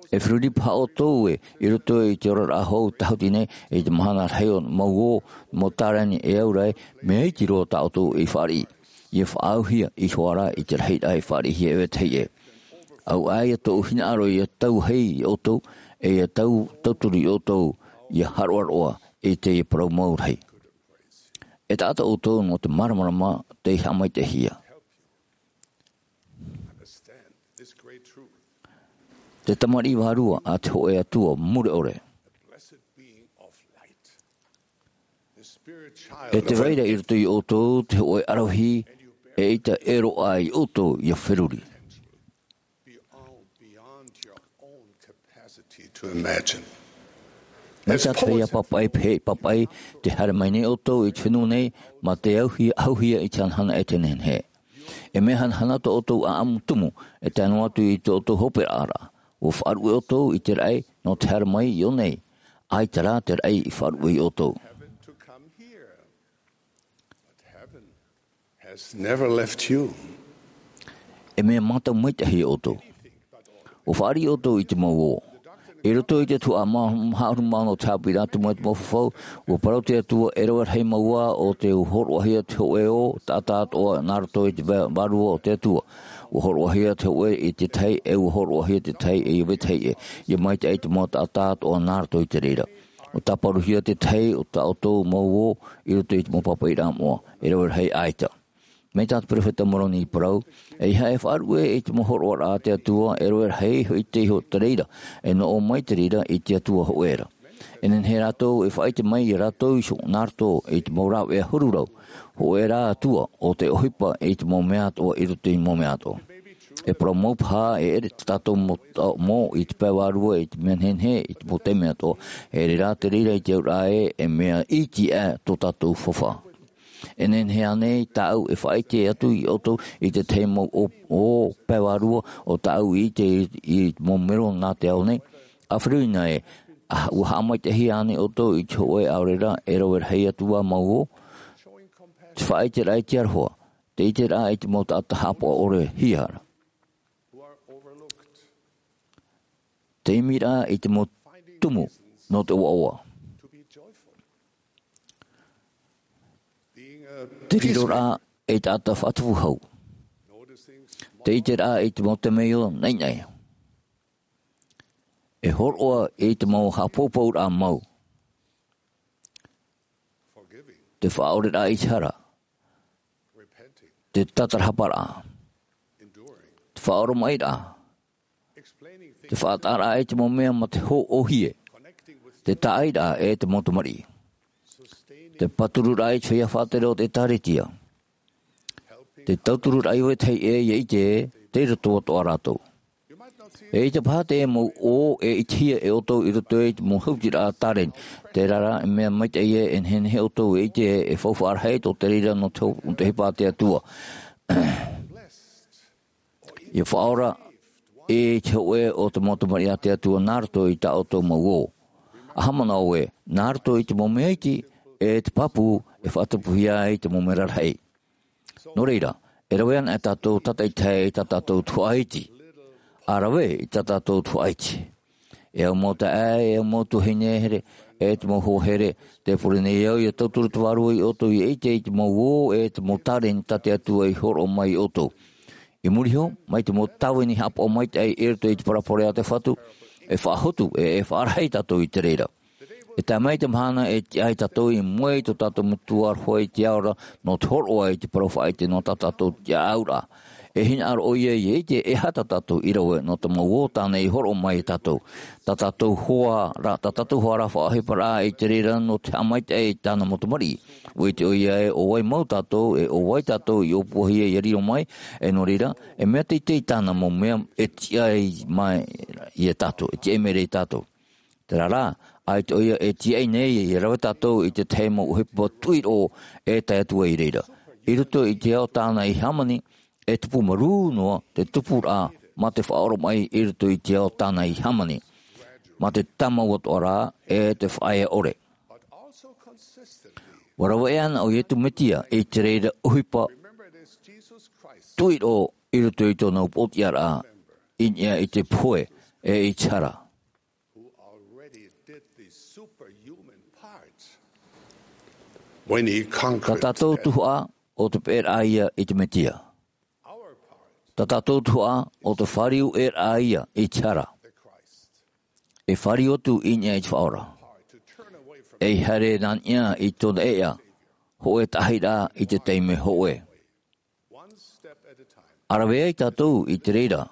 E feruri paha ʻoutou ē, i roto i te oraraʻa hou tāhuti nei, i te mahana rahi o mau ō, mau tāreni e au ra ē, mea iti roa tā ʻoutou i fāriʻi. Ia faʻaauhia i te hoʻi ra i te rahiraʻa i fāriʻihia e vetahi ʻē. ʻAuʻa ia tōʻu hinaʻaro ia tauahi ia ʻoutou, e ia tau-, tauturu ia ʻoutou, ia haroʻaroʻa i teie parau mau rahi. E taʻata ʻoutou nō te māramarama tei haʻamaitaʻihia. Te tamariʻi vārua a te hōʻē Atua mure ʻore. E tē vai ra i roto ia ʻoutou te hōʻē ʻaravihi, eʻita e roaʻa ia ʻoutou ia feruri. Mai tā te feiā pāpaʻi, pēhea i pāpaʻi, tē haere mai nei ʻoutou i te fenua nei, mā te auhia, auhia i te hanahana e te nehenehe. E mea hanahana tō ʻoutou ʻāʻamu tumu, e tae noa atu i tō ʻoutou hoperaʻa ra. ʻUa faʻaruʻe ʻoutou i te raʻi, nō te haere mai i ʻō nei. ʻAita rā te raʻi i faʻaruʻe ia ʻoutou. E mea mātau maitaʻi ia ʻoutou. ʻUa fāriʻi ʻoutou i te mau ō. I roto i te tuhaʻa mā-, maha ʻahuru mā ono o te haʻapiʻiraʻa tumu e te mau fafau, ʻua parau te Atua, e rave rahi mau ā ʻo tē hōroʻahia te hōʻē ō, taʻata atoʻa nā roto i te vā-, vārua o te Atua. ʻUa hōroʻahia te hōʻē i te tahi, e ʻua hōroʻahia te tahi e ia vetahi ʻē. Ia maitaʻi te mau taʻata atoʻa nā roto i te reira. ʻUa tāparuhia te tahi o tā ʻoutou mau ō i roto i te mau pāpaʻiraʻa moʻa, e rave rahi ʻaita. Mai tā te perofeta Moroni i parau, ʻeiaha e faʻaruʻe i te mau hōroʻaraʻa a te Atua, e rave rahi hoʻi te iho te reira, e noʻo mai te reira i te Atua hōʻē ra. E nehenehe rātou e faʻaʻite mai ia rātou iho nā roto i te mau rāveʻa huru rau, hōʻē rā Atua ʻo tē ʻohipa i te mau mea atoʻa i roto i te mau mea atoʻa. E parau mau paha, e ʻere tā tātou mau taʻo mau i te pae vārua, i te mea nehenehe, i te mau taime atoʻa, e ʻere rā te reira i te auraʻa ē, e mea iti aʻe tō tātou fafau. E nehenehe ānei tāʻu e faʻaʻite atu ia ʻoutou i te tahi mau ō, ō pae vārua ʻo tāʻu i ʻite i, i te mau mero nā te ao nei? ʻA feruri na ē, ʻa, ʻua haʻamaitaʻihia ānei ʻoutou i te hōʻē ʻaore rā e rave rahi atu ā mau ō? Te faʻaʻiteraʻa i te aroha, te ʻiteraʻa i te mau taʻata haʻapaʻo ʻore hia ra. Te imiraʻa i te mau tumu nō te ʻoaʻoa. Te riroraʻa ei taʻata faʻatupu hau. Te ʻiteraʻa i te mau temeio naʻinaʻi. E hōroʻa i te mau haʻapoupouraʻa mau. Te faʻaʻoreraʻa i te hara. Te tātarahaparaʻa. Te faʻaoromaʻiraʻa. Te faʻataʻaraʻa i te mau mea mā te hōʻohie. Te tāʻairaʻa e te mau tamariʻi. Te pātururaʻa i te feiā faʻatere o te ʻĒtārētia. Te tautururaʻa i vetahi ʻē ia ʻite ē, tei roto atoʻa rātou. E ʻaita paha te mau ʻō e ʻitehia e ʻoutou i roto i te mau hautiraʻa tāreni. Terā rā, e mea maitaʻi ē, e nehenehe ʻoutou e ʻite ē, e faufaʻa rahi tō te reira nō te hau-, nō te ʻohipa a te Atua. ʻIa faʻaora i te hōʻē o te mau tamariʻi a te Atua nā roto i tā ʻoutou mau ʻō. ʻA haʻamanaʻo ē, nā roto i te mau mea iti, e te pāpū e faʻatupuhia ai te mau mea rarahi. Nō reira, e rave ana e tātou tātaʻitahi i tā tātou tuhaʻa iti. ʻA rave i tā tātou tuhaʻa iti. E au mau taeaʻe, e au mau tuahine here, e te mau hoa here, tē pure nei au ʻia tauturu te Vārua ia ʻoutou ʻia ʻite i te mau ʻō, e te mau tāreni tā te Atua i hōroʻa mai ia ʻoutou. I muri iho, mai te mau tāvini haʻapaʻo maitaʻi i roto i te parabole a te Fatu, e faʻahotu, e, e faʻarahi tātou i te reira. E tae mai te mahana e tiʻa ai tātou i mua i tō tātou Metua aroha i te ao ra nō te hōroʻa i te parau faʻaʻite nō tā tātou tiʻaʻauraʻa. E hinaʻaro ʻoia ʻia ʻite e aha tā tātou i rave nō te mau ʻō tāna i hōroʻa mai ia tātou. Tā tātou hoa ra, tā tātou hoa ra faʻaʻohiparaʻa i te reira nō te haʻamaitaʻi i tāna mau tamariʻi. ʻUa ʻite ʻoia ē ʻo vai mau tātou, e ʻo vai tātou i ʻōpuahia ʻia riro mai, e nō reira, e mea teitei tāna mau mea e tiʻa mai ia tātou, e tiʻa mai ra ia tātou. Terā rā, ʻaita ʻoia e tiaʻi nei ʻia rave tātou i te tahi mau ʻohipa tuʻiroʻo e tae atu ai i reira. I roto i te ao tāna i hāmani, e tupu marū noa te tupuraʻa mā te faʻaoromaʻi i roto i te ao tāna i hāmani. Mā te tāmau atoʻa rā, e te faʻaea ʻore. ʻUa rave ana ʻo Iesu Mesia i te reira ʻohipa tuʻiroʻo i roto i tōna upoʻotiʻaraʻa, i niʻa i te pohe, e i te hara. Who already did the superhuman part when he conquered death. Tā tātou tuhaʻa ʻo te peʻeraʻa ia i te Mesia. Our part Tā tātou tuhaʻa ʻo te fāriueraʻa ia i te hara. The Christ. E fāriu atu i niʻa i te Faʻaora. Part to turn away from E haere nā niʻa i tōna ʻēʻa, hōʻē taʻahiraʻa i te taime hōʻē. One step at a time. ʻA rave ai tātou i te reira,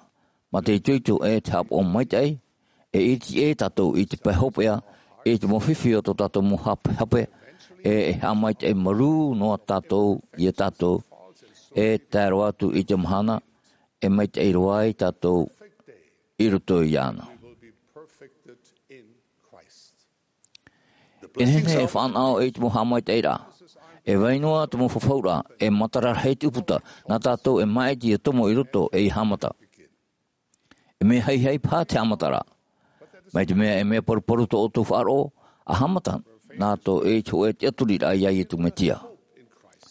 mā te itoito e te haʻapaʻo maitaʻi, e ʻiriti ʻē tātou i te pae hopeʻa, i te mau fifi o tō tātou mau hapehape, e, e haʻamaitaʻi marū noa tātou ia tātou, e tae roa atu i te mahana, e maitaʻi roa ai tātou i roto iāna. We will be perfected in Christ. E nehenehe e fānaʻo i te mau haʻamaitaʻiraʻa. E vai noa te mau fafauraʻa, e matara rahi te ʻūputa, nā tātou e māʻiti ʻia tomo i roto e ʻia haʻamata. E mea haihai paha te haʻamataraʻa. Mai te mea e mea paruparu tō ʻoutou faʻaroʻo, ʻa haʻamata nā tō ʻoutou hōʻē tiʻaturiraʻa ia Iesu Mesia.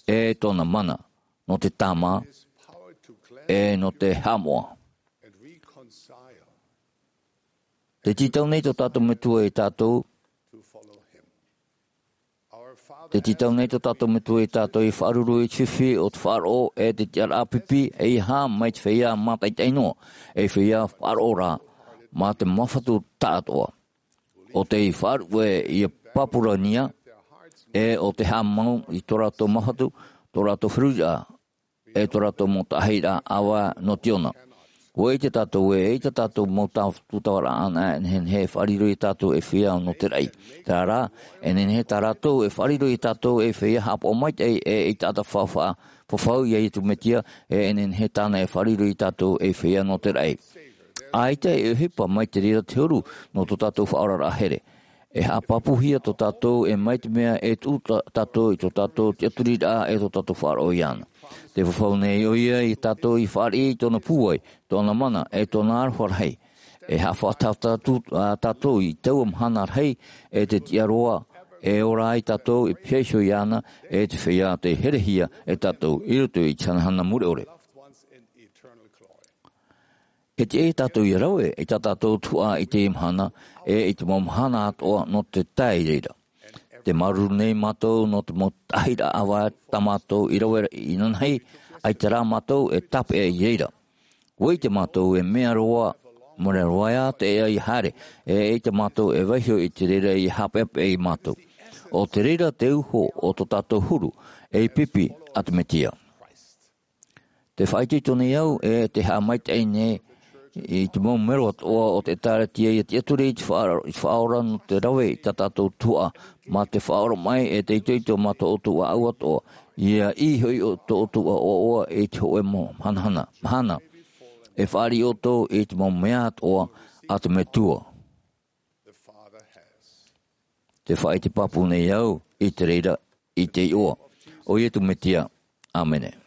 E tōna mana, nō te tāmā, e nō te haʻamoʻa. Te tītau nei tō tātou Metua ia tātou, te tītau nei tō tātou Metua ia tātou ʻia faʻaruru i te fifi o te faʻaroʻo e te tiʻaraʻa pipi, ʻeiaha mai te feiā mātaʻitaʻi noa, e feiā faʻaroʻo ra, mā te māfatu taʻatoʻa. ʻO tei faʻaruʻe ʻia pāpūrania, e ʻo tei haʻamau i tō rātou māfatu, tō rātou feruriraʻa, e tō rātou mau taʻahiraʻa ʻāvae nō te ona. ʻUa ʻite tātou ē, eʻita tātou mau tū-, tūtavaraʻa anaʻe e nehenehe e faʻariro ia tātou ei feiā nō te raʻi. Terā rā, e nehenehe tā rātou e faʻariro ia tātou ei feiā haʻapaʻo maitaʻi e, ei taʻata fa-, fa-, fafau ia Iesu Mesia, e, e nehenehe tāna e faʻariro ia tātou ei feiā nō te raʻi. ʻAita e ʻohipa mai te reira te huru nō tō tātou faʻaoraraʻa here. E haʻapāpūhia tō tātou, e mai te mea e tuʻu tā-, tātou i tō tātou tiʻaturiraʻa e tō tātou faʻaroʻo iāna. Tē fafau nei ʻoia ia tātou ʻia fāriʻi i tōna pūai, tōna mana, e tōna aroha rahi. E haʻafaʻataʻa tātou, ā, tātou i taua mahana rahi, e te tiʻa roa, e ora ai tātou i pihaʻi iho iāna, e te feiā tei herehia e tātou i roto i te hanahana mure ʻore. E tiʻa ia tātou ʻia rave i tā tātou tuhaʻa i teie mahana, e i te mau mahana atoʻa nō te tae i reira. Tē māuruuru nei mātou nō te mau taʻahiraʻa ʻāvae tā mātou i rave inanahi, ʻaita rā mātou e tāpeʻa i reira. ʻUa ʻite mātou e mea roa, mea roa ā te ea ʻia haere, e ʻaita mātou e vaiiho i te reira ʻia haʻapeʻapeʻa ia mātou. ʻO te reira te uho o tō tātou huru, ei pipi a te Mesia. Tē faʻaitoito nei au, e tē haʻamaitaʻi nei i te mau mero atoʻa o te ʻĒtārētia ʻia tiʻaturi i te faʻa-, i te Faʻaora nō te rave i tā tātou tuhaʻa, mā te faʻaoromaʻi e te itoito mā tō ʻoutou ʻāʻau atoʻa, ʻia ʻī hoʻi ʻo tō ʻoutou ʻoaʻoa i te hōʻē mau hanahana, mahana. e fāriʻi ʻoutou i te mau mea atoʻa a te Metua. Te faʻaʻite pāpū nei au i te reira, i te iʻoa o Iesu Mesia. ʻĀmene.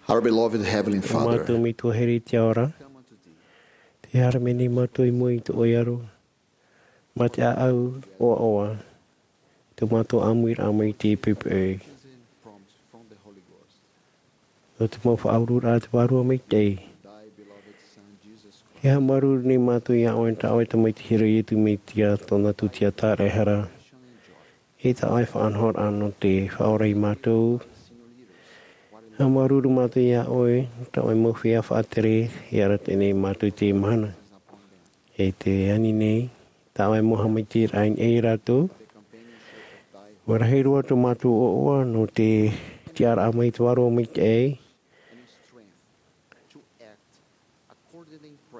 Our beloved Heavenly Father, mātou Metua here i te ao ra, tē haere mai nei mātou i mua i tō ʻoe aro, mā te ʻāʻau ʻoaʻoa, tō mātou ʻāmuiraʻa mai te poʻipoʻi. Nō te mau faʻaururaʻa a te Vārua Maitaʻi. E haʻamāuruuru nei mātou iā ʻoe, tā ʻoe Tamaiti here, Iesu Mesia, tōna tūtia tāraʻehara. E tā ʻoe faʻanahoraʻa nō te faʻaora ia mātou. Nā māuruuru mātou iā ʻoe, tā ʻoe mau feiā faʻatere, i arataʻi nei mātou i teie mahana. E te ani nei, tā ʻoe mau haʻamaitaʻiraʻa i niʻa ia rātou. ʻUa rahi roa tō mātou ʻoaʻoa nō te tiʻaraʻa mai te Vārua Maitaʻi.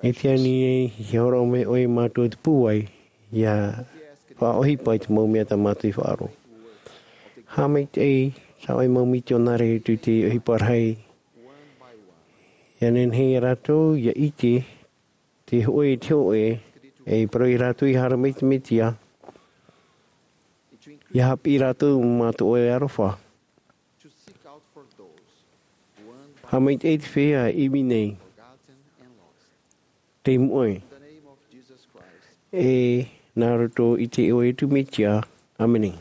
E te ani nei, ʻia hōroʻa mai ʻoe iā mātou te pūai, ʻia faʻaʻohipa i te mau mea tā mātou i faʻaroʻo. Haʻamaitaʻi, tā ʻoe mau mitionare i tū i te ʻohipa rahi. ʻIa nehenehe ia rātou, ʻia ʻite, te hōʻē, te hōʻē, e parau ia rātou ʻia haere mai te Mesia, ʻia haʻapiʻi rātou mā tō ʻoe aroha. Haʻamaitaʻi te feiā e ivi nei. Tei mua. E nā roto i te iʻoa o Iesu Mesia. ʻĀmene.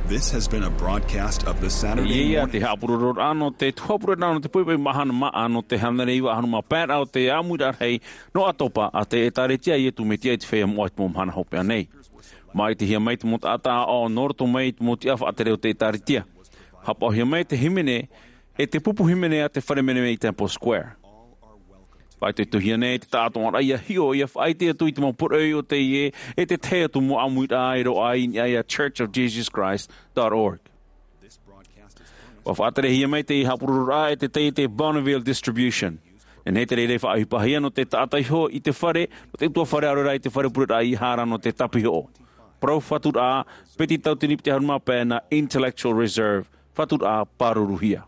This has been a broadcast of the Saturday Ia ia morning. Te haʻapurororaʻa nō te tuhapureʻa nō te poipoi mahana maʻa nō te hānere iva ʻahuru mā pae raʻa o te ʻāmuiraʻa rahi nō ʻAtopa a te ʻĒtārētia a Iesu Mesia i te feiā moʻa i te mau mahana hopeʻa nei. Māʻitihia mai te mau taʻata aʻo nō roto mai i te mau tiʻa faʻatere o te ʻĒtārētia. Haʻapaʻohia mai te hīmene, e te pupu hīmene a te fare menemene i Temple Square. Faʻaitoitohia nei te taʻatoʻaraʻa ia hiʻo ia faʻaʻite atu i te mau poroʻi o teie e te tahi atu mau ʻāmuiraʻa e roaʻa i niʻa ia Church of Jesus Christ dot org. Ua faʻaterehia mai te haʻapurororaʻa e te taiete Bonneville Distribution. Nehenehe te reira e faʻaʻohipahia nō te taʻata iho i te fare, nō te ʻutuāfare ʻaore rā i te fare pureraʻa i hara nō te tāpihoʻo. Parau faturaʻa, peti tauatini piti ʻahuru mā pae nā Intellectual Reserve, faturaʻa pāruruhia.